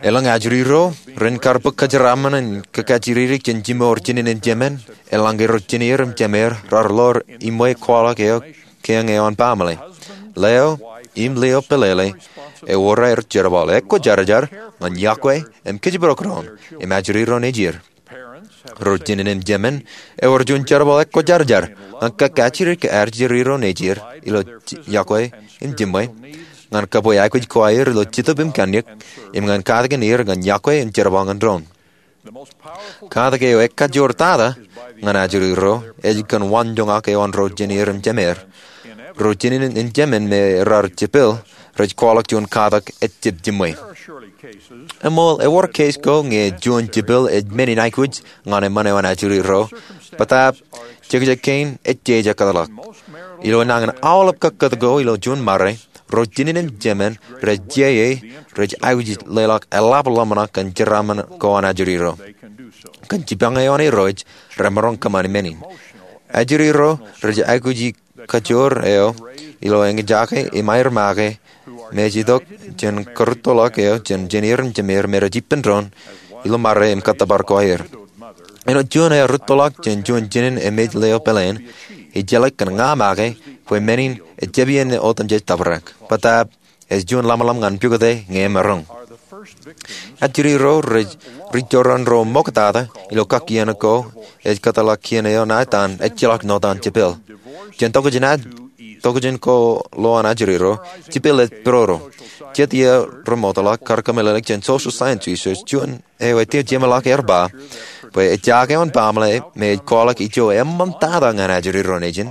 Elōñ ajri ro ren kar bōk kōjeraaṃṃan in kōkajjirere jān jimour jinen im jemān, eḷaññe ro jenier im jemer raar ḷoor iṃwe kwaḷọk eo kein eo an baaṃle. Leo im lio pālele ewōr aer jerbal. Ekwōjarjar ñan iọkwe im kōjparok doon im ajri ro nejier. Ro jinen im jemān ewōr juon jerbal ekwōjarjar ñan kōkajjitōk ajri ro nejier ilo yokwe im jiṃwe ñan kabwe aikuj ko aer ilo Jetōb im Kajnōk im ñan katakin er ñan yokwe im jerbal ñan doon. Katak eo ekajoor tata ñan ajri ro ej kōn waanjoñak eo an ro jeineer im jemeer. Ro jinen im jemān me raar jepel rej kwaḷọk juon katak ejjab jiṃwe. Eṃool ewōr keis ko ñe juon jepel ej men in aikuj ñan eṃṃan eo an ajri ro, bōtaab jekjek kein ejjeje kōtḷọk. Ilo nañin aolep kakkōt ko ilo juon ṃare, ro jinen im jemān rej jeje rej aikuj leḷọk eḷap ḷōmṇak kōn jeraaṃṃan ko an ajri ro. Kōn jipañ eo an Irooj, remaroñ kōṃṃan men in. Ajri ro rej aikuji kajoor eo ilo eñjake im aer make me ej itok jān karūttoḷọk eo jān jeineer im jemeer me rej ippān doon ilo ṃare im kōttōpar ko aer. Āinwōt juon ear rūttoḷọk jān juon jinen im ej leo peleen, ij jeḷā kōn ña make bwe men in ej jab iien otemjej tabrak, bōtaab ej juon ḷōmṇak ñan pukot ñe emaroñ. Ajri ro rej ri joran ro ṃoktata ilo kakkien ko ej kōtḷọk kien eo ṇa etan ejjeḷọk ṇotan jepel. Jān tokjān ko lo an ajri ro, jepel ej pudoro. Jet iiō remootḷọk kar kōmeḷeḷeik jān social science research, juon eo ej jeṃḷọk ear ba bwe ejjaak eo an baaṃle me ej kwaḷọk ijo eṃṃantata ñan ajri ro nejin.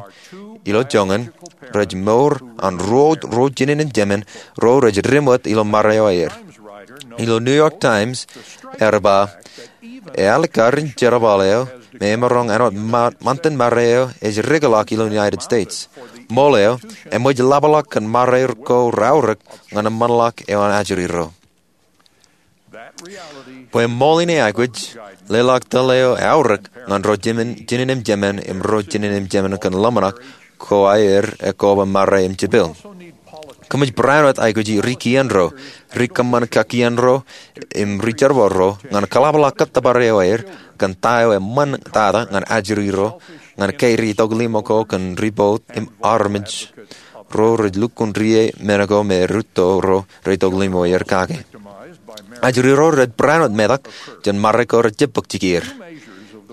Ilo joñan, rej mour an ruo ro jinen im jemān ro rej dim wōt ilo ṃare eo aer. Ilo New York Times ear ba, ealikkar in jerbal eo me emaroñ āinwōt ṃantin ṃare eo ej dikḷọk ilo United States. Ṃool eo, eṃōj ḷapḷọk kōn ṃare ko reaorōk ñan eṃṃanḷọk eo an ajri ro. Bwe ṃool in eaikuj, leḷọk tōl eo eaorōk ñan ro jinen im jemān im ro jinen im jemān kōn ḷōmṇak ko aer ekoba ṃare im jepel. Kōmij barāinwōt aikuji ri kien ro, ri kōṃṃan kakkien ro, im ri jerbal ro ñan kaḷapḷọk kōttōpar eo aer kōn ta eo eṃṃantata ñan ajri ro ñan kein ri itok limo ko kōn ri boat im armej ro rej lukkuun ri men ko me rūtto ro rej itok limo er kake. Ajri ro rej barāinwōt metak jān ṃare ko rejjab bōk jikier.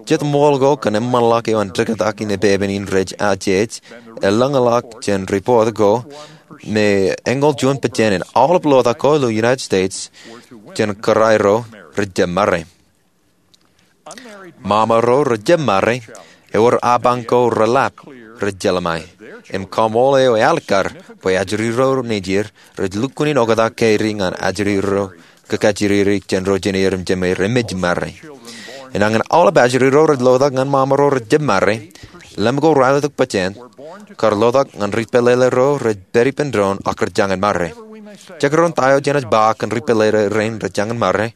Jet ṃool ko kōn eṃṃanḷọk eo an diktak in epepen in rej ajeej elōñḷọk jān ripoot ko me eñoul juon pejān in aolep lotak ko ilo United States jān kōrā ro rejjab ṃare. Ṃaṃa ro rejjab ṃare, ewōr apañ ko reḷap rej jeḷā ṃae, im kaṃool eo ealikkar bwe ajri ro nejier rej lukkuun in oktak kein ñan ajri ro kōkajjitōk jān ro jeineer im jemeer emej ṃare. Enañin aolep ajri ro rej lotak ñan ṃaṃa ro rejjab ṃare, lem ko raar itok pejān kar lotak ñan ri pālele ro rej pād ippān doon ak rej jañin ṃare. Jekdọọn ta eo jenaaj ba kōn ri pālele rein rej jañin ṃare,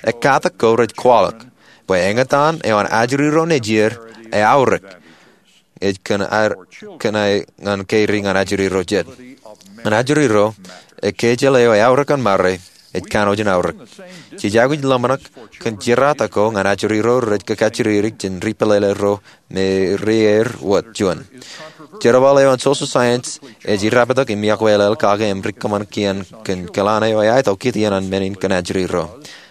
ekkatak ko rej kwaḷọk bwe eñtaan eo an ajri ro nejier eaorōk ej kōn aer ñan kein ñan ajri ro jet. Ñan ajri ro, ekkejeḷā eo eaorōk an ṃare ej kanooj in aorōk. Jej aikuj ḷōmṇak kōn jerata ko ñan ajri ro rej kōkajjitōk jān ri pālele ro me ri er wōt juon. Jerbal eo an social science ej irraptok im iakwelel kake im ri kōṃṃan kien kōn kōḷan eo eaetok kōn men in kōn ajri ro.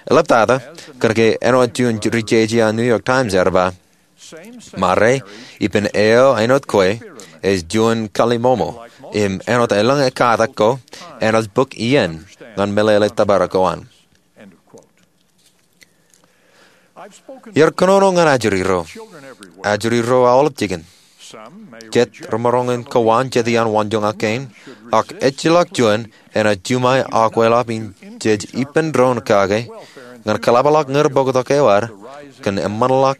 Eḷaptata, kōnke āinwōt juon ri jeje an New York Times ear ba, ṃare ippān eo āinwōt kwe ej juon kallimmomo, im āinwōt elōñ ekkatak ko, enaaj bōk iien ñan meḷeḷe tōpar ko an. Iar kōnono ñan ajri ro. Ajri ro aolep jikin. Jet remaroñ in kowaan jet iaan waanjoñak kein, ak ejjeḷọk juon enaaj juṃae aokweḷap in jej ippān doon kake ñan kaḷapḷọk ñan bōktok eo ad kōn eṃṃanḷọk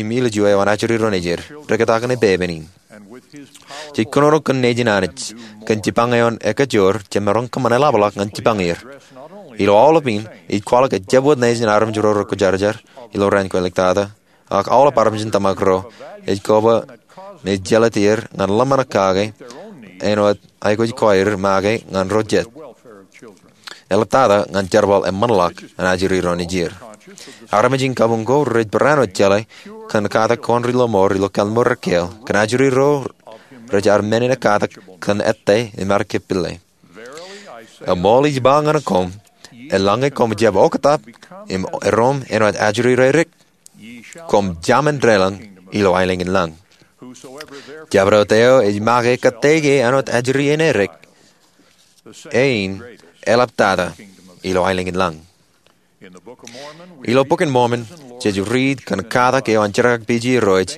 im ilju eo an ajri ro nejier, diktak in epepen in. Jej kōnono kōn nejin Anij kōn jipañ eo an ekajoor jemaroñ kōṃṃan eḷapḷọk ñan jipañ er. Ilo aolep in, ij kwaḷọk ejjab wōt nejin armej ro rekwōjarjar ilo raan ko iliktata, ak aolep armej in tōmak ro ej koba me jeḷā tier ñan ḷōmṇak kake āinwōt aikuj ko aer make ñan ro jet. Eḷaptata ñan jerbal eṃṃanḷọk an ajri ro nejier. Armej in kabuñ ko rej barāinwōt jeḷā kōn katak ko an ri lọmọọr ilo kalliṃur ekkeel kōn ajri ro rej ad men in ekkatak kōn ettā im ad kepille. Eṃool ij ba ñan koṃ, eḷaññe koṃ jab oktak im erom āinwōt ajri ro edik, koṃ jaṃin deḷọñ ilo aelōñ in lañ. Jabdewōt eo ej make kōttāik āinwōt ajri eṇ erik, e in eḷaptata ilo aelōñ in lañ. Ilo Bok in Mormon, jej riit kōn katak eo an jerkakpeje irooj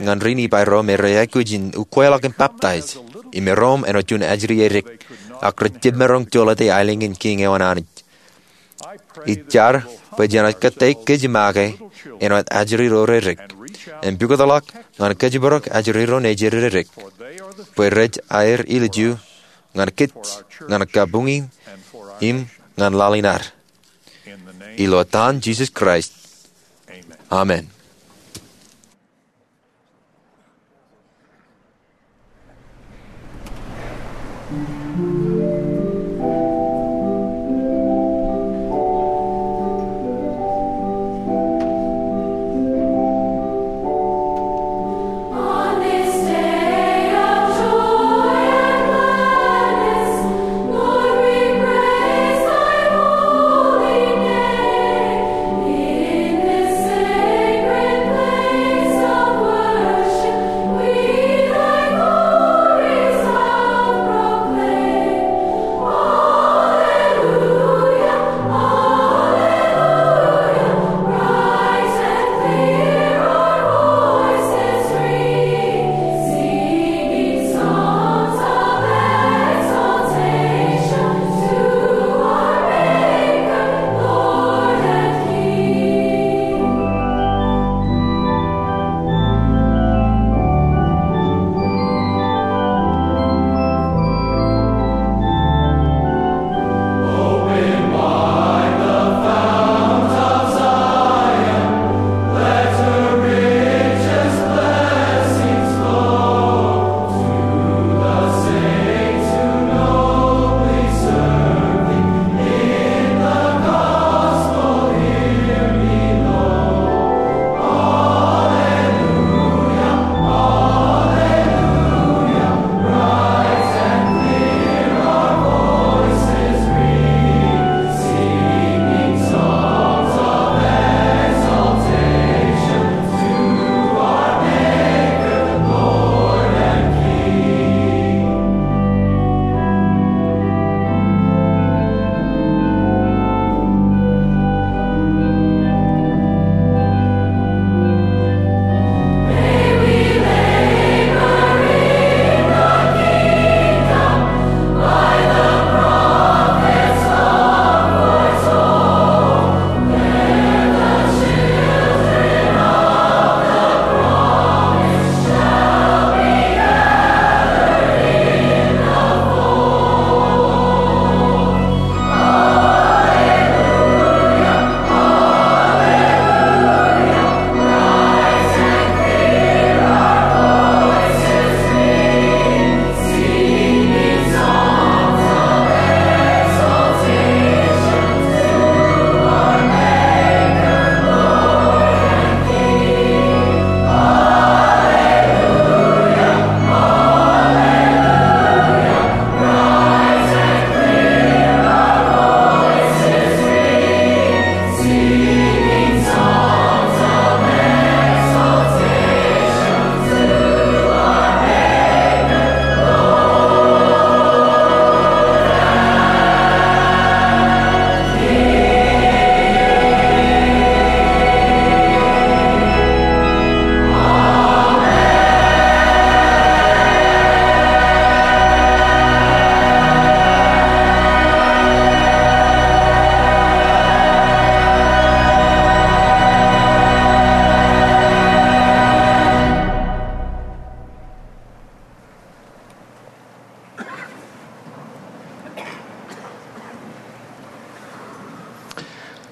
ñan ri-Nifai ro me rej aikuj in ukweḷọk im baptaij, im erom āinwōt juon ajri erik, ak rej jab maroñ jolōte aelōñ in kiiñ eo an Anij. Ij jar bwe jenaaj kōttāik kōj make āinwōt ajri ro rerik, im pukotḷọk ñan kōjparok ajri ro nejid rerik, bwe rej aer ilju ñan kōj, ñan kabuñe, im ñan laḷ in ad. Ilo etan Jisōs Kraist, amen.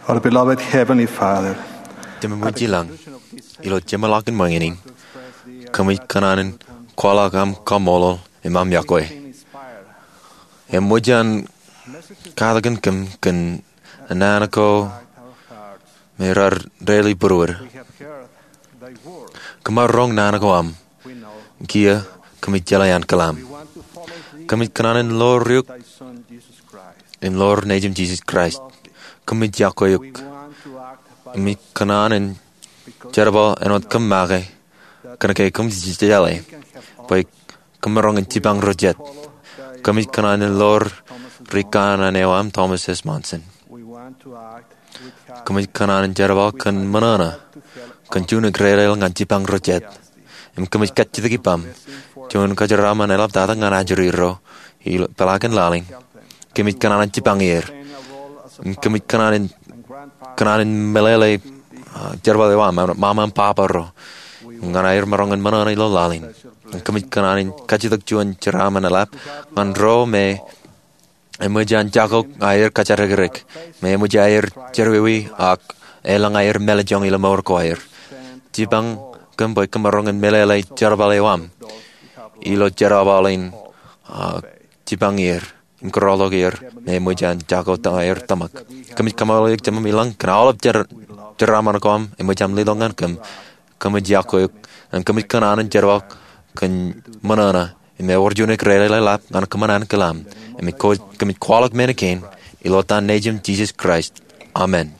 Our beloved Heavenly Father, Tōmak eo ilañ, ilo jeṃḷọkin ṃōñā in, kōmij kōṇaan in kwaḷọk aṃ kaṃṃoolol im aṃ yokwe. Eṃōj an katakin kōm kōn naan ko me raar deḷọñ būruod. Kōm ar roñ naan ko aṃ. Kiiō kōmij jeḷā an kōḷaam. Kōmij kōṇaan in ḷoor eok im ḷoor Nejūṃ Jisōs Kraist. Kōmij yokwe eok. Kōmij kōṇaan in jerbal āinwōt kōm make, kōnke kōm jeḷā bwe kōm maroñ in jipañ ro jet. Kōmij kōṇaan in ḷoor ri kanaan eo aṃ, Thomas S. Monson. Kōmij kōṇaan in jerbal kōn ṃōṇōṇō, kōn juon eklelel ñan jipañ ro jet. Im kōmij kajjitōk ippaṃ juon kajeraaṃṃan eḷaptata ñan ajri ro ilo peḷaakin laḷ in. Kōmij kōṇaan in jipañ er. Im kōmij kōṇaan in, kōṇaan in meḷeḷe, ah, jerbal eo aṃ, ṃaṃa im baba ro, ñan aer maroñ in ṃōṇōṇō ilo laḷ in. Im kōmij kōṇaan in kajjitōk juon jeraaṃṃan eḷap ñan ro me eṃōj an jako aer kōjatdikdik, me eṃōj aer jerọwiwi ak elōñ aer mālejjoñ ilo mour ko aer. Jipañ kōm bwe kōm maroñ in meḷeḷe jerbal eo aṃ ilo jerbal in, ah, jipañ er im kōrọọltok er me eṃōj an jako aer tōmak. Kōmij kaṃṃoolol eok Jemem ilañ kōn aolep jer-, jeraaṃṃan ko aṃ eṃōj aṃ letok ñan kōm. Kōmij jako eok, im kōmij kōṇaan in jerbal kōn ṃōṇōṇō, im ewōr juon eklelel eḷap ñan kōṃṃan ankilaṃ. Im kōmij kwaḷọk men kein ilo etan Nejiṃ Jisōs Kraist. Amen.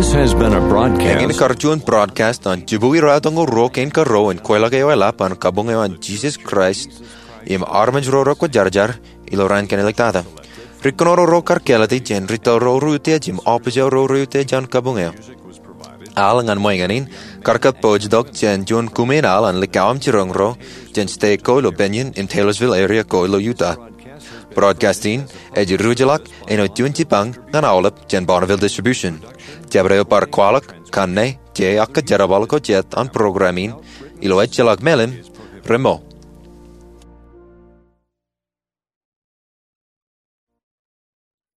This has been a broadcast. Eñin kar juon broadcast an jibukwi ruatimjuonñoul ruo kein kar ruo in kwaḷọk eo eḷap an kabuñ eo an Jisōs Kraist im armej ro rekwōjarjar ilo raan kein iliktata. Ri kōnono ro kar kāālōt jān retail ro reutiej im office eo ro reutiej an kabuñ eo. Al ñan ṃweeñān in kar kōpooj tok jān juon kume in al an likao im jiroñ ro jān state ko ilo Benning im Taylorsville area ko ilo Utah. Broadcast in ej ruj ḷọk āinwōt juon jipañ ñan aolep jān Bonneville Distribution. Jabdewōt bar kwaḷọk kanne, je, ak kōjerbal ko jet an program in ilo ejjeḷọk mālim, remo,